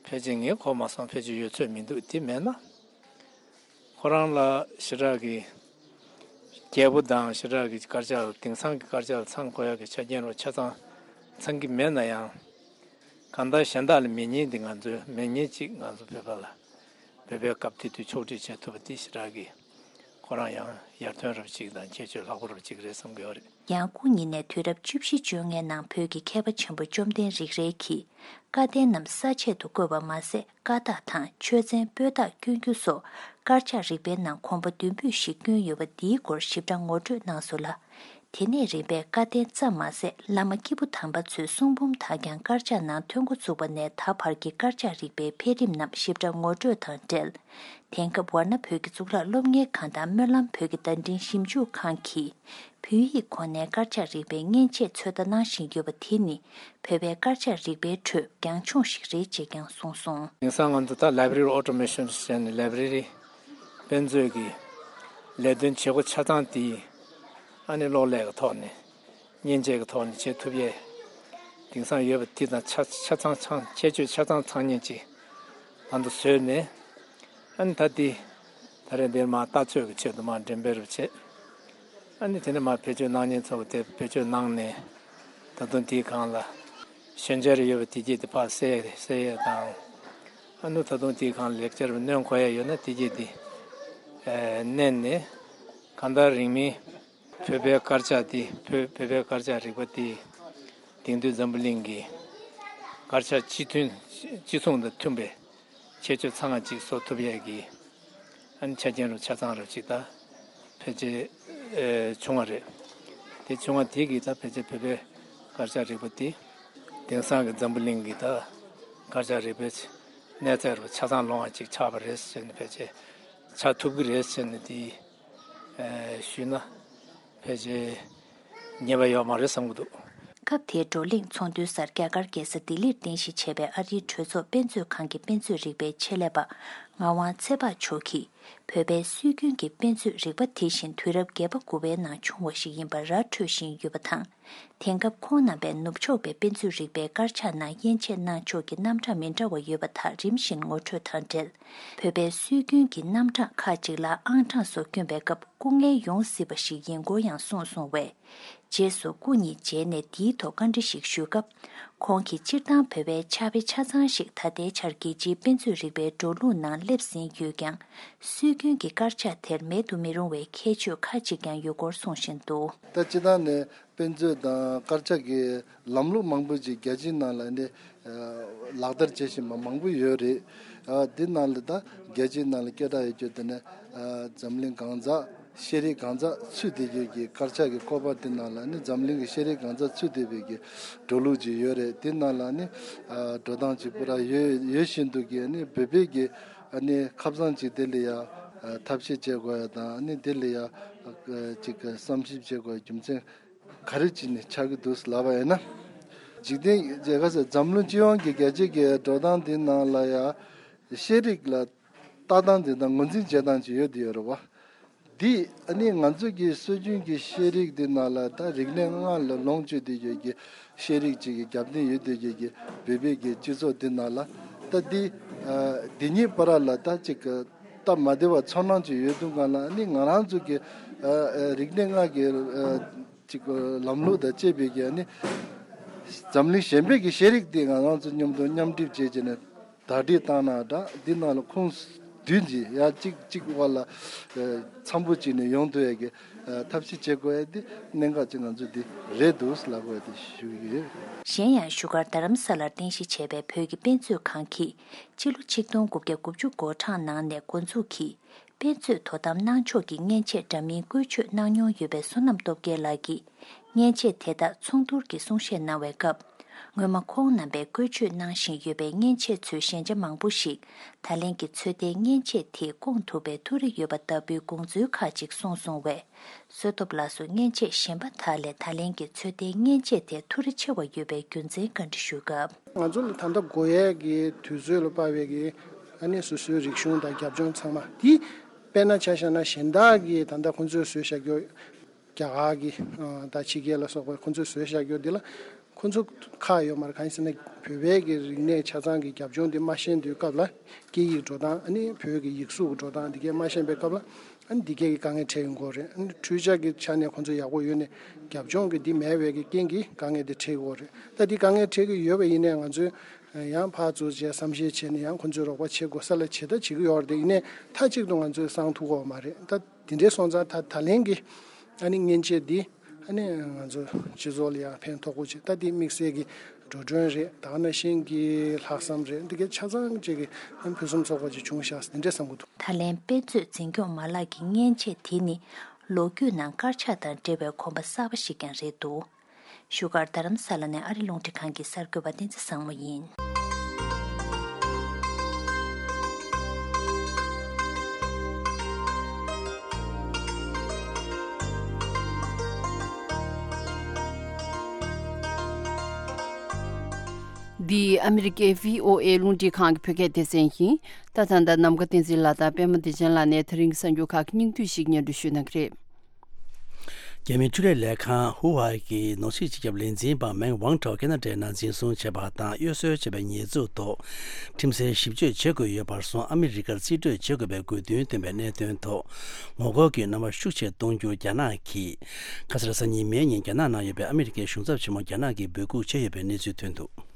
ཕལ་ཆེར་ངས་གོ་མ་སོང་། ཕལ་ཆེར་ཡོད་ཚོད་མི་འདུག་དེ་མེད་ན་ཁོ་རང་ལ་ཞེ་དྲག་གི་རྒྱས་པོ་དང་ཞེ་དྲག་གི་དཀར་ཆག་དེང་སང་གི་དཀར་ཆག་ལ་ཚང་དགོས་ཡག་གི་ཆ་རྐྱེན་རོ་ཆ་ཚང་ཚང་གི་མེད་ན་ཡང་། གང་ལྟར་གཞན་དག་ལ་མེད་མཁན་འདི་ང་ཚོའི་མེད་མཁན་གཅིག་ང་ཚོ་བོད་པ་ལ་བོད་པའི་སྐབས་དེ་དུས་ཕྱོགས་སྒྲིག་བྱེད་ཐུབ་པ་དེ་ཞེ་དྲག་གི་ཁོ་རང་ཡང་ཡར་ཐོན་རབ་ཅིག་དང་ཁྱད་ཆོས་ལྷག་པོ་རབ་ཅིག་རེད་བསམ་གྱི་ཡོད་རེད། ཡང་སྐུ་ཉིད་ནས་དུས་རབས་བཅུ་བཞི་བཅོ་ལྔའི་ནང་བོད་ཀྱི་མཁས་པ་ཆེན་པོ་བཅོམ་ལྡན་རིག་རལ་གྱིས་བཀའ་བསྟན་རྣམས་ས་བཅད་དུ་བཀོད་པ་མ་ཟད། བཀའ་རྟགས་དང་ཆོས་ཚན་པོད་རྟགས་བསྐྱོན་རྒྱུ་སོགས་དཀར་ཆག་རིག་པའི་ནང་གོམ་པ་མདུན་སྤོས་ཤིག་བསྐྱོན་ཡོད་པ་འདིའི་སྐོར་ཞིབ་ཕྲ་ངོ་སྤྲོད་གནང་སོང་ལ། དེ་ནས་རིམ་པས་བཀའ་བསྟན་ཙམ་མ་ཟད། བླ་མ་སྐྱེས་བུ་དམ་པ་ཚོའི་གསུང་འབུམ་དག་ཀྱང་དཀར་ཆག་ནང་ཐོན་འགོ་ཚུགས་པ་ནས་ད་བར་གྱི་དཀར་ཆག་རིག་པའི་འཕེལ་རིམ་རྣམས་ཞིབ་ཕྲ་ངོ་སྤྲོད་དང་འབྲེལ། དེང་སྐབས་ཝཱ་ཎ་བོད་ཀྱི་གཙུག་ལག་སློབ་གཉེར་ཁང་དང་སྨོན་ལམ་བོད་ཀྱི་བརྡ་འཕྲིན་ཞིབ་འཇུག་ཁང་གིས། བོད་ཡིག་ཁོ་ནའི་དཀར་ཆག་རིག་པའི་མཉེན་ཆས་ཚོད་ལྟ་གནང་བཞིན་ཡོད་པ་དེ་ནི། བོད་པའི་དཀར་ཆག་རིག་པའི་ཁྲོད་རྒྱང་མཚུངས་ཤིག་རེད་ཅེས་ཀྱང་གསུངས་སོང་། དེང་སང་ང་ཚོ་ད་Library Automation ཟེར་ནས་ལའི་བྷ་རེ་རི་དཔེ་མཛོད་ཀྱི་ལས་དོན་བྱེད་སྒོ་ཆ་ཚང་དེ་ཨ་ནི་གློག་ཀླད་ཀྱི་ཐོག་ནས་མཉེན་ཆས་ཀྱི་ཐོག་ནས་བྱེད་ཐུབ་ཡས། དེང་སང་ཡོད་པ་དེ་དང་ཆ་ཆ་ཚང་ཚང་ཁྱད་ཆོས་ཆ་ཚང་ཚང་མཁན་ཅིག་ང་ཚོ་བཟོས་ནས། ཨ་ནི་ད་ལྟའི་ད་རེས་འདིར་མར་ལྟ་ཚོད་ཀྱི་ཆེད་དུ་མར་འགྲེམས་སྤེལ་རུ་བྱེད། ཨ་ནི་དེ་ནས་མར་བེད་སྤྱོད་གནང་མཁན་ཚོ་གིས་དེ་བེད་སྤྱོད་གནང་ནས། ད་དུང་དེའི་སྒང་ལ་ཤན་སྦྱར་ཡོད་པ་དེ་གྱད་དེ་ཕར་བསལ་བསལ་ཡས་དང་། ཨ་ནི་ད་དུང་དེའི་སྒང་ལ་ལེགས་སྦྱར་བའི་སྣོན་དགོས་ཡས་ཡོད་ན་དེ་གྱད་དེ་ཨེ་བསྣན་ནས། གང་ལྟར་རིང་མིན་བོད་པའི་དཀར་ཆག་དེ་བོད་བོད་པའི་དཀར་ཆག་རིག་པ་དེ་དེང་དུས་འཛམ་བུ་གླིང་གི་དཀར་ཆག་སྤྱི་མཐུན་སྤྱི་མཚུངས་དང་མཐུན་པའི་ཁྱད་ཆོས་ཚང་བ་ཅིག་བཟོ་ཐུབ་ཡས་ཀྱི་ཨ་ནི་ཆ་རྐྱེན་རུ་ཆ་ཚང་རུ་ཅིག་ད་ཕལ་ཆེར་ཨེ་བྱུང་བ་རེད། དེ་བྱུང་བ་དེ་གིས་ད་ཕལ་ཆེར་བོད་པའི་དཀར་ཆག་རིག་པ་དེ་དེང་སང་གི་འཛམ་བུ་གླིང་གི་ད་དཀར་ཆག་རིག་པའི་གནས་ཚད་རུ་ཆ་ཚང་ལོངས་པ་ཅིག་ཆགས་པ་རེད་ཟེར་ནས། ཕལ་ཆེར་ཆགས་ཐུབ་ཀྱི་རེད་ཟེར་ནས་དེ་ཨེ་ཞུས་ན་ཕལ་ཆེར་ཉེས་པ་ཡོད་མ་རེད་བསམ་གྱི་འདུག་སྐབས་དེའི་བགྲོ་གླེང་ཚོགས་འདུའི་སར་རྒྱ་གར་རྒྱལ་ས་ལྡི་ལིར་རྟེན་གཞི་བྱས་པའི་ཨ་རིའི་གྲོས་ཚོགས་དཔེ་མཛོད་ཁང་གི་དཔེ་མཛོད་རིག་པའི་ཆེད་ལས་པ་ངག་དབང་ཚེ་དཔག་མཆོག་གིས། བོད་པའི་སྲོལ་རྒྱུན་གྱི་དཔེ་མཛོད་རིག་པ་དེ་བཞིན་དུས་རབས་བརྒྱད་པ་དགུ་པའི་ནང་བྱུང་བ་ཞིག་ཡིན་པ་ར་འཕྲོད་བཞིན་ཡོད་པ་དང་། དེང་སྐབས་ཁོང་རྣམ་པས་ནུབ་ཕྱོགས་པའི་དཔེ་མཛོད་རིག་པའི་དཀར་ཆག་ནང་དབྱེ་འབྱེད་གནང་ཕྱོགས་ཀྱི་རྣམ་གྲངས་མི་འདྲ་བ་ཡོད་པ་དག་རིམ་བཞིན་ངོ་སྤྲོད་དང་འབྲེལ། བོད་པའི་སྲོལ་རྒྱུན་གྱི་རྣམ་གྲངས་ཁག་ཅིག་ལ་ཨང་གྲངས་སོགས་བསྐྱོན་པའི་སྐབས་སྐུ་ངལ་ཡོང་སྲིད་པ་ཞིག་ཡིན་སྐོར་ཡང་གསུངས་སོང་བས། རྗེས་སུ་སྐུ་ཉིད་མཇལ་ནས་འདིའི་ཐོག་བཀའ་འདྲི་ཞིག་ཞུས་སྐབས། ཁོང་གིས་སྤྱིར་བཏང་བོད་པའི་ཕྱག་དཔེ་ཆ་ཚང་ཞིག་ད་ལྟའི་ཆར་རྒྱལ་སྤྱིའི་དཔེ་མཛོད་རིག་པའི་འགྲོ་ལུགས་ནང་སླེབས་ཟིན་ཡོད་ཀྱང་། སྲོལ་རྒྱུན་གྱི་དཀར་ཆག་དེར་མེད་དུ་མི་རུང་བའི་ཁྱད་ཆོས་ཁག་ཅིག་ཀྱང་ཡོད་སྐོར་གསུངས་བཞིན་འདུག་ད་སྤྱིར་བཏང་ནས་དཔེ་མཛོད་དང་དཀར་ཆག་གི་ལམ་ལུགས་མང་པོ་ཅིག་རྒྱལ་སྤྱིའི་ནང་ལ་ནི་ལག་བསྟར་བྱེད་བཞིན་པ་མང་པོ་ཡོད་རེད། འདི་ནང་ལ་ད་རྒྱལ་སྤྱིའི་ནང་ལ་སྐད་གྲགས་ཡོད་རྒྱུ་དེ་ནི་འཛམ་གླིང་གང་ཟག་ཤེས་རིག་གང་ཟག་ཚུད་བསྡད་རྒྱུ་གི་དཀར་ཆག་གི་བཀོད་པ་དེ་ནང་ལ་ནི་འཛམ་གླིང་གི་ཤེས་རིག་གང་ཟག་ཚུད་བསྡད་པའི་གི་འགྲོ་ལུགས་ཅིག་ཡོད་རེད། དེ་ནང་ལ་ནི་འགྲོ་སྟངས་ཅིག་པུ་ར་ཡོད་ཡོད་བཞིན་དུ་གི་ནི་བོད་པའི་གི་ནི་ཁ་སང་ཅིག་དེ་ལ་ཡ་ཐབས་ཤེས་བྱེད་དགོས་ཡ་དང་ནི་དེ་ལ་ཡ་ཅིག་བསམ་ཞིབ་བྱེད་དགོས་རྒྱུ་མཚན་ག་རེ་ཅིག་ནི་ཆགས་ཀྱི་འདུག་ལབ་པ་ཡིན་ན། འཇིག་རྟེན་རྒྱལ་ཁབ་ཟེར་འཛམ་གླིང་སྤྱི་ཡོངས་ཀྱི་རྒྱལ་སྤྱིའི་གི་འགྲོ་སྟངས་འདི་ནང་ལ་ཡང་ཤེས་རིག་ལ་ལྟ་སྟངས་འདི་དང་ངོས་འཛིན་བྱེད་སྟངས་ཅིག་ཡོད་དེ་ཡོད་རེད་བ། འདི་ཨ་ནི་ང་ཚོ་གི་སྲོལ་རྒྱུན་གྱི་ཤེས་རིག་འདི་ནང་ལ་ད་རིག་གནས་ལྔ་ལ་ལོངས་སྤྱོད་དེ་ཡོད་ཀྱི་ཤེས་རིག་ཅིག་གི་རྒྱབ་རྟེན་ཡོད་དེ་ཡོད་ཀྱི་བོད་པའི་གི་སྤྱི་ཚོགས་འདི་ནང་ལ་ད་འདི་འདི་གཉིས་བར་ལ་ད་ཅིག་སྟབས་མ་བདེ་བ་ཚོར་སྣང་ཅིག་ཡོད་དུས་སྒང་ལ་ཨ་ནི་ང་རང་ཚོ་གི་རིག་གནས་ལྔ་གི་ཅིག་ལམ་ལུགས་དང་བཅས་པའི་གི་ཨ་ནི་འཛམ་གླིང་གཞན་པའི་གི་ཤེས་རིག་དེ་ང་རང་ཚོ་མཉམ་དུ་མཉམ་སྒྲིག་བྱས་བྱས་ནས་དར་སྒྲིག་བཏང་ན་འདྲ། འདི་ནང་ལ་ཁོངས་བསྡུས་ཀྱི་ཡ་གཅིག་གཅིག་བར་ལ་འཚམ་པོ་བྱས་ནས་ཡོང་ཐུབ་ཡ་གི་ཐབས་ཤེས་བྱེད་དགོས་ཡ་དེ་གནད་འགག་ཅིག་ང་ཚོ་འདི་རེད་འདུག་ལབ་དགོས་ཡ་དེ་ཞུ་གི་ཡོད། གཞན་ཡང་བཞུགས་སྒར་རྡ་རམ་ས་ལར་རྟེན་གཞི་བྱས་པའི་བོད་ཀྱི་དཔེ་མཛོད་ཁང་གིས་ཕྱི་ལོ་ཆིག་སྟོང་དགུ་བརྒྱ་དགུ་བཅུ་གོ་གྲངས་ནང་ནས་འགོ་འཛུགས་ཀྱིས། དཔེ་མཛོད་དོ་དམ་གནང་ཕྱོགས་ཀྱི་མཉེན་ཆས་འདྲ་མིན་བཀོལ་སྤྱོད་གནང་མྱོང་ཡོད་པའི་བསོད་ནམས་སྟོབས་རྒྱལ་ལགས་ཀྱིས་མཉེན་ཆས་དེ་དག་ཚོགས་འདུར་གྱི་གསུང་བཤད་གནང་བའི་སྐབས། སྔོན་མ་ཁོང་རྣམ་པས་བཀོལ་སྤྱོད་གནང་བཞིན་ཡོད་པའི་མཉེན་ཆས་ཚོའི་ཞན་ཆ་མང་པོ་ཞིག་ད་ལན་གྱི་ཚོད་ལྟའི་མཉེན་ཆས་དེས་སྐོང་ཐུབ་པའི་ཐུགས་རེ་ཡོད་པ་ལྟ་བུའི་དགོངས་ཚུལ་ཁག་ཅིག་གསུངས་སོང་བས། བསོད་སྟོབས་ལགས་སུ་མཉེན་ཆས་གཞན་པ་དག་ལས་ད་ལན་གྱི་ཚོད་ལྟའི་མཉེན་ཆས་དེ་ཐུགས་རེ་ཆེ་བ་ཡོད་པའི་རྒྱུ་མཚན་བཀའ་འདྲི་ཞུས་སྐབས། ང་ཚོ་ལ་ད་ལྟ་དགོས་ཡས་ཀྱི་དུས་ཚོད་ལ་དཔག་པའི་གི་ཨ་ནི་སོ་སོའི་རིག་གཞུང་དང་རྒྱབ་ལྗོངས་ཚང་མ་དེ་དཔེར་ན་ཆ་བཞག་ན་གཞན་དག་གིས་ད་ལྟ་ཁོང་ཚོས་བཟོས་བཞག་རྒྱུ་རྒྱ་གར་གྱི་ད་ཕྱི་རྒྱལ་ལ་སོགས་པ་ཁོང་ཚོས་བཟོས་བཞག་རྒྱུ་འདི་ལ་ཁོང་ཚོ་ཁག་ཡོད་མ་རེད། གང་ཡིན་ཟེར་ན་བོད་པའི་གི་རིག་གནས་ཆ་ཚང་གི་རྒྱབ་ལྗོངས་འདི་མ་ཤེས་དུས་སྐབས་ལ་སྐད་ཡིག་འགྲོ་སྟངས་ཨ་ནི་བོད་ཀྱི་ཡིག་གཟུགས་ཀྱི་འགྲོ་སྟངས་འདི་གས་མ་ཤེས་པའི་སྐབས་ལ། ཨ་ནི་འདི་གས་ཀྱི་དཀའ་ངལ་འཕྲད་ཡོང་གི་རེད། ཨ་ནི་འཕྲུལ་ཆས་ཀྱི་ཆ་ནས་ཁོང་ཚོ་ཡག་པོ་ཡོད་ནས་རྒྱབ་ལྗོངས་ཀྱི་འདི་མེད་པའི་གི་རྐྱེན་གྱིས་དཀའ་ངལ་འདི་འཕྲད་ཀྱི་ཡོད་རེད། ད་འདི་དཀའ་ངལ་འཕྲད་ཀྱི་ཡོད་པ་ཡིན་ནའི་ང་ཚོས་ཡང་ཕར་ཚུར་བྱས་བསམ་ཤེས་བྱས་ནས་ཡང་ཁོང་ཚོའི་རོགས་པ་བྱེད་དགོས་ས་ལ་བྱེད་ད་བྱེད་ཀྱི་ཡོད་རེད། དེ་ཡིན་ནའི་མཐའ་གཅིག་ཏུ་ང་ཚོས་སང་ཐུབ་ཀྱི་ཡོད་མ་རེད། ད་འདི་འདྲའི་སོང་ཙང་ད་ད་ལན་གྱི་ཨ་ནི་མཉེན་ཆས་འདི་ཨ་ནི་ང་ཚོ་སྤྱི་ཚོགས་ལ་ཡང་ཕན་ཐོགས་པོ་ཆེ། ད་འདི་དམིགས་བསལ་གྱི་འགྲོ་གྲོན་རེད། ད་ག་ནང་བཞིན་གྱི་ལྷག་བསམ་རེད། འདི་གའི་ཆ་ཚང་ཅིག་གི་ཕུན་སུམ་ཚོགས་པ་ཅིག་བྱུང་ཤག་འདི་འདྲ་བསམ་གྱི་འདུག་ད་ལན་དཔེ་མཛོད་འཛིན་སྐྱོང་མ་ལག་གི་མཉེན་ཆས་དེ་ནི་ལོ་རྒྱུས་ནང་དཀར་ཆག་དང་འབྲེལ་བའི་གོམ་པ་གསར་པ་ཞིག་ཀྱང་རེད་འདུག་བཞུགས་སྒར་རྡ་རམ་ས་ལ་ནས་ཨ་རི་རླུང་འཕྲིན་ཁང་གི་གསར་འགོད་པ་བསྟན་འཛིན་བཟང་མོ་ཡིན། འདི་ཨ་མི་རི་ཀའི་བྷི་ཨོ་ཨེ་རླུང་འཕྲིན་ཁང་གི་བོད་སྐད་སྡེ་ཚན་ཡིན། ད་ཐེངས་ད་ནམ་མཁའ་བསྟན་འཛིན་ལགས་དང་པད་མ་བདེ་ཆེན་ལགས་ནས་དེ་རིང་གི་གསར་འགྱུར་ཁག་གི་སྙིང་བསྡུས་ཤིག་སྙན་སྒྲོན་ཞུ་གནང་གི་རེད། རྒྱ་མིའི་འཕྲུལ་ལས་ལས་ཁང་ཧུ་ཝའེ་གི་ནོར་སྲིད་སྤྱི་ཁྱབ་ལས་འཛིན་པ་མེང་ཝང་ཁྲའོ་ཁེ་ན་ཌའི་ནང་འཛིན་བཟུང་བྱས་པ་དང་གཡོ་ཟོལ་བྱས་པའི་ཉེས་འཛུགས་ཐོག་ཁྲིམས་སའི་ཞིབ་དཔྱོད་བྱེད་དགོས་ཡོད་པར་སོང་ཨ་མི་རི་ཀར་རྩིས་སྤྲོད་བྱེད་དགོས་པའི་དགོས་འདུན་བཏོན་པའི་གནད་དོན་ཐོག་ངོ་རྒོལ་གྱི་རྣམ་པ་ཤུགས་ཆེ་གཏོང་རྒྱུར་རྒྱ་ནག་གིས་ཁ་སང་གཟའ་ཉི་མའི་ཉིན་རྒྱ་ནག་ནང་ཡོད་པའི་ཨ་མི་རི་ཀའི་གཞུང་ཚབ་ཆེན་མོ་རྒྱ་ནག་གིས་འབོད་འགུག་བྱས་ཡོད་པའི་གནས་ཚུལ་ཐོན་འདུག་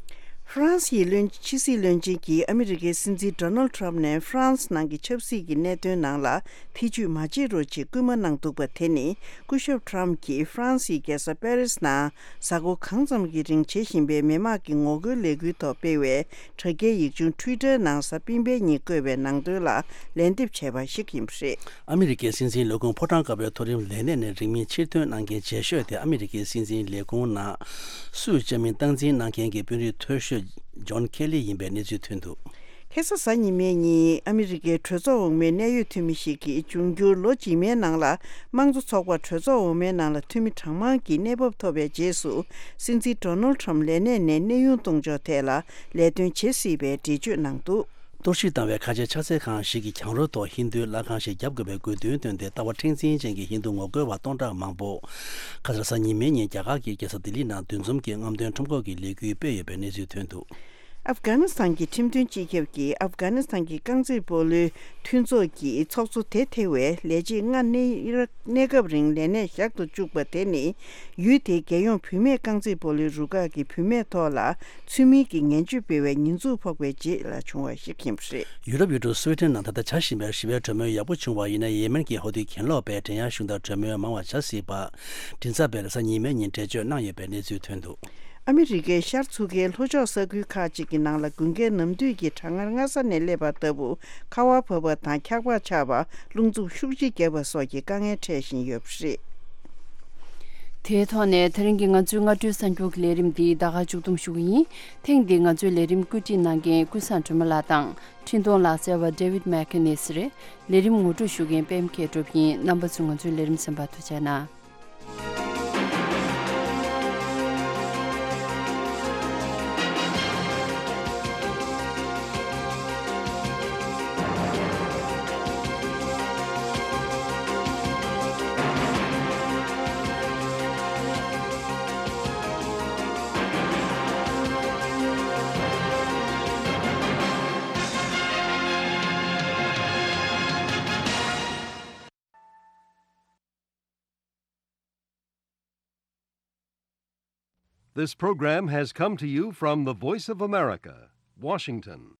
ཧྥ་རན་སིའི་བློན་ཕྱི་སྲིད་བློན་ཆེན་གྱིས་ཨ་མི་རི་ཀའི་སྲིད་འཛིན་ཌོ་ནལ་ཁྲམ་ནས་ཧྥ་རན་སི་ནང་གི་ཆབ་སྲིད་ཀྱི་གནད་དོན་ནང་ལ་ཐེ་ཇུས་མ་བྱེད་རོགས་ཅེས་སྐུལ་མ་གནང་འདུག་པ་དེ་ནི་སྐུ་ཞབས་ཁྲམ་གྱིས་ཧྥ་རན་སིའི་རྒྱལ་ས་པེ་རིས་ནང་གཟའ་འཁོར་གང་ཙམ་གྱི་རིང་བྱེད་བཞིན་པའི་མི་དམངས་ཀྱི་ངོ་རྒོལ་ལས་འགུལ་ཐོག་སྤེལ་བའི་དྲ་རྒྱའི་ཡིག་ཆུང་ཊུའི་ཊར་ནང་གཟའ་སྤེན་པའི་ཉིན་བཀོད་པའི་ནང་དོན་ལ་ལན་འདེབས་བྱས་པ་ཞིག་ཡིན་པ་རེད། ཨ་མི་རི་ཀའི་སྲིད་འཛིན་ལས་ཁུངས་ཕོ་བྲང་དཀར་པོའི་མཐོ་རིམ་ལས་གནས་ནས་རིང་མིན་ཕྱིར་ཐོན་གནང་མཁན་རྗེས་ཤོས་དེ་ཨ་མི་རི་ཀའི་སྲིད་འཛིན་ལས་ཁུངས་ནང་སུས་བཅའ་མིན་སྟངས་འཛིན་གནང་མཁན་གྱི་དཔོན་རིགས་མཐོ་ཤོས་ཇོན་ཁེ་ལི་ཡིན་པའི་གནས་ཚུལ་ཐོན་འདུག་ཁ་སང་གཟའ་ཉི་མའི་ཉིན་ཨ་མི་རི་ཀའི་གྲོས་ཚོགས་འོག་མའི་གནད་ཡོད་འཐུས་མི་ཞིག་གིས་འབྱུང་འགྱུར་ལོ་རྗེས་མའི་ནང་ལ་དམངས་གཙོ་ཚོགས་པ་གྲོས་ཚོགས་འོག་མའི་ནང་ལ་འཐུས་མི་གྲངས་མང་གིས་གནས་བབ་ཐོབ་པའི་རྗེས་སུ་སྲིད་འཛིན་ཌོ་ནལ་ཁྲམ་ལས་གནས་ནས་གནས་དབྱུང་གཏོང་ཕྱོགས་ཐད་ལ་ལས་དོན་བྱེད་སྲིད་པའི་འགྲེལ་བརྗོད་གནང་འདུག་གཏོར་བཤིག་བཏང་བའི་ཁ་ཆེ་ཕྱག་འཚལ་ཁང་ཞིག་གི་གྱང་རོ་ཐོག་ཧིན་རྡུའི་ལྷ་ཁང་ཞིག་བརྒྱབ་དགོས་པའི་དགོས་འདུན་བཏོན་ཏེ་ལྟ་བ་མཁྲེགས་འཛིན་ཅན་གྱི་ཧིན་རྡུ་ངོ་རྒོལ་བ་སྟོང་ཕྲག་མང་པོ་ཁ་སང་གཟའ་ཉི་མའི་ཉིན་རྒྱ་གར་གྱི་རྒྱལ་ས་ལྡི་ལི་ནང་འདུ་འཛོམས་ཀྱིས་རྔམ་སྟོན་ཁྲོམ་སྐོར་གྱི་ལས་འགུལ་སྤེལ་ཡོད་པའི་གནས་ཚུལ་ཐོན་འདུག་ཨབ་གྷ་ནི་སི་ཐན་གྱི་ཁྲིམས་དོན་སྤྱི་ཁྱབ་ཀྱིས་ཨབ་གྷ་ནི་སི་ཐན་གྱི་རྐང་རྩེད་སྤོ་ལོའི་མཐུན་ཚོགས་ཀྱི་ཚོགས་གཙོ་དེ་ཐེ་བའི་ལས་བྱེད་ལྔ་གནས་གནས་སྐབས་རིང་ལས་གནས་བཞག་ཏུ་བཅུག་པ་དེ་ནི་ཡུལ་དེའི་རྒྱལ་ཡོངས་བུད་མེད་རྐང་རྩེད་སྤོ་ལོའི་རུ་ཁག་གི་བུད་མེད་ཐོག་ལ་ཚུལ་མིན་གྱི་ངན་ཇུས་སྤེལ་བའི་ཉེས་འཛུགས་ཕོག་པའི་རྗེས་ལ་བྱུང་བ་ཞིག་ཡིན་པ་རེད། ཡུ་རོབ་ཡུལ་གྲུ་སུའེ་ཏེན་ནང་ད་ལྟ་བྱ་བཞིན་པའི་ཞི་བའི་གྲོས་མོལ་ཡག་པོ་བྱུང་བ་ཡིན་ན་ཡེ་མེན་གྱི་ཧོ་ཐིའི་གྱེན་ལོག་པས་འགྲན་ཡ་ཤུགས་དང་གྲོས་མོལ་མང་བ་བྱ་སྲིད་པ། མགྲིན་ཚབ་པས་རེས་གཟའ་ཉི་མའི་ཉིན་འགྲེལ་བརྗོད་གནང་ཡོད་པའི་གནས་ཚུལ་ཐོན་འདུག་ཨ་མི་རི་ཀའི་ཤར་མཚོ་ཁའི་ལྷོ་ཕྱོགས་ས་ཁུལ་ཁག་ཅིག་གི་ནང་ལ་དགུན་ཁའི་ནམ་དུས་ཀྱི་གྲང་ངར་སྔ་ས་ནས་སླེབས་པ་ལྟ་བུ་ཁ་བ་བབས་པ་དང་འཁྱགས་པ་ཆགས་པ། རླུང་འཚུབ་ཤུགས་ཆེ་བརྒྱབ་པ་སོགས་ཀྱི་དཀའ་ངལ་འཕྲད་བཞིན་ཡོད་པ་རེད། དེའི་ཐོག་ནས་དེ་རིང་གི་ང་ཚོའི་སྔ་དྲོའི་གསར་འགྱུར་གྱི་ལས་རིམ་འདི་ད་ག་མཇུག་བསྡོམས་ཞུ་གི་ཡིན། ཐེངས་འདིའི་ང་ཚོའི་ལས་རིམ་བཀོད་སྒྲིག་གནང་མཁན་ཀུན་བཟང་སྒྲོལ་མ་ལགས་དང་འཕྲིན་གཏོང་ལག་རྩལ་བ་David McInnes་རེད། ལས་རིམ་ངོ་སྤྲོད་ཞུ་མཁན་པད་མ་མཁས་གྲུབ་ཡིན། རྣམ་པ་ཚོས་ང་ཚོའི་ལས་རིམ་གསན་པར་ཐུགས་རྗེ་གནང་། This program has come to you from the Voice of America, Washington.